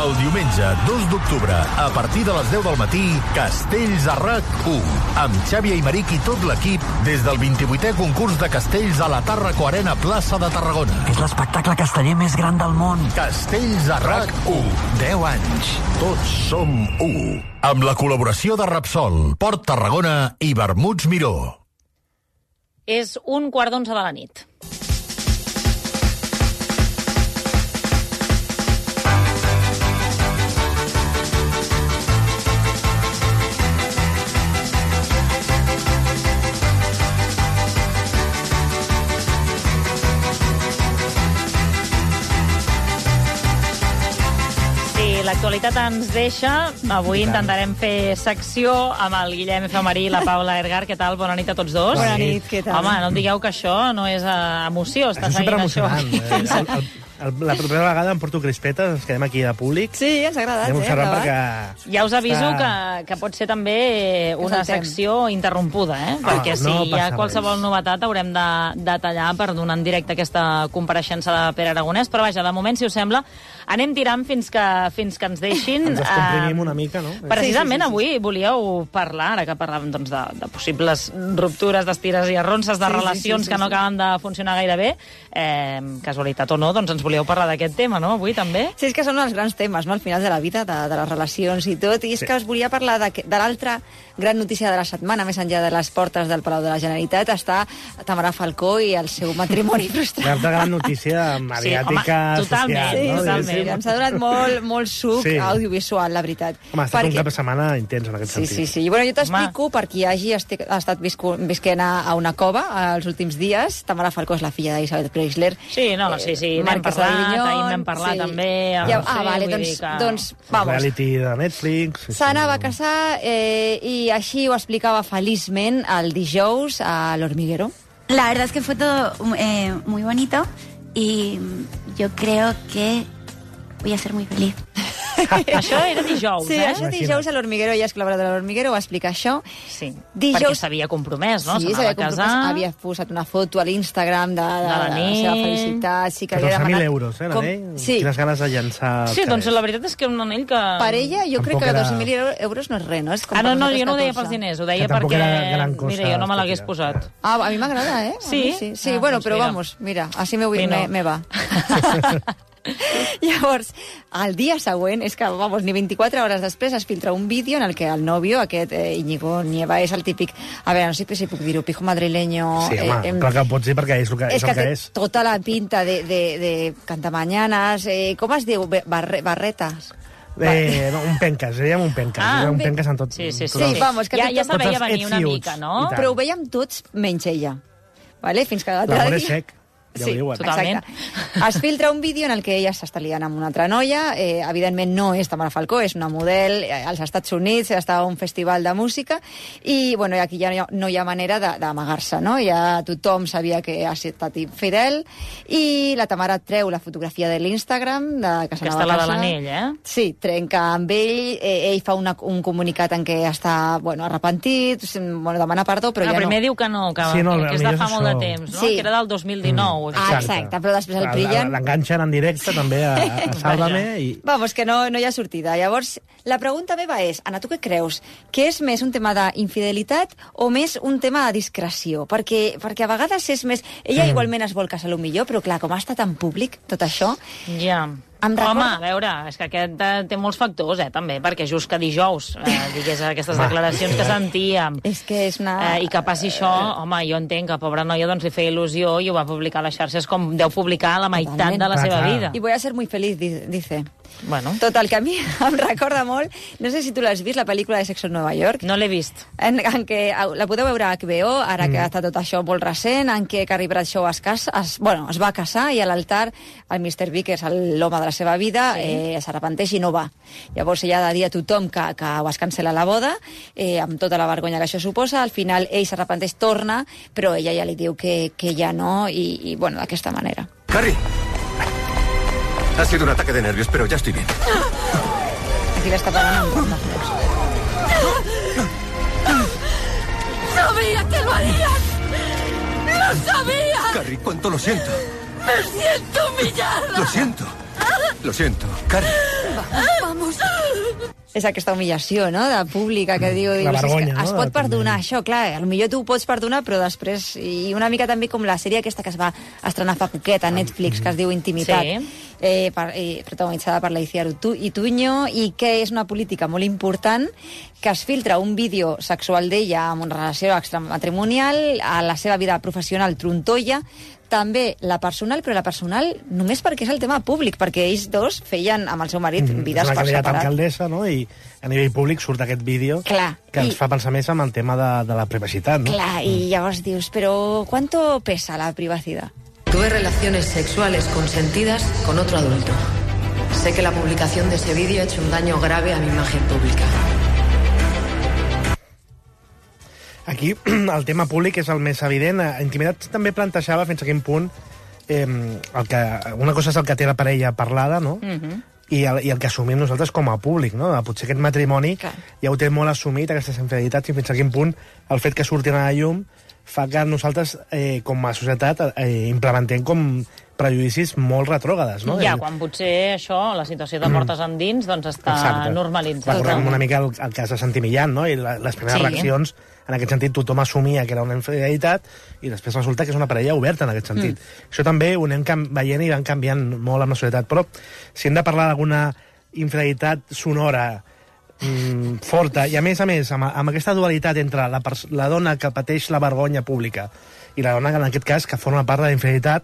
El diumenge dos d'octubre, a partir de les deu del matí, Castells a R A C u, amb Xavi Aymeric i tot l'equip des del vint-i-vuitè concurs de castells a la Tàrraco Arena Plaça de Tarragona. És l'espectacle casteller més gran del món. Castells a R A C u. deu anys. Tots som u. Amb la col·laboració de Repsol, Port Tarragona i Vermuts Miró. És un quart d'onze de la nit. L'actualitat ens deixa. Avui intentarem fer secció amb el Guillem Efemerí i la Paula Ergar. Què tal? Bona nit a tots dos. Bona nit, què tal? Home, no em digueu que això no és uh, emoció. Està Això és seguint això. superemocionant. Eh? El, el, el, la primera vegada em porto crispetes, ens quedem aquí de públic. Sí, ens ha agradat, Anem eh? observant perquè... Ja us aviso Està- que, que pot ser també una saltem. secció interrompuda, eh? Ah, Perquè si no hi ha passa qualsevol novetat haurem de, de tallar per donar en directe aquesta compareixença de Pere Aragonès. Però vaja, de moment, si us sembla, anem tirant fins que, fins que ens deixin. Ens descomprimim Eh, una mica, no? Precisament Sí, sí, sí, sí. avui volíeu parlar, ara que parlàvem doncs, de, de possibles ruptures, d'estires i arronses, de Sí, sí, relacions sí, sí, que no sí. acaben de funcionar gaire bé. Eh, casualitat o no, doncs ens volíeu parlar d'aquest tema, no? Avui també. Sí, és que són els grans temes, no?, al final de la vida, de, de les relacions i tot, i és Sí. que us volia parlar de, que- de l'altra gran notícia de la setmana, més enllà de les portes del Palau de la Generalitat, està Tamara Falcó i el seu matrimoni frustrat. L'altra gran notícia mediàtica, Sí, social. sí, no? totalment. Diguéssim. Ens ha donat molt, molt suc Sí. audiovisual, la veritat. Home, ha estat un cap de setmana intens en aquest Sí, sentit. sí, sí. I bueno, jo t'explico, per qui hagi esti- ha estat viscu, visquent a, a una cova els últims dies. Tamara Falcó és la filla d'Isabel Preisler. Sí, no, no, sí, sí, n'hem Marquesa de parlat, Grinyón, ahir n'hem parlat sí. també. Ja, no ah, sé, vale, vull doncs, dir que- doncs vamos. Reality de Netflix. Sí, S'Anna va casar eh, y així ho explicava feliçment el dijous a l'Hormiguero. La verdad es que fue todo eh, muy bonito y yo creo que voy a ser muy feliz. Això era dijous, Sí, eh? això dijous a l'Hormiguero, ella és col·laboradora de l'Hormiguero, va explicar això. Sí, Dijous- perquè s'havia compromès, no? Sí, S'anava s'havia a casar. compromès, havia posat una foto a l'Instagram de, de, De la de la nit. seva felicitat. Sí, que havia catorze mil demanat... euros, eh, com- l'anell? Sí. Quines ganes de llançar... Sí, doncs la veritat és que un anell que... Per ella, jo crec Tampoc que era- catorze mil euros no és res, no? És com Ah, no, per no, nosaltres jo no ho deia catorze. pels diners, ho deia Que tampoc perquè... era gran cosa Mira, jo no me l'hagués hòstia. posat. Ah, a mi m'agrada, eh? A Sí? mi sí, sí Ah, bueno, doncs però mira. vamos, mira, així me, vull, Sí, no. me, me va. Llavors, el dia següent, és que, vamos, ni vint-i-quatre hores després es filtra un vídeo en el que el nòvio, aquest eh, Íñigo Nieva, és el típic... A veure, no sé si puc dir-ho, pijo madrileño... Sí, home, em- clar que ho pots dir perquè és el que és. és El que que té és. tota la pinta de, de, de cantamañanas, eh, com es diu? Barre, barretes. Eh, no, un penques, dèiem un penques. Ah, Ah, un un penques en tot. Sí, sí, sí. tot el- Sí, vamos, que Ja, té ja tot- se'l veia tots els venir una ets mica, iuts, no? i tant. Però ho veiem tots menys ella. Vale? Fins que l'altre L'amor és dia... sec, ja Sí, ho diuen. totalment. exacte. Es filtra un vídeo en el que ella s'està liant amb una altra noia. Eh, evidentment no és Tamara Falcó, és una model eh, als Estats Units, està a un festival de música, i bueno, aquí ja no hi ha, no hi ha manera de- d'amagar-se, no? Ja tothom sabia que ha estat infidel, i la Tamara treu la fotografia de l'Instagram de que s'anava Aquesta a la de casar. l'anell, eh? Sí, trenca amb ell, eh, ell fa una, un comunicat en què està, bueno, arrepentit, bueno, demana perdó, però Ah, ja primer no... diu que no, que, Sí, no, que és de millor fa és molt de això. temps, no? Sí. Que era del dos mil dinou. Ah, exacte, però després el pillen... L'enganxen en directe també a, a Sálvame i... Vamos, que no, no hi ha sortida. Llavors, la pregunta meva és, Anna, tu què creus? Que és més un tema d'infidelitat o més un tema de discreció? Perquè, perquè a vegades és més... Ella Mm. igualment es vol casar millor, però clar, com ha estat en públic tot això... Ja. Em Home, recorda- a veure, és que aquest eh, té molts factors, eh, també, perquè just que dijous eh, digués aquestes declaracions que sentíem És que és una... eh, i que passi això, home, jo entenc que pobra noia doncs li feia il·lusió i ho va publicar a les xarxes com deu publicar la meitat Totalment. de la Clar, seva clar. vida. I voy a ser muy feliz, di- dice. Bueno, Total, que a mi em recorda molt... No sé si tu l'has vist, la pel·lícula de Sexo en Nova York. no l'he vist. En, en què la podeu veure a H B O, ara Mm. que està tot això molt recent, en què Carrie Bradshaw es, casa, es, bueno, es va casar i a l'altar el mister Big, que és el- l'home de la seva vida, Sí. eh, s'arrepenteix i no va. Llavors ella ha de dir a tothom que, que ho es cancela la boda, eh, amb tota la vergonya que això suposa. Al final ell s'arrepenteix, torna, però ella ja li diu que, que ja no, i, i bueno, d'aquesta manera. Carrie. Ha sido un ataque de nervios, pero ya estoy bien. Aquí l'està pagant amb una flors. ¡Sabía que lo harías! ¡Lo sabía! Carrie, cuánto lo siento. ¡Me siento humillada! Lo siento. Lo siento. Carrie. Vamos. És aquesta humillació, no?, de pública que diu... La vergonya, no? Es pot no? perdonar, això, clar, potser tu ho pots perdonar, però després... I una mica també com la sèrie aquesta que es va estrenar fa poquet a Netflix, que es diu Intimitat, Sí. eh, per, eh, protagonitzada per l'Iciar Ituño, i que és una política molt important, que es filtra un vídeo sexual d'ella amb una relació extramatrimonial, a la seva vida professional trontolla, també la personal, però la personal només perquè és el tema públic, perquè ells dos feien amb el seu marit Mm, vides és una per candidata separat. alcaldessa, no? I a nivell públic surt aquest vídeo Clar, que ens i- fa pensar més en el tema de, de la privacitat, no? Clar, i llavors dius, però ¿cuánto pesa la privacidad? Tuve relaciones sexuales consentidas con otro adulto. Sé que la publicación de ese vídeo ha hecho un daño grave a mi imagen pública. Aquí el tema públic és el més evident. A Intimitat també plantejava fins a quin punt eh, el que, una cosa és el que té la parella parlada, no? Mhm. I el, i el que assumim nosaltres com a públic, no? Potser aquest matrimoni ja ho té molt assumit, aquestes infidelitats, i fins a quin punt el fet que surtin a la llum fa que nosaltres, eh, com a societat, eh, implementem com prejudicis molt retrògades, no? Ja, El- quan potser això, la situació de portes endins, doncs està Exacte. normalitzat. Recordem una mica el, el cas de Santi Millán, no? I la, les primeres Sí. reaccions, en aquest sentit, tothom assumia que era una infidelitat i després resulta que és una parella oberta en aquest sentit. Mm. Això també ho anem cam- veient i van canviant molt amb la societat. Però si hem de parlar d'alguna infidelitat sonora mm, forta, i a més a més, amb, amb aquesta dualitat entre la, pers- la dona que pateix la vergonya pública i la dona, en aquest cas, que forma part de la infidelitat,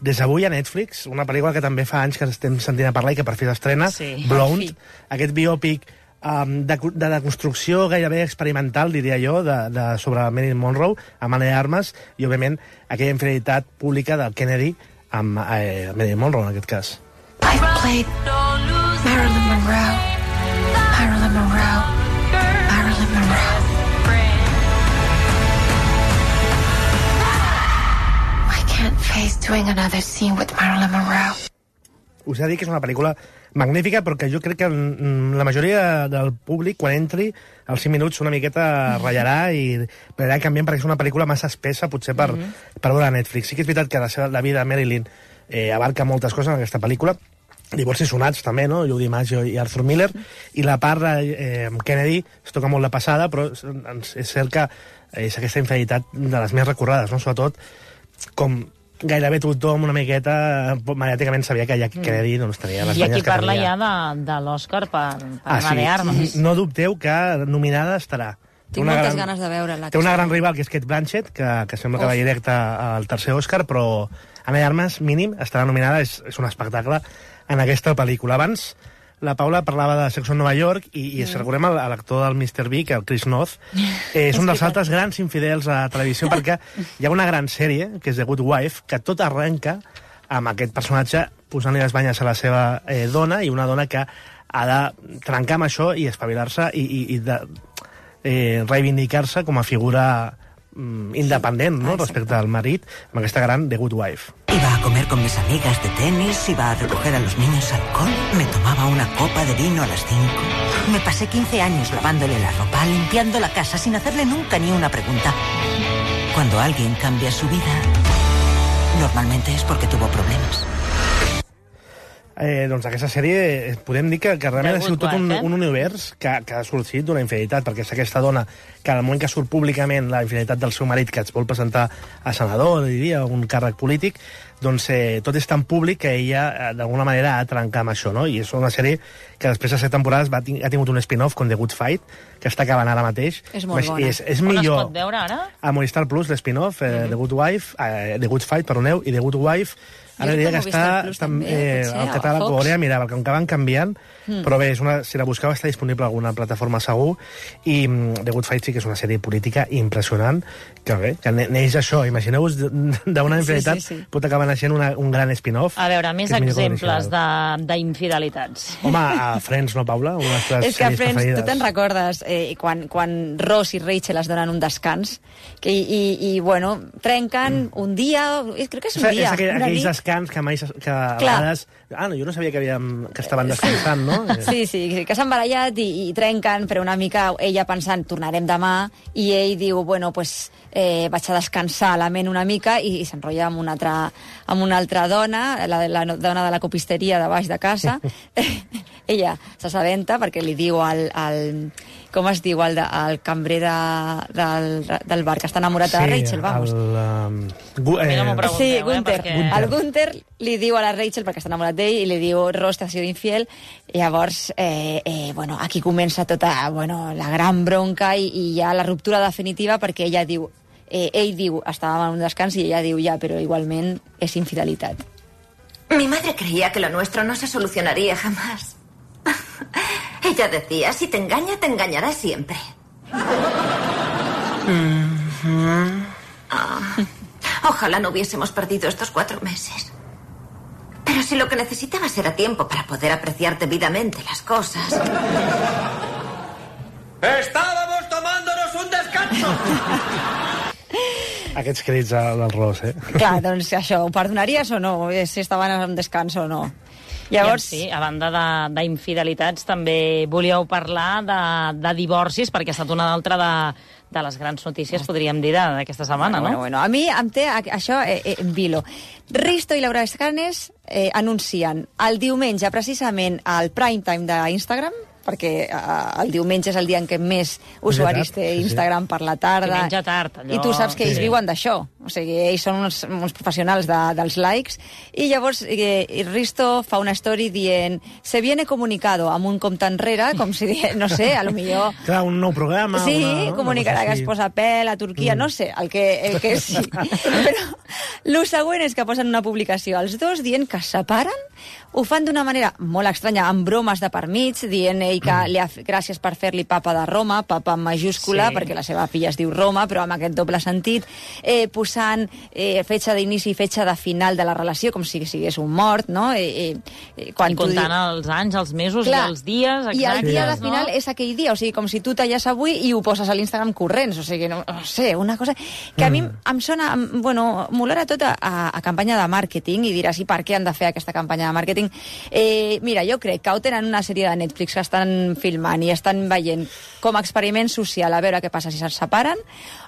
des d'avui a Netflix, una pel·lícula que també fa anys que estem sentint a parlar i que per fi s'estrena, Sí. Blonde, aquest biòpic um, de, de deconstrucció gairebé experimental, diria jo, de, de, sobre Marilyn Monroe, amb Ana de Armas, i, òbviament, aquella infidelitat pública del Kennedy amb eh, Marilyn Monroe, en aquest cas. I played Marilyn Monroe. Marilyn Monroe. Marilyn Monroe. I can't face doing another scene with Marilyn Monroe. Us he de dir que és una pel·lícula magnífica, però que jo crec que mm, la majoria del públic, quan entri, als cinc minuts una miqueta ratllarà i anirà canviant, perquè és una pel·lícula massa espessa, potser per, Mhm. per veure a Netflix. Sí que és veritat que la, seva, la vida de Marilyn eh, abarca moltes coses en aquesta pel·lícula, divorcis sonats també, no? Judy Maggio i Arthur Miller, i la part eh, amb Kennedy es toca molt de passada, però és, és cert que és aquesta infidelitat de les més recordades, no? Sobretot com gairebé tothom una miqueta mediàticament sabia que ja Kennedy doncs, tenia les I aquí banyes que parla tenia. ja de, de l'Òscar per, per Ah, Ana de Armas. No dubteu que nominada estarà. Té Tinc una moltes gran- ganes de veure-la. Té una gran rival, que és Kate Blanchett, que, que sembla que va Uf. directe al tercer Òscar, però Ana de Armas, mínim, estarà nominada, és, és un espectacle en aquesta pel·lícula. Abans, la Paula parlava de Sexo en Nova York i, i mm. si recordem a l'actor del mister Big, el Chris Noth, eh, és un dels altres grans infidels a la televisió, perquè hi ha una gran sèrie, que és The Good Wife, que tot arrenca amb aquest personatge posant-li les banyes a la seva eh, dona, i una dona que ha de trencar amb això i espavilar-se i, i, i de, eh, reivindicar-se com a figura mm, independent, ¿no? Respecte al marit, amb aquesta gran The Good Wife. Iba a comer con mis amigas de tenis, iba a recoger a los niños alcohol, me tomaba una copa de vino a las cinco. Me pasé quince años lavándole la ropa, limpiando la casa sin hacerle nunca ni una pregunta. Cuando alguien cambia su vida, normalmente es porque tuvo problemas. Eh, doncs aquesta sèrie eh, podem dir que, que realment The ha sigut Good tot un, Wife, eh? un univers que, que ha sorgit d'una infidelitat, perquè és aquesta dona que al moment que surt públicament la infidelitat del seu marit, que es vol presentar a senador, diria, un càrrec polític, doncs eh, tot és tan públic que ella eh, d'alguna manera ha de trencar amb això, no? I és una sèrie que després de set temporades va, ha tingut un spin-off con The Good Fight, que està acabant ara mateix. És molt bona. És, és On millor. es pot veure ara? A Movistar Plus, l'spin-off, eh, Mhm. The Good Wife, eh, The Good Fight, perdoneu, i The Good Wife, ara Jo crec diria que que Movistar està, Plus està també, eh, potser, al a català, Fox. ho hauria de mirar, perquè com que van canviant, Mm. però bé, és una, si la busqueu està disponible a alguna plataforma segur, i mm, The Good Fight sí que és una sèrie política impressionant, que bé, que ne- neix això, imagineu-vos d'una infidelitat, Sí, sí, sí. pot acabar naixent una, un gran spin-off. A veure, més que és millor que exemples l'original. de- d'infidelitats. Home, a Friends, no, Paula? Una de les teves És que a sèries Friends, tu preferides. te'n recordes eh, quan, quan Ross i Rachel es donen un descans que, i, i, bueno, trenquen un dia, eh, crec que és un És, dia, és aquell, una aquells nit. descans que mai... que a vegades... Ah, no, jo no sabia que, havíem, que estaven descansant, no? Sí, sí, que s'han barallat i, i trenquen, però una mica ella pensant, tornarem demà, i ell diu, bueno, pues, eh, vaig a descansar la ment una mica, i, i s'enrotlla amb una altra, amb una altra dona, la, la dona de la copisteria de baix de casa. Ella s'assabenta perquè li diu al... al com es diu, el, de, el cambrer de, del, del bar que està enamorat de la Rachel, vamos. El, um, gu, eh, no sí, Gunther. Eh, perquè... El Gunther li diu a la Rachel, perquè està enamorat d'ell, i li diu, Ross t'ha sido infiel, i llavors, eh, eh, bueno, aquí comença tota, bueno, la gran bronca i, i ja la ruptura definitiva, perquè ella diu, eh, ell diu, estàvem en un descans, i ella diu, ja, però igualment és infidelitat. Mi madre creía que lo nuestro no se solucionaría jamás. Ella decía, si te engaña, te engañará siempre. Mm-hmm. Ah, ojalá no hubiésemos perdido estos cuatro meses. Pero si lo que necesitabas era tiempo para poder apreciar debidamente las cosas... ¡Estábamos tomándonos un descanso! Aquests crits del Ross, eh? Clar, doncs això, ho perdonaries o no? Si estaven en descans o no? Llavors... Sí, a banda d'infidelitats, també volíeu parlar de, de divorcis, perquè ha estat una altra de, de les grans notícies, podríem dir, d'aquesta setmana, bueno, no? Bueno, bueno, a mi em té això eh, eh, en vilo. Risto i Laura Escanes eh, anuncien el diumenge, precisament, al prime time d'Instagram, perquè uh, el diumenge és el dia en què més usuaris té Instagram per la tarda. Diumenge tard, allò... I tu saps que ells sí. viuen d'això. O sigui, ells són uns, uns professionals de, dels likes. I llavors eh, Risto fa una story dient se viene comunicado amb un compte enrere, com si, no sé, a lo millor... Clar, un nou programa. Sí, una, no? comunicarà que es posa pèl a Turquia, mm. no sé, el que, el que sí. Però el següent és que posen una publicació els dos dient que es separen, ho fan d'una manera molt estranya, amb bromes de per mig, dient ell que li ha, gràcies per fer-li papa de Roma, papa en majúscula, sí. perquè la seva filla es diu Roma, però amb aquest doble sentit, eh, posant eh, fetge d'inici i fetge de final de la relació, com si sigués un mort, no? Eh, eh, quan I comptant diu... els anys, els mesos Clar, i els dies, exactes, i el dia de no? final és aquell dia, o sigui, com si tu talles avui i ho poses a l'Instagram corrents, o sigui, no, no sé, una cosa que a mi Mm. em sona, bueno, m'olora tot a, a, a campanya de màrqueting, i diràs, i per què han de fer aquesta campanya de màrqueting? Eh, mira, jo crec que o tenen una sèrie de Netflix que estan filmant i estan veient com a experiment social a veure què passa si se'n separen,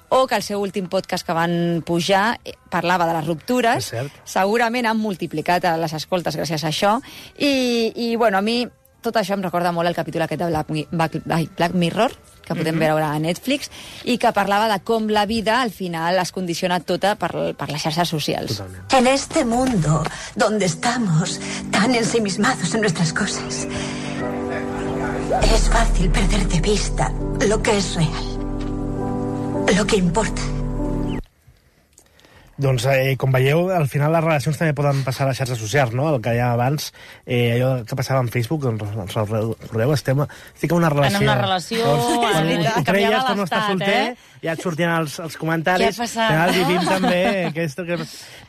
o que el seu últim podcast que van pujar eh, parlava de les ruptures, segurament han multiplicat les escoltes gràcies a això, i, i bueno, a mi tot això em recorda molt el capítol aquest de Black, Black, Black Mirror, que podem mm-hmm. veure a Netflix, i que parlava de com la vida al final es condiciona tota per, per les xarxes socials. Totalment. En este mundo donde estamos tan ensimismados en nuestras cosas, es fácil perder de vista lo que es real, lo que importa. Doncs, eh, com veieu, al final les relacions també poden passar a les xarxes socials, no? El que hi ha abans, eh, allò que passava en Facebook, doncs, ens el recordeu, estem, estic en una relació. En una relació, doncs, quan eh, ho creies que no estàs l'estat, solter, eh? ja et sortien els, els comentaris. Què ha passat? Al final vivim també, aquest, que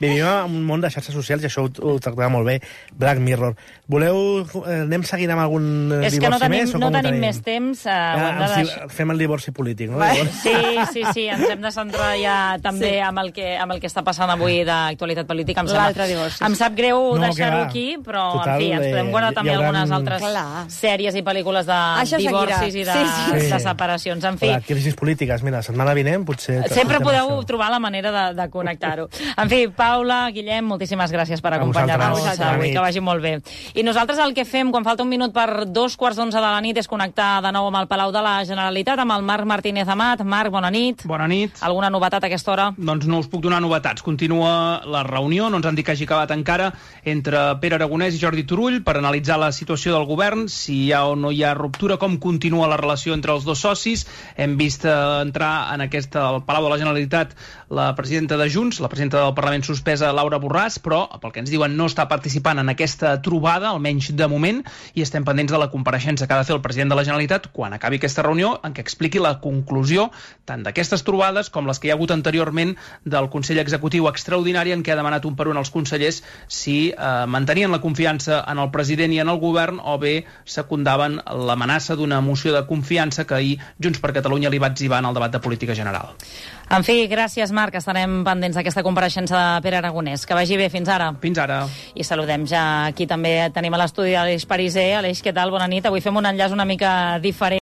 vivim en un món de xarxes socials, i això ho, ho tractava molt bé Black Mirror. Voleu, eh, anem seguint amb algun és divorci que no tenim, més? no tenim més temps. Eh, ja, de si, fem el divorci polític, no? Va, sí, sí, sí, ens hem de centrar ja també sí. amb, el que, amb el que està passant avui d'actualitat política. L'altre divorci. Em sap greu no, deixar-ho aquí, però total, en fi, ens podem guardar eh, també hauran... algunes altres Clar. sèries i pel·lícules de això divorcis seguirà. i de, sí, sí. de separacions. En fi, Hola, crisis polítiques. Mira, la setmana vinent potser... sempre podeu això. trobar la manera de, de connectar-ho. En fi, Paula, Guillem, moltíssimes gràcies per acompanyar-nos avui, que vagi molt bé. I nosaltres el que fem quan falta un minut per dos quarts d'onze de la nit és connectar de nou amb el Palau de la Generalitat, amb el Marc Martínez Amat. Marc, bona nit. Bona nit. Alguna novetat a aquesta hora? Doncs no us puc donar novetats. Continua la reunió, no ens han dit que hagi acabat encara, entre Pere Aragonès i Jordi Turull per analitzar la situació del govern, si hi ha o no hi ha ruptura, com continua la relació entre els dos socis. Hem vist entrar en aquesta, al Palau de la Generalitat la presidenta de Junts, la presidenta del Parlament suspesa, Laura Borràs, però, pel que ens diuen, no està participant en aquesta trobada, almenys de moment, i estem pendents de la compareixença que ha de fer el president de la Generalitat quan acabi aquesta reunió, en què expliqui la conclusió tant d'aquestes trobades com les que hi ha hagut anteriorment del Consell Executiu executiu extraordinari en què ha demanat un per un als consellers si eh, mantenien la confiança en el president i en el govern o bé secundaven l'amenaça d'una moció de confiança que ahir Junts per Catalunya li va etzibar en el debat de política general. En fi, gràcies, Marc. Estarem pendents d'aquesta compareixença de Pere Aragonès. Que vagi bé. Fins ara. Fins ara. I saludem ja aquí també. Tenim a l'estudi Aleix Pariser. Aleix, què tal? Bona nit. Avui fem un enllaç una mica diferent.